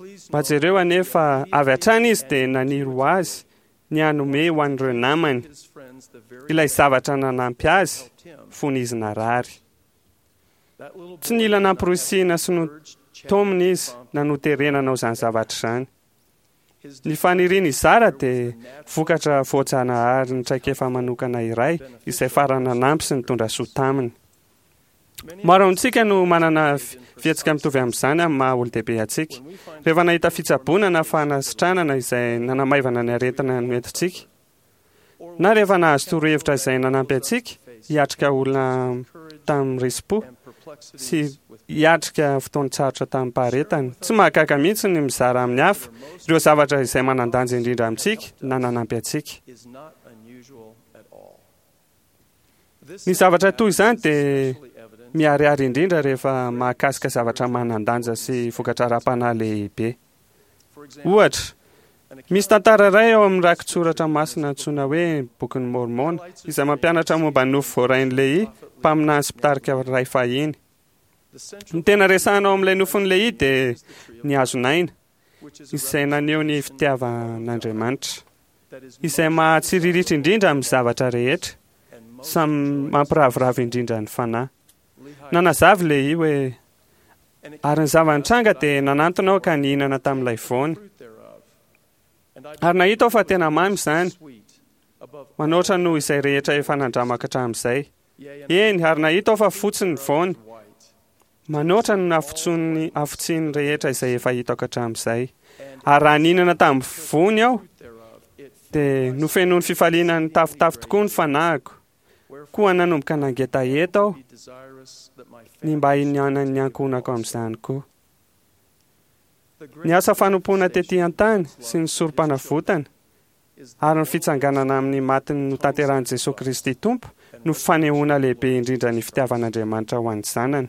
Mba jereo anie fa avy hatrany izy dia naniry ho azy ny hanome ho an'ireo namany ilay zavatra nanampy azy fony izy narary. Tsy nila namporisihina sy notaomina izy na noterena hanao izany zavatra izany. Ny faniriany hizara dia vokatra voajanahary ny traikefa manokana iray izay farany nanampy sy nitondra soa taminy. Maro amintsika no manana fihetsika mitovy amin'izany amin'ny maha olon-dehibe antsika. Rehefa nahita fitsaboana na fanasitranana izay nanamaivana ny aretina noentintsika, na rehefa nahazo torohevitra izay nanampy antsika hiatrika olona tamin'ny risi-po sy hiatrika fotoan-tsarotra tamim-paharetana. Tsy mahagaga mihitsy ny mizara amin'ny hafa ireo zavatra izay manan-danja indrindra amintsika na nanampy antsika. Ny zavatra toy izany dia miharihary indrindra rehefa mahakasika zavatra manan-danja sy vokatra ara-panahy lehibe. Ohatra, misy tantara iray ao amin'ny rakitsoratra masina antsoina hoe Bokin'i Môrmôna izay mampianatra momba ny nofy voarain'i Lehia, mpaminany sy mpitarika iray fahiny. Ny tena resahina ao amin'ilay nofin'i Lehia dia ny hazon'aina, izay naneho ny fitiavan'Andriamanitra, izay mahatsiriritra indrindra amin'ny zavatra rehetra, samy mampiraviravy indrindra ny fanahy. Nanazava i Lehia hoe, Ary ny zava-nitranga dia nanantona aho ka nihinana tamin'ilay voany. Ary nahita aho fa tena mamy izany, manoatra noho izay rehetra efa nandramako hatramin'izay. Eny, ary nahita aho fa fotsy ny voany, manoatra ny hafotson'ny hafotsiany rehetra izay efa hitako hatramin'izay. Ary raha nihinana tamin'ny voany aho, dia nofenoin'ny fifaliana nitafotafo tokoa ny fanahiko. Koa nanomboka nangetaheta aho ny mba hinianan'ny ankohonako amin'izany koa. Ny asa fanompoana tetỳ an-tany sy ny sorompanavotana ary ny fitsanganana amin'ny maty notanterahin'i Jesoa Kristy Tompo no fanehoana lehibe indrindra ny fitiavan'Andriamanitra ho an'ny zanany.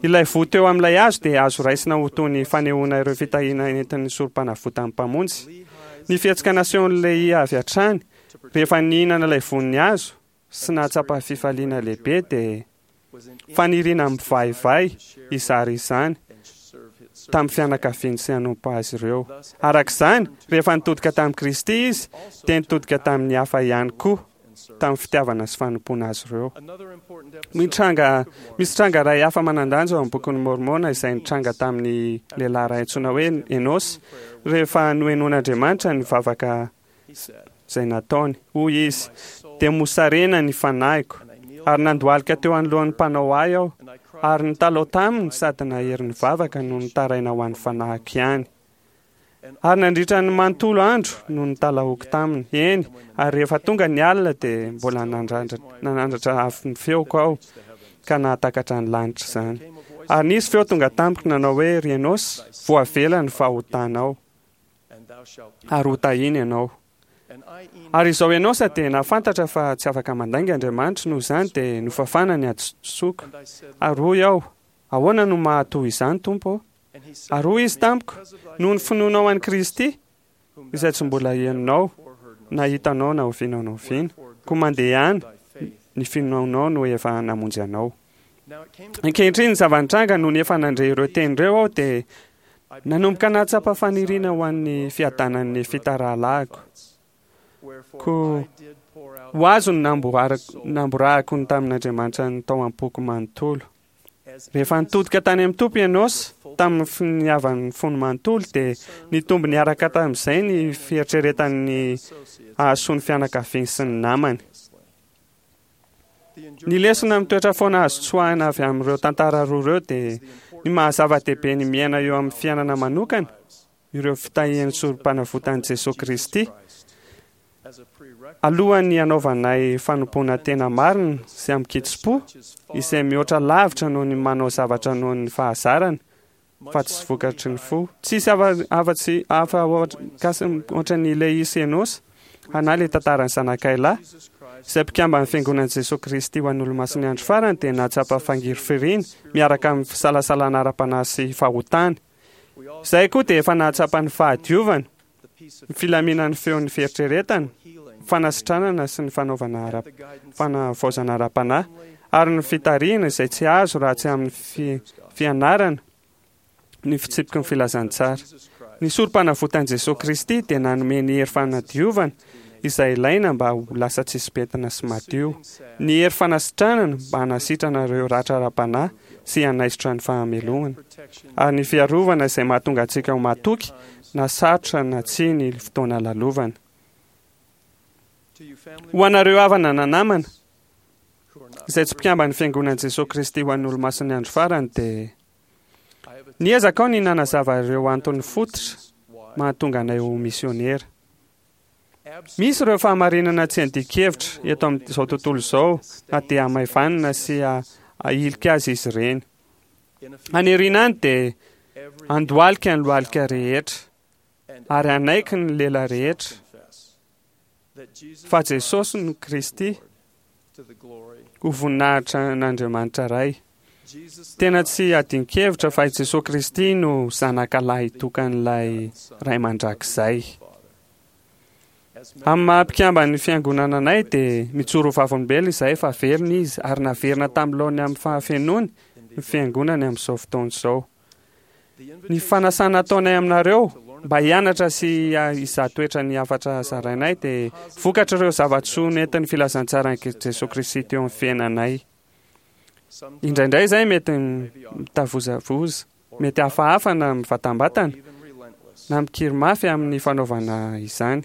Ilay voa teo amin'ilay hazo dia azo raisina ho toy ny fanehoana ireo fitahiana entin'ny sorompanavotan'ny Mpamonjy. Ny fihetsika nasehon'i Lehia avy hatrany Rehefa nihinana ilay voan'ny hazo sy nahatsapa fifaliana lehibe dia faniriana mivaivay hizara izany tamin'ny fianakaviany sy hanompo azy ireo. Araka izany, rehefa nitodika tamin'i Kristy izy dia nitodika tamin'ny hafa ihany koa tamin'ny fitiavana sy fanompoana azy ireo. Mitranga, misy tranga iray hafa manan-danja ao amin'ny Bokin'i Môrmôna izay nitranga tamin'ny lehilahy iray antsoina hoe Enôsy rehefa nohenoin'Andriamanitra ny vavaka izay nataony. Hoy izy, Dia mosarena ny fanahiko, ary nandohalika teo anoloan'ny Mpanao ahy aho, ary nitalaho taminy sady nahery nivavaka no nitaraina ho an'ny fanahiko ihany. Ary nandritra ny manontolo andro no nitalahoako taminy, eny, ary rehefa tonga ny alina dia mbola nanandratra avo ny feoko aho, ka nahatakatra ny lanitra izany. Ary nisy feo tonga tamiko nanao hoe, Ry Enôsy, voavela ny fahotanao. ary ho tahiany ianao. Ary izao Enosa dia nahafantatra fa tsy afaka mandainga Andriamanitra, noho izany dia nofafana ny hadisoako. Ary hoy aho, Ahoana no maha-toy izany, Tompo ô? Ary hoy Izy tamiko, Noho ny finoanao an'i Kristy, izay tsy mbola henonao na hitanao na oviana na oviana, koa mandehana, ny finoanao no efa namonjy anao. Ankehitriny ny zava-nitranga nony efa nandre ireo teny ireo aho dia nanomboka nahatsapa faniriana ho an'ny fiadanan'ny Nefita rahalahiko. Koa ho azo ny namborahako ny tamin'Andriamanitra ny tao am-poko manontolo. Rehefa nitodika tany amin'ny Tompo i Enôsa tamin'ny finiavan'ny fony manontolo dia nitombo niaraka tamin'izay ny fieritreretany ny hahasoa ny fianakaviany sy ny namany. Ny lesona mitoetra foana azo tsoahina avy amin'ireo tantara roa ireo dia ny maha-zava-dehibe ny miaina eo amin'ny fiainana manokana ireo fitahian'ny Sorompanavotan'i Jesoa Kristy alohan'ny hanaovanay fanompoana tena marina sy amin-kitsim-po izay mihoatra lavitra noho ny manao zavatra noho ny fahazarana fa tsy vokatry ny fo. Tsisy afa-tsy hafa ohatran'ny Lehia sy Enôsa, na ilay tantaran'ny zanakay lahy, izay mpikamban'ny Fiangonan'i Jesoa Kristy ho an'ny Olomasin'ny Andro Farany dia nahatsapa fangirifiriana miaraka amin'ny fisalasalana ara-panahy sy fahotana. Izahay koa dia efa nahatsapa ny fahadiovana, ny filaminan'ny feon'ny fieritreretana, ny fanasitranana sy ny fanaovana ara fanavaozana ara-panahy, ary ny fitarihana izay tsy azo raha tsy amin'ny fianarana ny fitsipiky ny filazantsara. Ny Sorompanavotan'i Jesoa Kristy dia nanome ny hery fanadiovana izay ilaina mba ho lasa tsisy pentina sy madio, ny hery fanasitranana mba hanasitrana ireo ratra ara-panahy sy hanaisotra ny fahamelohana, ary ny fiarovana izay mahatonga antsika ho matoky na sarotra na tsia ny fotoana lalovana. Ho anareo havana na namana izay tsy mpikamban'ny Fiangonan'i Jesoa Kristy ho an'ny Olomasin'ny Andro Farany dia niezaka aho ny nanazava ireo antony fototra mahatonga anay ho misiônera. Misy ireo fahamarinana tsy andian-kevitra eto amin'izao tontolo izao na dia hamaivanina sy ahilika azy izy ireny. Any aoriana any dia handohalika ny lohalika rehetra ary hanaiky ny lela rehetra fa Jesosy no Kristy. Ho voninahitra an'Andriamanitra Ray. Tena tsy adin-kevitra fa i Jesoa Kristy no Zanaka Lahitokan'ilay Ray Mandrakizay. Amin'ny maha mpikamban'ny Fiangonana anay dia mijoro ho vavolombelona izahay fa velona Izy ary naverina tamin'ny laoniny amin'ny fahafenoany ny Fiangonany amin'izao fotoana izao. Ny fanasana ataonay aminareo mba hianatra sy hizaha toetra ny hafatra zarainay dia vokatr'ireo zava-tsoa nentin'ny filazantsaran'i Jesoa Kristy teo amin'ny fiainanay. Indraindray izay mety mitavozavoza, mety hafahafa na mivatambatana, na mikiry mafy amin'ny fanaovana izany.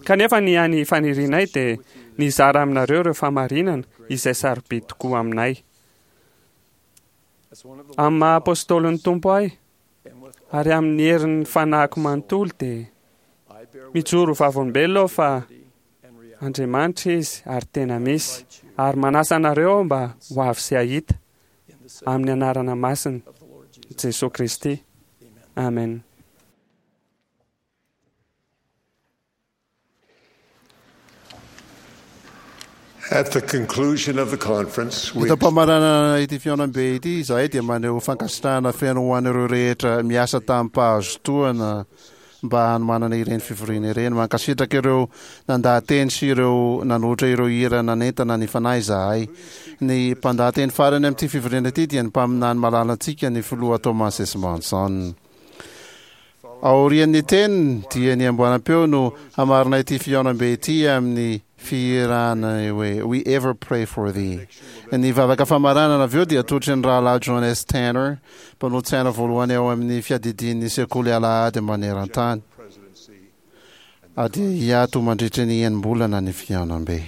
Kanefa ny hany fanirianay dia ny hizara aminareo ireo fahamarinana izay sarobidy tokoa aminay. Amin'ny maha apôstôlin'ny Tompo ahy, ary amin'ny herin'ny fanahiko manontolo dia mijoro ho vavolombelona aho fa Andriamanitra Izy ary tena misy, ary manasa anareo aho mba ho avy sy hahita, amin'ny anarana masina Jesoa Kristy. Amen. At the conclusion of the conference, we Eto am-pamaranana ity fihaonambe ity izahay dia maneho fankasitrahana feno ho an'ireo rehetra miasa tamim-pahazotoana mba hanomanana ireny fivoriana ireny. Mankasitraka ireo nandaha-teny sy ireo nanolotra ireo hira nanentana ny fanahy izahay. Ny mpandaha-teny farany amin'ity fivoriana ity dia ny mpaminany malalantsika, ny Filoha Thomas S. Monson. Aorian'ny teniny dia ny amboaram-peo no hamarana ity fihaonambe ity amin'ny fihirana hoe We Ever Pray for Thee. Ny vavaka famaranana avy eo dia atolotry ny Rahalahy John S. Tanner, mpanolotsaina voalohany ao amin'ny fiadidian'ny Sekoly Alahady maneran-tany. Dia hiato mandritra ny enim-bolana ny fihaonambe.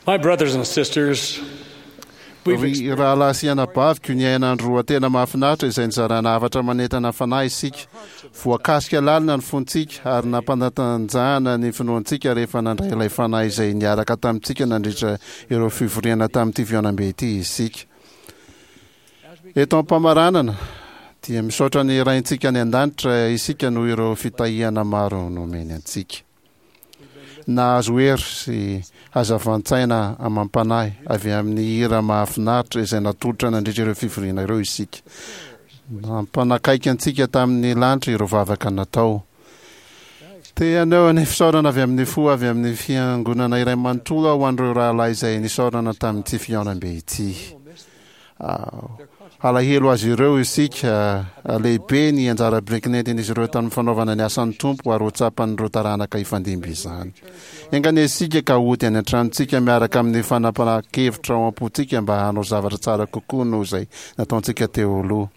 My brothers and sisters, we've Ry rahalahy sy anabaviko, niaina andro roa tena mahafinaritra izay nizarana hafatra manentana fanahy isika. Voakasika lalina ny fontsika ary nampanatanjahana ny finoantsika rehefa nandray ilay fanahy izay niaraka tamintsika nandritra ireo fivoriana tamin'ity fihaonambe ity isika. Eto am-pamaranana, dia misaotra ny Raintsika any An-danitra isika noho ireo fitahiana maro nomeny antsika. Nahazo hery sy hazavan-tsaina amam-panahy avy amin'ny hira mahafinaritra izay natolotra nandritra ireo fivoriana ireo isika. Nampanakaiky antsika tamin'ny lanitra ireo vavaka natao. Te haneho ny fisaorana avy amin'ny fo avy amin'ny Fiangonana iray manontolo aho ho an'ireo rahalahy izay nisaorana tamin'ity fihaonambe ity. Halahelo azy ireo isika. Lehibe ny anjara biriky nentin'izy ireo tamin'ny fanaovana ny asan'ny Tompo ary ho tsapan'ireo taranaka hifandimby izany. Enga anie isika ka hody any an-tranontsika miaraka amin'ny fanapahan-kevitra ao am-pontsika mba hanao zavatra tsara kokoa noho izay nataontsika teo aloha.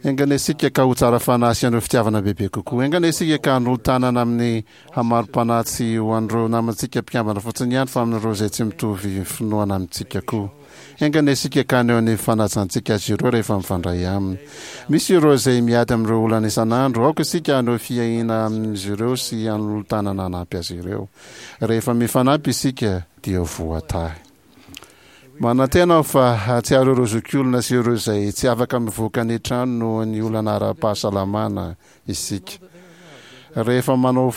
Enga anie isika ka ho tsara fanahy sy haneho fitiavana bebe kokoa. Enga anie isika ka hanolo-tanana amin'ny hamarom-panahy tsy ho an'ireo namantsika mpikambana fotsiny ihany fa amin'ireo izay tsy mitovy finoana amintsika koa. Enga anie isika ka haneho ny fanajantsika azy ireo rehefa mifandray aminy. Misy ireo izay miady amin'ireo olana isan'andro. Aoka isika haneho fiahiana amin'izy ireo sy hanolo-tanana hanampy azy ireo. Rehefa mifanampy isika dia voatahy. Manantena aho fa hahatsiaro ireo zokiolona sy ireo izay tsy afaka mivoaka ny trano noho ny olana ara-pahasalamana isika. Rehefa manao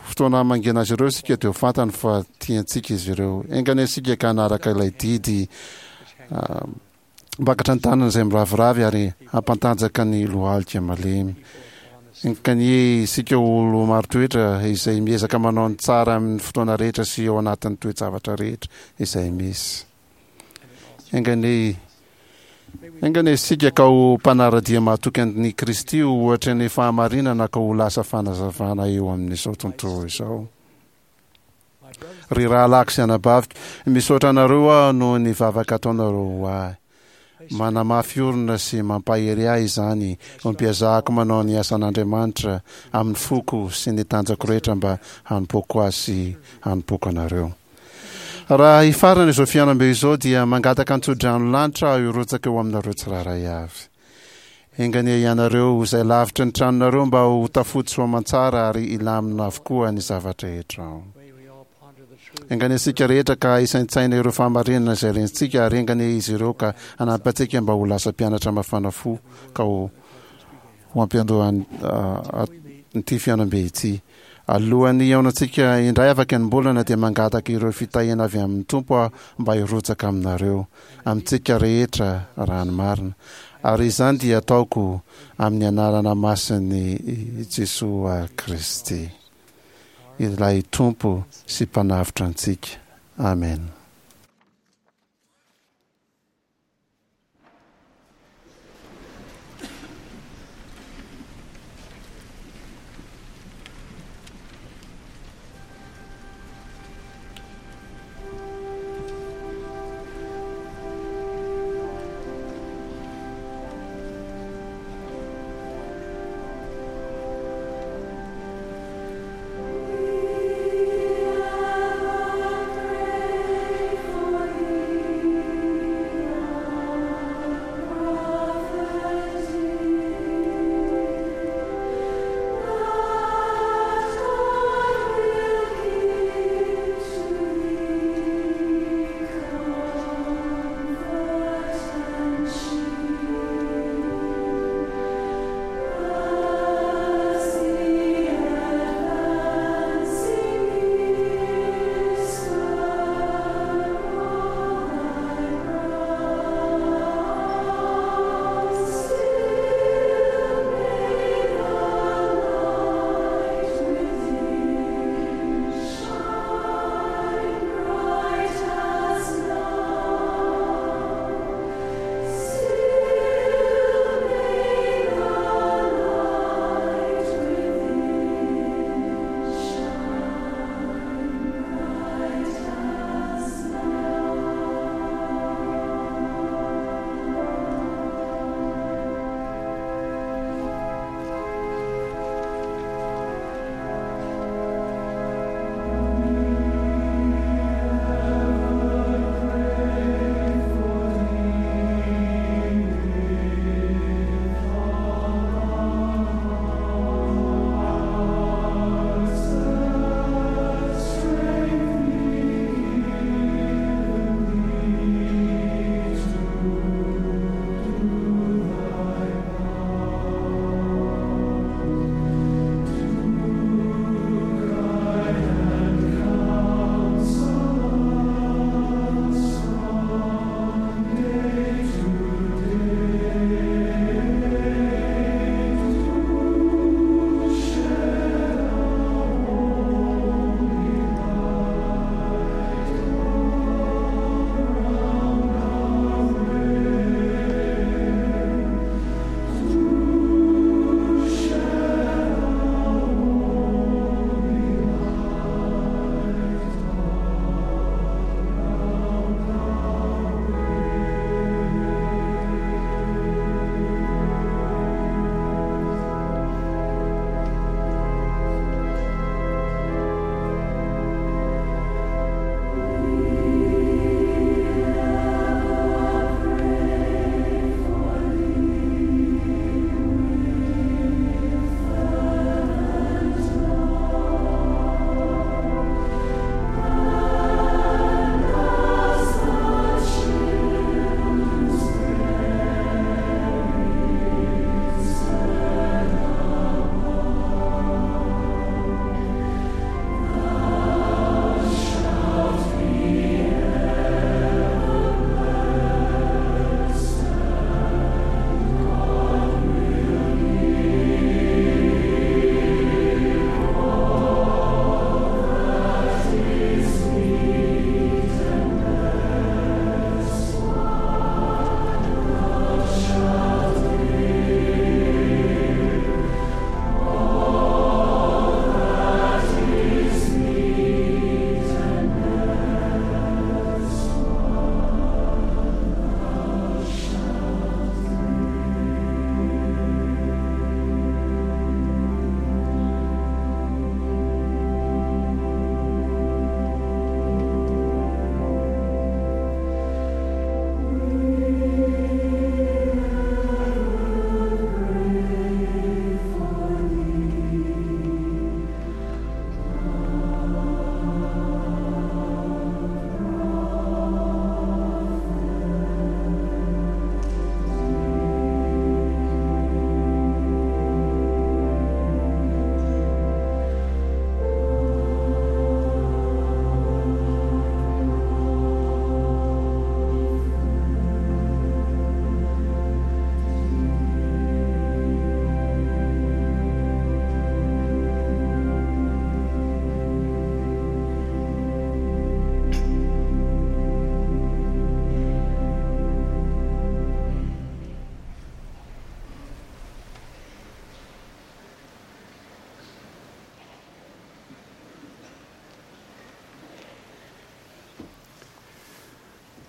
fotoana hamangiana azy ireo isika dia ho fantany fa tiantsika izy ireo. Enga anie isika ka hanaraka ilay didy Hampakatra ny tanana izay miraviravy ary hampantanjaka ny lohalika malemy. Enkanie isika ho olo marin-toetra izay miezaka manao ny tsara amin'ny fotoana rehetra sy ao anatin'ny toe-javatra rehetra izay misy. Enganie Enganie isika ka ho mpanara-dia mahatoky an'i Kristy ho ohatry ny fahamarinana ka ho lasa fanazavana eo amin'izao tontolo izao. Ry rahalahiko sy anabaviko, misaotra anareo aho noho ny vavaka ataonareo ho ahy. Manamafy orina sy mampahery ahy izany ho mpiezahako manao ny asan'Andriamanitra amin'ny foko sy ny tanjako rehetra mba hanompoako Azy sy hanompoako anareo. Raha hifarana izao fihaonambe izao dia mangataka an-tsodrano lanitra aho hirotsaka eo aminareo tsirairay avy. Enga anie ianareo izay lavitry ny tranonareo mba ho tafody soamantsara ary hilamina avokoa ny zava-drehetra ao. Enga anie isika rehetra ka hisaintsaina ireo fahamarinana izay rentsika ary enga anie izy ireo ka hanampy antsika mba ho lasa mpianatra mafana fo ka ho ho ampiandohan'ity fihaonambe ity. Alohan'ny hihaonantsika indray afaka enim-bolana dia mangataka ireo fitahiana avy amin'ny Tompo aho mba hirotsaka aminareo, amintsika rehetra raha ny marina. Ary izany dia ataoko amin'ny anarana masin'i Jesoa Kristy, ilay Tompo sy Mpanavotra antsika. Amena.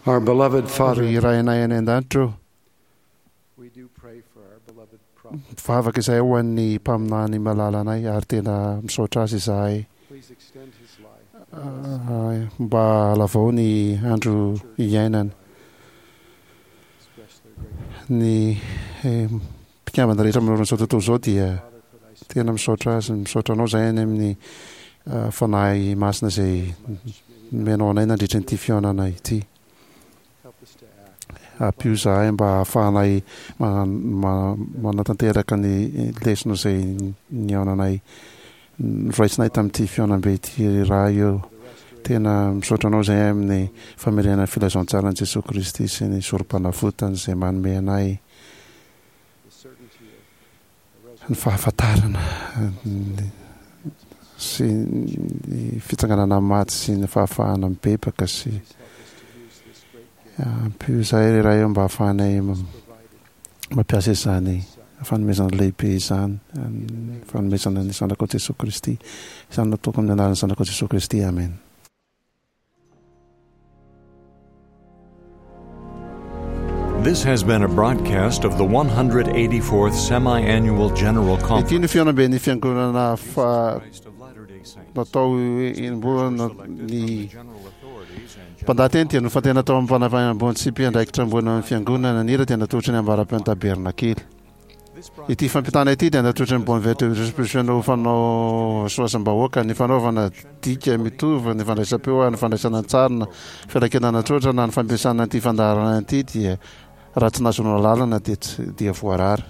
Our beloved Father, Ry Rainay any an-danitra ô, mivavaka izahay ho an'ny mpaminany malalanay ary tena misaotra azy izahay mba halavao ny andro iainany. Ny mpikambana rehetra manoloana izao tontolo izao dia tena misaotra azy, misaotra anao izahay any amin'ny Fanahy Masina izay nomenao anay nandritra ity fihaonana ity. Ampio izahay mba hahafahanay manatanteraka ny lesona izay nihaonanay noraisinay tamin'ity fihaonambe ity raha eo. Tena misaotra anao izahay amin'ny famerenana ny filazantsaran'i Jesoa Kristy sy ny sorom-panavotany izay manome anay ny fahafantarana sy ny fitsanganana amin'ny maty sy ny fahafahana mibebaka sy ampio izahay ry Ray ô mba hahafahanay mampiasa izany fanomezana lehibe izany, fanomezana ny Zanakao Jesoa Kristy. Izany no ataoko amin'ny anaran'ny Zanakao Jesoa Kristy. Amen. This has been a broadcast of the 184th Semi-Annual General Ity Conference. no fihaonamben'ny fiangonana fa natao enim-bolana ny mpandahateny dia nofantena tao amin'ny mpanafahana ambony sy mpiandraikitra ambony amin'ny fiangonana. Ny hira dia natolotry ny ambara-peon'ny tabernakely. Ity fampitana ity dia natolotry ny Bonne Vertu ho fanao soasam-bahoaka, ny fanaovana dika mitovy, ny fandraisam-peo ary ny fandraisana an-tsary na fiarakenana an-tsoratra na ny fampiasana ity fandaharana ity dia raha tsy nahazoana alalana dia tsy dia voarara.